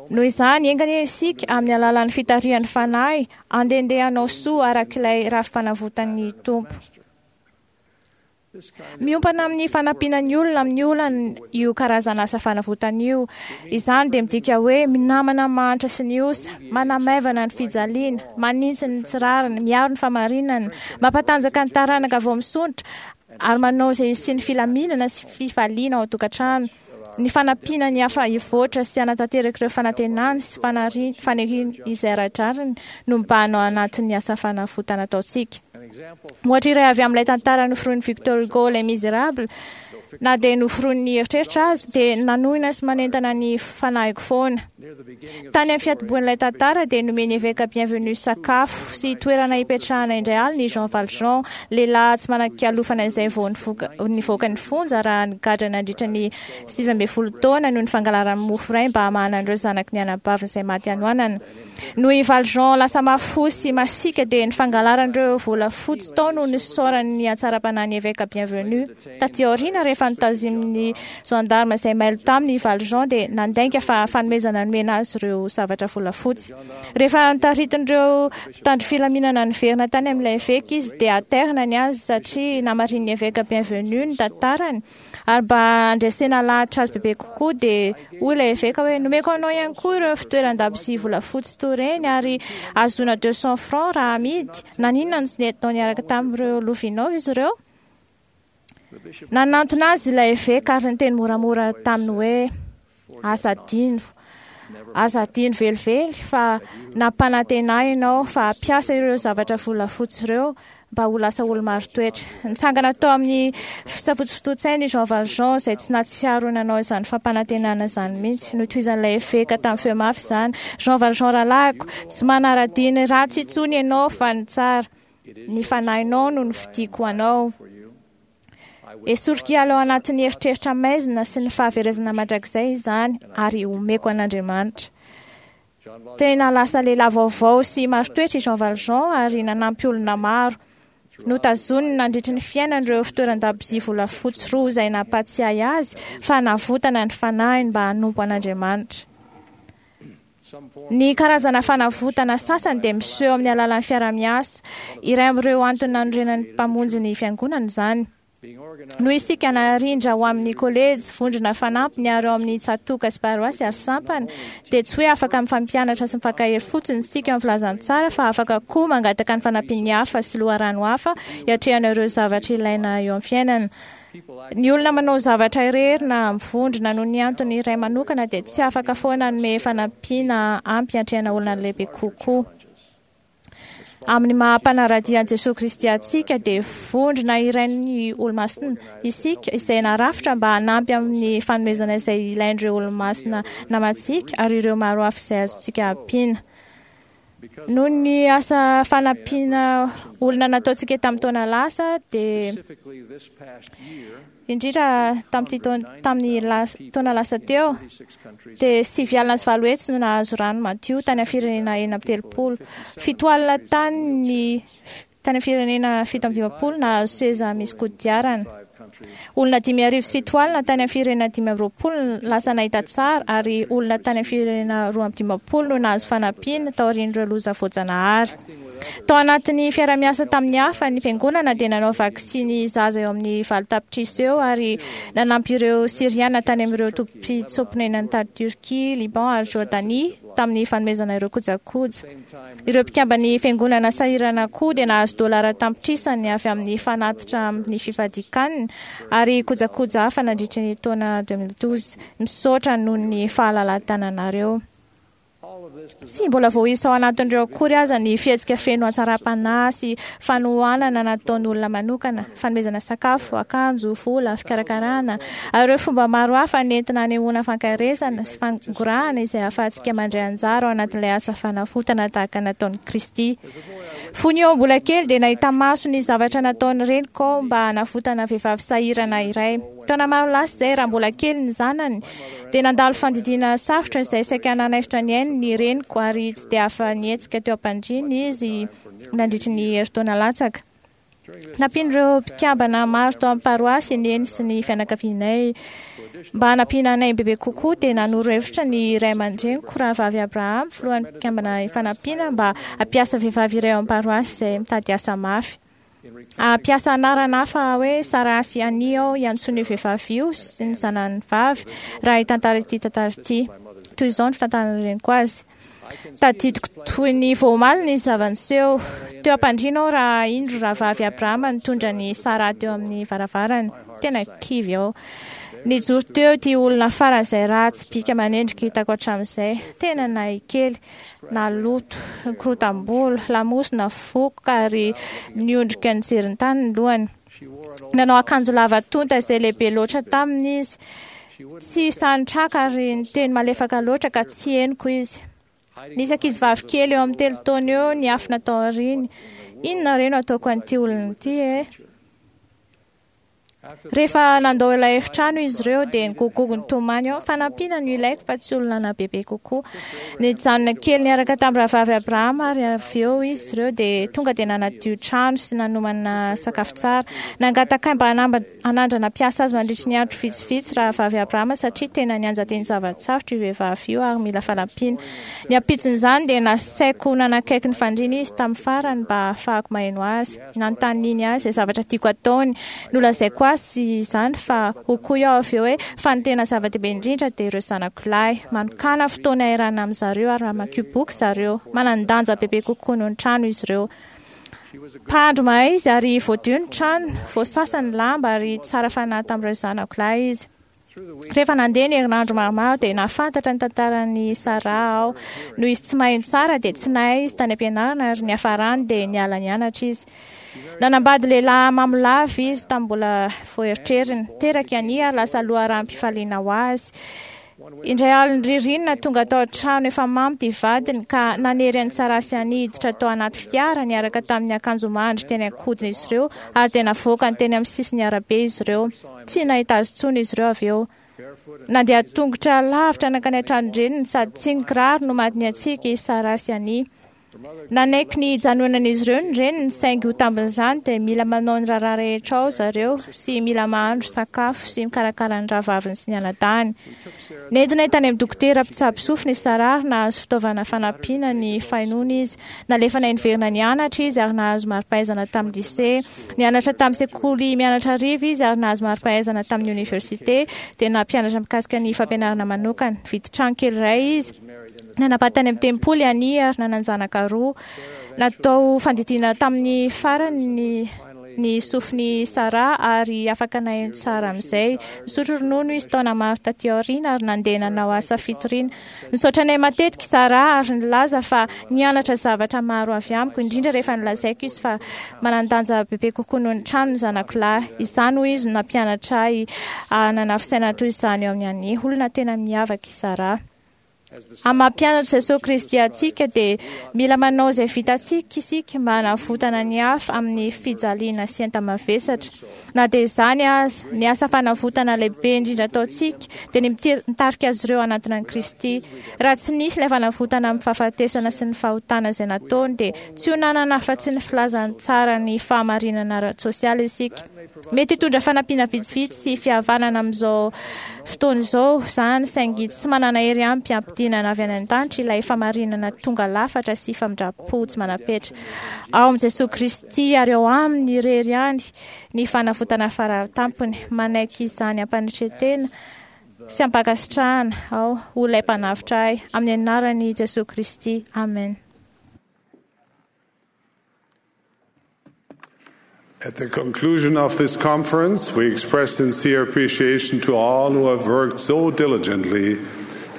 Noho izany, enga anie isika, amin'ny alalan'ny fitarihan'ny Fanahy, handehandeha hanao soa araka ilay rafi-panavotan'ny Tompo. Miompana amin'ny fanampiana ny olona amin'ny olany io karazana asa fanavotana io. Izany dia midika hoe minamana ny mahantra sy ny osa, manamaivana ny fijaliana, manitsy ny tsy rariny, miaro ny famarinana, mampatanjaka ny taranaka vao misondrotra, ary manao izay hisian'ny filaminana sy fifaliana ao an-tokantrano. Ny fanampiana ny hafa hivoatra sy hanatanteraka ireo fanantenany sy faniriany izay ara-drariny no mibahana ao anatin'ny asa fanavotana ataontsika. Ohatra iray avy amin'ilay tantara noforonin'i Victor Hugo, Les Misérables, na dia noforonin'ny eritreritra aza, dia nanohina sy manentana ny fanahiko foana. Tany amin'ny fiantombohan'ilay tantara dia nomen'ny eveka Bienvenu sakafo sy toerana hipetrahana indray alina i Jean Valjean, lehilahy tsy manan-kialofana izay vao nivoaka ny fonja raha nigadra nandritra ny 19 taona noho ny fangalarany mofo iray mba hamahana an'ireo zanaky ny anabaviny izay maty hanoanana. Noho i Valjean lasa mafy fo sy masiaka dia ny fangalaran'ireo volafotsy tao no nisaorany ny hatsaram-panahin'ny eveka Bienvenu. Taty aoriana, rehefa notazomin'ny gendarme izay mailo taminy i Valjean dia nandainga fa fanomezana nomena azy ireo zavatra volafotsy. Rehefa notaritin'ireo mpitandro filaminana niverina tany amin'ilay eveka izy dia aterina ny azy satria namarinin'ny eveka Bienvenu ny tantarany. Ary mba handresena lahatra azy bebe kokoa dia hoy ilay eveka hoe nomeko anao ihany koa ireo fitoeran-dabozia volafotsy toy ireny ary ahazoana 200 francs raha amidy. Naninona no tsy nentinao niaraka tamin'ireo lovianao izy ireo? Nanantona azy ilay eveka ary niteny moramora taminy hoe aza adino, aza adino velively fa nampanantena ahy ianao fa hampiasa ireo zavatra volafotsy ireo mba ho lasa olo-marin-toetra. Nitsangana tao amin'ny fisafotofotoan-tsainy i Jean Valjean izay tsy nahatsiaro nanao izany fampanantenana izany mihitsy. Notohizan'ilay eveka tamin'ny feo mafy izany. Jean Valjean rahalahiko, tsy manara-dia ny ratsy intsony ianao fa ny tsara. Ny fanahinao no nofidiko ho anao. Esoriko hiala ao anatin'ny eritreritra maizina sy ny fahaverezana mandrakizay izany ary omeko an'Andriamanitra. Tena lasa lehilahy vaovao sy marin-toetra i Jean Valjean ary nanampy olona maro. Notazoniny nandritry ny fiainany ireo fitoeran-dabozia volafotsy roa izay nampahatsiahy azy fa navotana ny fanahiny mba hanompo an'Andriamanitra. Ny karazana fanavotana sasany dia miseho amin'ny alalan'ny fiaraha-miasa. Iray amin'ireo antony nanorenan'ny Mpamonjy ny Fiangonana izany. Noho isika narindra ho amin'ny kolejy, vondrona fanampiny ary ao amin'ny tsatòka sy paroasy ary sampana, dia tsy hoe afaka mifampianatra sy mifankahery fotsiny isika eo amin'ny filazantsara fa afaka koa mangataka ny fanampian'ny hafa sy loharano hafa hiatrehana ireo zavatra ilaina eo amin'ny fiainana. Ny olona manao zavatra irery na mivondrona noho ny antony iray manokana dia tsy afaka foana hanome fanampiana ampy hiatrehana olana lehibe kokoa. Amin'ny maha mpanara-dia an'i Jesoa Kristy antsika dia vondrona irain'ny Olomasina isika izay narafitra mba hanampy amin'ny fanomezana izay ilain'ireo Olomasina namantsika ary ireo maro hafa izay azontsika ampiana. Noho ny asa fanampiana olona nataontsika tamin'ny taona lasa dia indrindra tamin'ity tamin'ny taona lasa teo dia 890 no nahazo rano madio tany amin'ny firenena 36. 70 tany ny tany amin'ny firenena 57 nahazo seza misy kodiarana. Olona 5700 tany amin'ny firenena 25 lasa nahita tsara ary olona tany amin'ny firenena 52 no nahazo fanampiana taorian'ireo loza voajanahary. Tao anatin'ny fiara-miasa tamin'ny hafa, ny fiangonana dia nanao vaksiny zaza eo amin'ny 8 tapitrisa eo ary nanampy ireo Syriana tany amin'ireo tobim-pitsoa-ponenana tany Turquie, Liban ary Jordanie tamin'ny fanomezana ireo kojakoja. Ireo mpikamban'ny fiangonana sahirana koa dia nahazo dolara tapitrisany avy amin'ny fanatitra amin'ny fifadian-kanina ary kojakoja hafa nandritry ny taona 2012. Misaotra noho ny fahalalahan-tananareo. Tsy mbola voaisa ao anatin'ireo akory aza ny fihetsika feno hatsaram-panahy sy fanohanana nataon'olona manokana, fanomezana sakafo, akanjo, vola, fikarakarana, ary ireo fomba maro hafa nentina hanehoana fankaherezana sy fangorahana izay ahafahantsika mandray anjara ao anatin'ilay asa fanavotana tahaka nataon'i Kristy. Fony eo mbola kely dia nahita maso ny zavatra nataon'ny reniko aho mba hanavotana vehivavy sahirana iray. Taona maro lasa izay, raha mbola kely ny zanany, dia nandalo fandidiana sarotra izay saika nanaisotra ny ainy ny reniko ary tsy dia afa-nihetsika teo am-pandriana izy nandritry ny herintaona latsaka. Nampian'ireo mpikambana maro tao amin'ny paroasy i Neny sy ny fianakavianay. Mba hanampiana anay bebe kokoa dia nanoro hevitra ny ray aman-dreniko, Rahavavy Abraham, filohan'ny mpikambana Ifanampiana, mba hampiasa vehivavy iray ao amin'ny paroasy izay mitady asa mafy. Hampiasa anarana hafa hoe Sarah sy Annie aho hiantsoana io vehivavy io sy ny zanany vavy raha hitantara ity tantara ity. Toy izao ny fitantaran'ny reniko azy. Tadidiko toy ny vao omaly ny zava-niseho. Teo am-pandriana aho raha indro rahavavy Abrahama nitondra an'i Sarah teo amin'ny varavarana. Tena kivy aho. Nijoro teo ity olona faran'izay ratsy bika manendrika hitako hatramin'izay. Tena nahikely, naloto, nikorotam-bolo, lamosina vokoka ary niondrika nijery ny tany ny lohany. Nanao akanjo lava tonta izay lehibe loatra taminy izy. Tsy sahy nitraka ary niteny malefaka loatra ka tsy henoko izy. Nisy ankizivavy kely eo amin'ny 3 taona eo niafina tao aoriany. Inona re no ataoko an'ity olona ity e? Rehefa nandao ilay efitrano izy ireo dia nigogogo nitomany aho. Fanampiana no ilaiko fa tsy olona bebe kokoa. Nijanona kely niaraka tamin'ny rahavavy Abrahama ary avy eo izy ireo dia tonga dia nanadio trano sy nanomana sakafo tsara. Nangataka ahy mba hanandrana mpiasa azy mandritry ny andro vitsivitsy rahavavy Abrahama satria tena nianjadian'ny zava-tsarotra io vehivavy io ary mila fanampiana. Ny ampitson'izany dia nasaiko nanakaiky ny fandriana izy tamin'ny farany mba hahafahako maheno azy. Nanontaniany ahy izay zavatra tiako hataony. Nolazaiko azy izany fa hoy koa aho avy eo hoe, fa ny tena zava-dehibe indrindra dia ireo zanako lahy. Manokàna fotoana iarahana amin-dry zareo ary amakio boky zareo. Manan-danja bebe kokoa noho ny trano izy ireo. Mpahandro mahay izy ary voadio ny trano, voasasa ny lamba ary tsara fanahy tamin'ireo zanako lahy izy. Rehefa nandeha ny herinandro maromaro dia nahafantatra ny tantaran'i Sarah aho. Noho izy tsy maheno tsara dia tsy nahay izy tany am-pianarana ary niafarany dia niala nianatra izy. Nanambady lehilahy mamo lava izy tamin'ny mbola voaeritreriny. Teraka i Annie ary lasa loharanom-pifaliana ho azy. Indray alin'ny ririnina tonga tao an-trano efa mamo ity vadiny ka nanery an'i Sarah sy Annie hiditra tao anaty fiara niaraka tamin'ny akanjo mandry teny an-kodiny izy ireo ary dia navoakany teny amin'ny sisin'ny arabe izy ireo. Tsy nahita azy intsony izy ireo avy eo. Nandeha tongotra lavitra nankany an-tranon-dreniny sady tsy nikiraro no maty niantsika i Sarah sy Annie. Nanaiky ny hijanonan'izy ireo ny reniny saingy ho tambin'izany dia mila manao ny raharaha rehetra ao zareo sy mila mahandro sakafo sy mikarakara ny rahavaviny sy ny anadahiny. Nentinay tany amin'ny dokotera mpitsabo sofina i Sarah ary nahazo fitaovana fanampiana ny fahenoana izy. Nalefanay niverina nianatra izy ary nahazo mari-pahaizana tamin'ny lycée. Nianatra tamin'ny sekoly mianatra hariva izy ary nahazo mari-pahaizana tamin'ny oniversite, dia nampianatra mikasika ny fampianarana manokana. Nividy trano kely iray izy. Nanambady tany amin'ny tempoly Annie ary nanan-janaka roa. Natao fandidiana tamin'ny farany ny ny sofin'i Sarah ary afaka naheno tsara amin'izay. Nisotro ronono izy taona maro taty aoriana ary nandeha nanao asa fitoriana. Nisaotra anay matetika i Sarah ary nilaza fa nianatra zavatra maro avy amiko, indrindra rehefa nolazaiko izy fa manan-danja bebe kokoa noho ny trano ny zanako lahy. Izany, hoy izy, no nampianatra ahy hanana fisainana toy izany eo amin'i Annie. Olona tena miavaka i Sarah. Amin'ny maha mpianatr'i Jesoa Kristy antsika dia mila manao izay vitantsika isika mba hanavotana ny hafa amin'ny fijaliana sy enta-mavesatra. Na dia izany aza, ny asa fanavotana lehibe indrindra ataontsika dia ny mitarika azy ireo hanatona an'i Kristy. Raha tsy nisy ilay fanavotana amin'ny fahafatesana sy ny fahotana izay nataony dia tsy ho nanana afa-tsy ny filazantsaran'ny fahamarinana ara-tsosialy isika. Mety hitondra fanampiana vitsivitsy sy fihavanana amin'izao fotoana izao izany, saingy tsy manana hery ampy hampidinana avy any an-danitra ilay fahamarinana tonga lafatra sy famindram-po tsy manam-petra. Ao amin'i Jesoa Kristy ary ao Aminy irery ihany ny fanavotana faratampony. Manaiky izany am-panetren-tena sy am-pankasitrahana aho ho ilay Mpanavotra ahy, amin'ny anaran'i Jesoa Kristy, amen. At the conclusion of this conference, we express sincere appreciation to all who have worked so diligently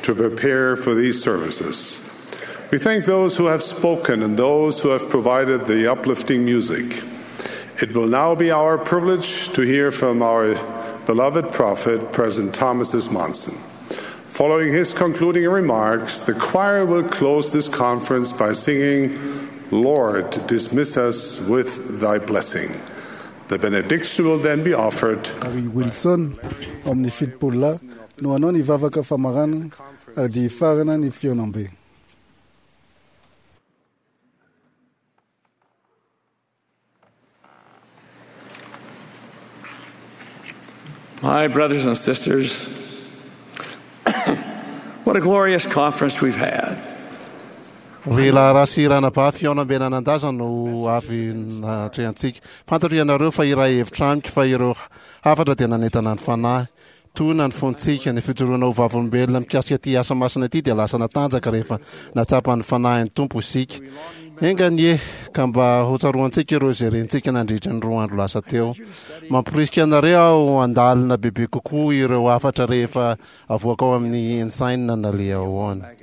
to prepare for these services. We thank those who have spoken and those who have provided the uplifting music. It will now be our privilege to hear from our beloved prophet, President Thomas S. Monson. Following his concluding remarks, the choir will close this conference by singing, Lord, dismiss us with thy blessing. The benediction will then be offered. Ary Wilson ao amin'ny 70 lahy no hanao ny vavaka famaranana ary dia hifarana ny fihaonambe. My brothers and sisters, what a glorious conference we've had. Ry rahalahy sy ranabavy, fihaonambe nanan-daza no avy natrehantsika. Fantatro ianareo fa iray hevitra amiko fa ireo hafatra dia nanentana ny fanahy. Tohina ny fontsika, ny fijoroana ho vavolombelona mikasika ity asa masina ity dia lasa natanjaka rehefa nahatsapa ny Fanahin'ny Tompo isika. Enga anie ka mba hotsaroantsika ireo izay rentsika nandritra ny roa andro lasa teo. Mamporisika anareo aho handalina bebe kokoa ireo hafatra rehefa avoaka ao amin'ny Ensign na Liahona.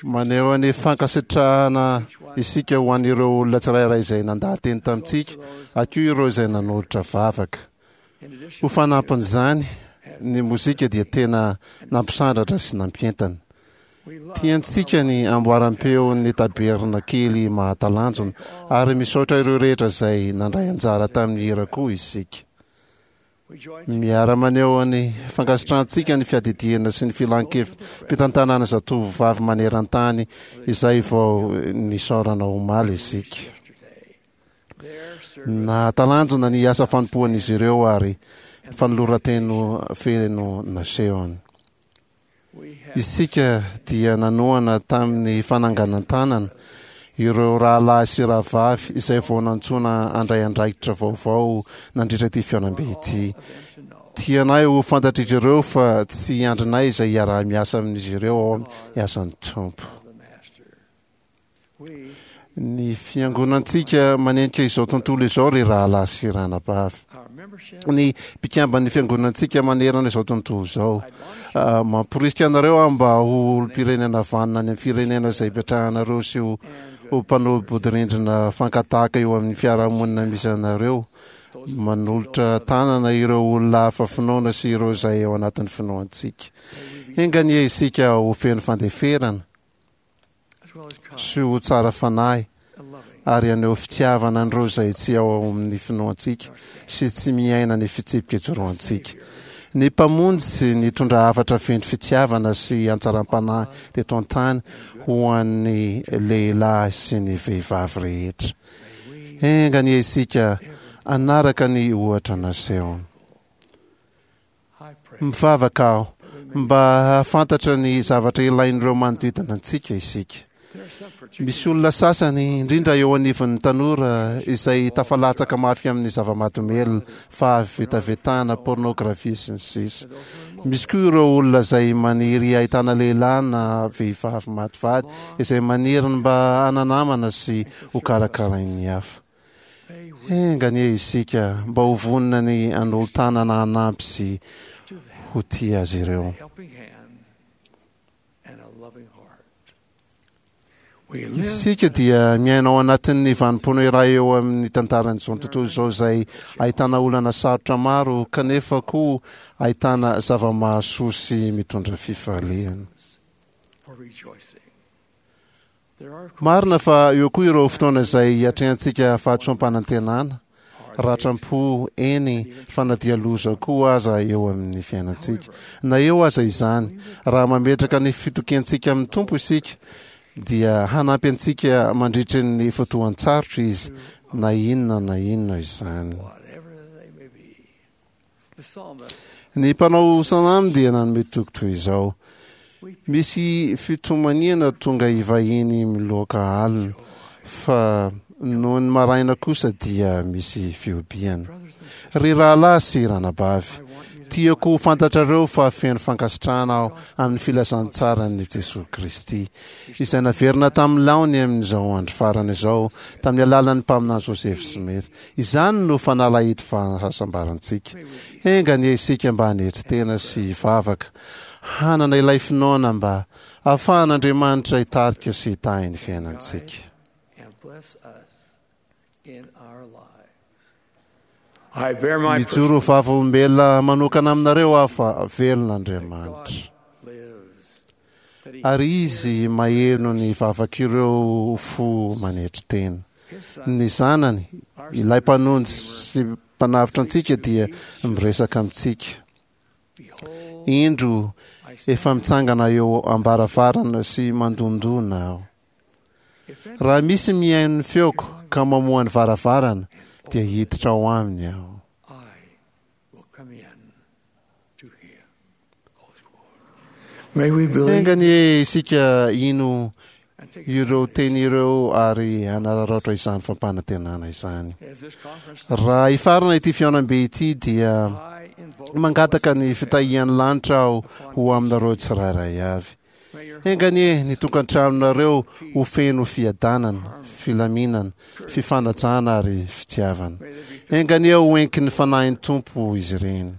Maneho ny fankasitrahana isika ho an'ireo olona tsirairay izay nandaha-teny tamintsika, ary koa ireo izay nanolotra vavaka. Ho fanampin'izany, ny mozika dia tena nampisandratra sy nampientana. Tiantsika ny amboaram-peon'ny tabernakely mahatalanjona, ary misaotra ireo rehetra izay nandray anjara tamin'ny hira koa isika. Miara-maneho ny fankasitrahantsika ny fiadidiana sy ny filan-kevi-pitantanana zatovovavy maneran-tany izay vao nisaorana omaly isika. Nahatalanjona ny asa fanompoan'izy ireo ary fanoloran-teny feno nasehony. Isika dia nanohana tamin'ny fananganan-tanana ireo rahalahy sy rahavavy izay vao nantsoina handray andraikitra vaovao nandritra ity fihaonambe ity. Tianay ho fantatr'izy ireo fa tsy andrinay izay hiaraha-miasa amin'izy ireo ao amin'ny asan'ny Tompo. Ny fiangonantsika manenika izao tontolo izao, ry rahalahy sy ranabavy. Ny mpikamban'ny fiangonantsika manerana izao tontolo izao. Ah, mamporisika anareo aho mba ho olom-pirenena vanona any amin'ny firenena izay ipetrahanareo sy ho ho mpanolo-bodirindrina fankatahaka eo amin'ny fiarahamonina misy anareo. Manolotra tanana ireo olona hafa finoana sy ireo izay ao anatin'ny finoantsika. Enga anie isika ho feno fandeferana sy ho tsara fanahy ary haneho fitiavana an'ireo izay tsy ao amin'ny finoantsika sy tsy miaina ny fitsipika ijoroantsika. Ny Mpamonjy nitondra hafatra feno fitiavana sy hatsaram-panahy teto an-tany ho an'ny lehilahy sy ny vehivavy rehetra. Enga anie isika hanaraka ny ohatra nasehony. Mivavaka aho mba hahafantatra ny zavatra ilain'ireo manodidina antsika isika. Misy olona sasany, indrindra eo anivon'ny tanora, izay tafalatsaka mafy amin'ny zava-mahadomelina, fahavetavetana, pornografia, sy ny sisa. Misy koa ireo olona izay maniry hahitana lehilahy na vehivavy maty vady, izay maniry ny mba hana-namana sy hokarakarain'ny hafa. Enga anie isika mba ho vonona ny hanolo-tanana hanampy sy ho tia azy ireo. Isika dia miaina ao anatin'ny vanim-potoana iray eo amin'ny tantaran'izao tontolo izao izay ahitana olana sarotra maro kanefa koa ahitana zava-mahasoa sy mitondra fifaliana. Marina fa eo koa ireo fotoana izay hiatrehantsika fahadisoam-panantenana, ratram-po, eny fa na dia loza koa aza eo amin'ny fiainantsika. Na eo aza izany, raha mametraka ny fitokiantsika amin'ny Tompo isika, dia hanampy antsika mandritry ny fotoan-tsarotra Izy, na inona na inona izany. Ny mpanao salamo dia nanome toky toy izao, Misy fitomaniana tonga hivahiny miloaka alina, fa nony maraina kosa dia misy fihobiana. Ry rahalahy sy ranabavy, tiako ho fantatrareo fa feno fankasitrahana aho amin'ny filazantsaran'i Jesoa Kristy, izay naverina tamin'ny laony amin'izao andro farany izao tamin'ny alalan'ny mpaminany Joseph Smith. Izany no fanalahidy fahasambarantsika. Enga anie isika mba hanetry tena sy hivavaka, hanana ilay finoana mba hahafahan'Andriamanitra hitarika sy hitahy ny fiainantsika. Mijoro ho vavolombelona manokana aminareo aho fa velona Andriamanitra. Ary Izy maheno ny vavak'ireo fo manetry tena. Ny Zanany, ilay Mpanonjy sy Mpanavotra antsika dia miresaka amintsika. Indro, efa mitsangana eo am-baravarana sy mandondona aho. Raha misy mihaino ny feoko ka mamoha ny varavarana, dia hiditra ao aminy aho. Enga anie isika hino ireo teny ireo ary hanararaotra izany fampanantenana izany. Raha hifarana ity fihaonambe ity dia. Mangataka ny fitahian'ny lanitra aho ho aminareo tsirairay avy. Enga anie ny tokantranonareo ho feno fiadanana, filaminana, fifanajana ary fitiavana. Enga anie ho enkin'ny Fanahin'ny Tompo izy ireny.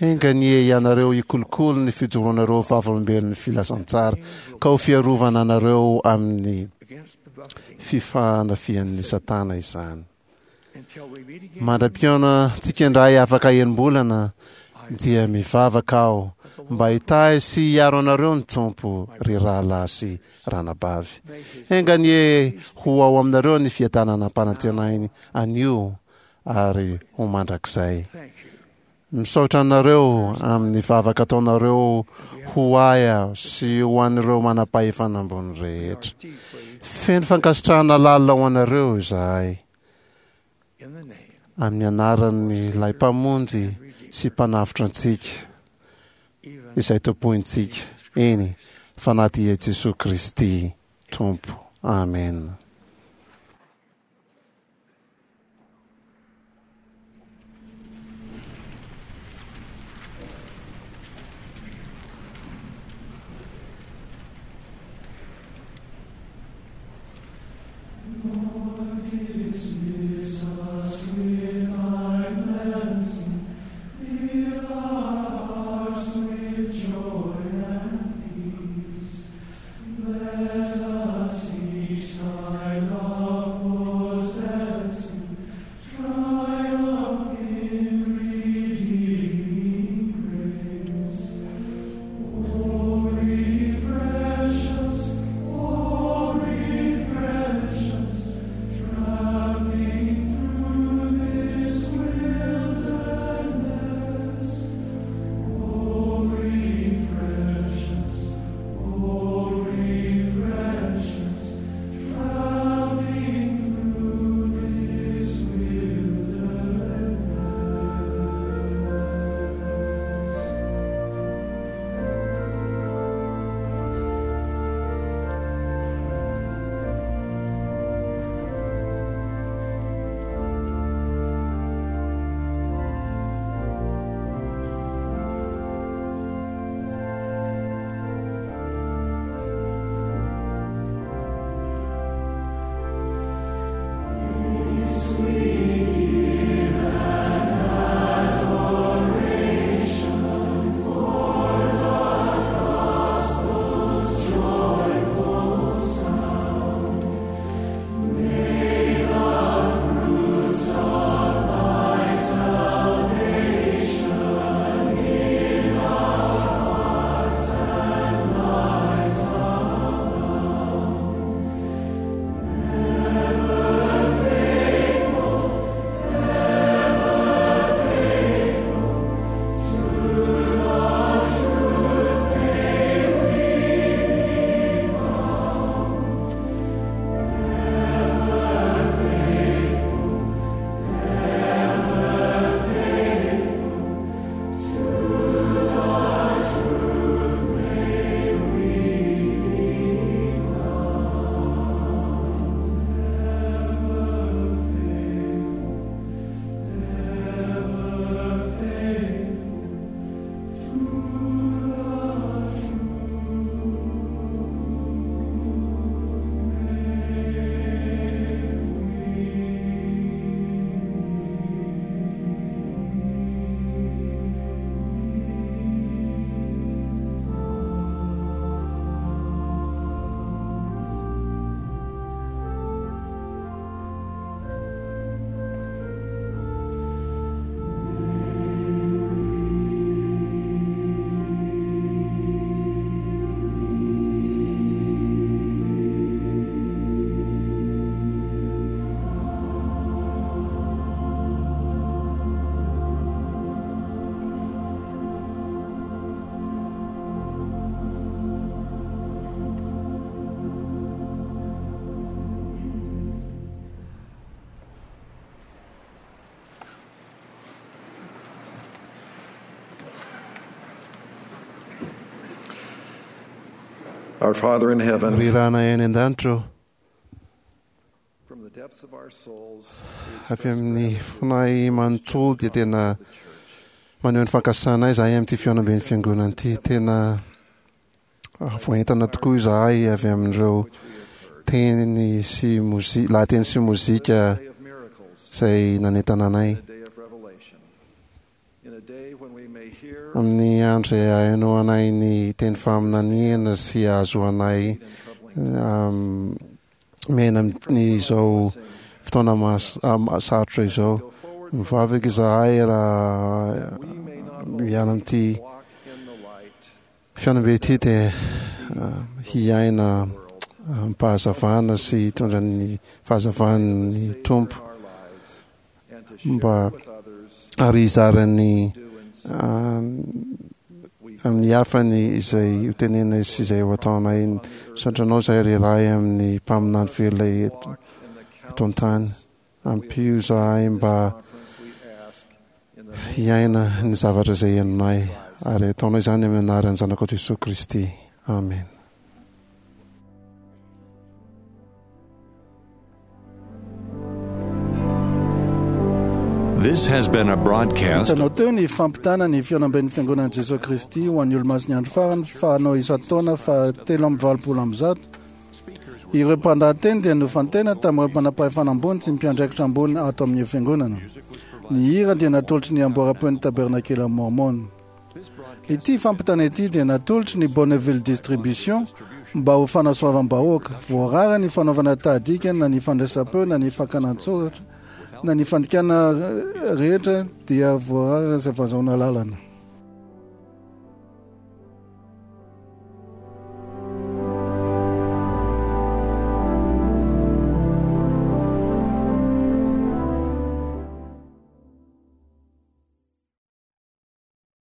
Enga anie ianareo hikolokolo ny fijoroanareo vavolombelon'ny filazantsara ka ho fiarovana anareo amin'ny fifanafihan'ny Satana izany. Mandra-pihaona antsika indray afaka enim-bolana dia mivavaka aho mba hitahy sy hiaro anareo ny Tompo, ry rahalahy sy ranabavy. Enga anie ho ao aminareo ny fiadanana ampanantenainy anio ary ho mandrakizay. Misaotra anareo amin'ny vavaka ataonareo ho ahy aho sy ho an'ireo manam-pahefana ambony rehetra. Feno fankasitrahana lalina ho anareo izahay. Amin'ny anaran'ilay Mpamonjy sy Mpanavotra antsika, izay tompointsika, eny, fa na dia Jesoa Kristy Tompo. Amena. Our Father in heaven, Ry Ranay any an-danitra ô, from the depths of our souls, avy amin'ny fonay manontolo dia tena Maneho ny fankasitrahanay izahay amin'ity fihaonamben'ny fiangonana ity. Tena voaentana tokoa izahay avy amin'ireo teny sy mozika, lahateny sy mozika izay nanentana anay. Amin'ny andro izay ahenoanay ny teny faminaniana sy ahazoanay miaina amin'izao fotoana sarotra izao. Mivavaka izahay raha miala amin'ity fihaonambe ity dia hiaina amim-pahazavana sy hitondra ny fahazavan'ny Tompo mba ary hizara ny amin'ny hafa ny izay ho tenenay sy izay ho ataonay. Misaotra anao izahay ry Ray amin'ny mpaminany velona eto eto an-tany. Ampio izahay mba hiaina ny zavatra izay henonay ary ataonay izany amin'ny anaran'ny Zanakao Jesoa Kristy. Amen. This has been a broadcast. Hitanao teo ny fampitana ny fihaonamben'ny Fiangonan'i Jesoa Kristy ho an'ny Olomasin'ny Andro Farany fanao isan-taona faha 183. Ireo mpandahateny dia nofantena tamin'ireo mpanam-pahefana ambony sy mpiandraikitra ambony ato amin'io fiangonana. Ny hira dia natolotry ny Amboaram-peon'ny Tabernakela Mormon. Ity fampitana ity dia natolotry ny Bonneville Distribution mba ho fanasoavam-bahoaka. Voarara ny fanaovana tahadika na ny fandraisam-peo na ny fakana an-tsoratra na ny fandikana rehetra dia voarara izay fahazoana alalana.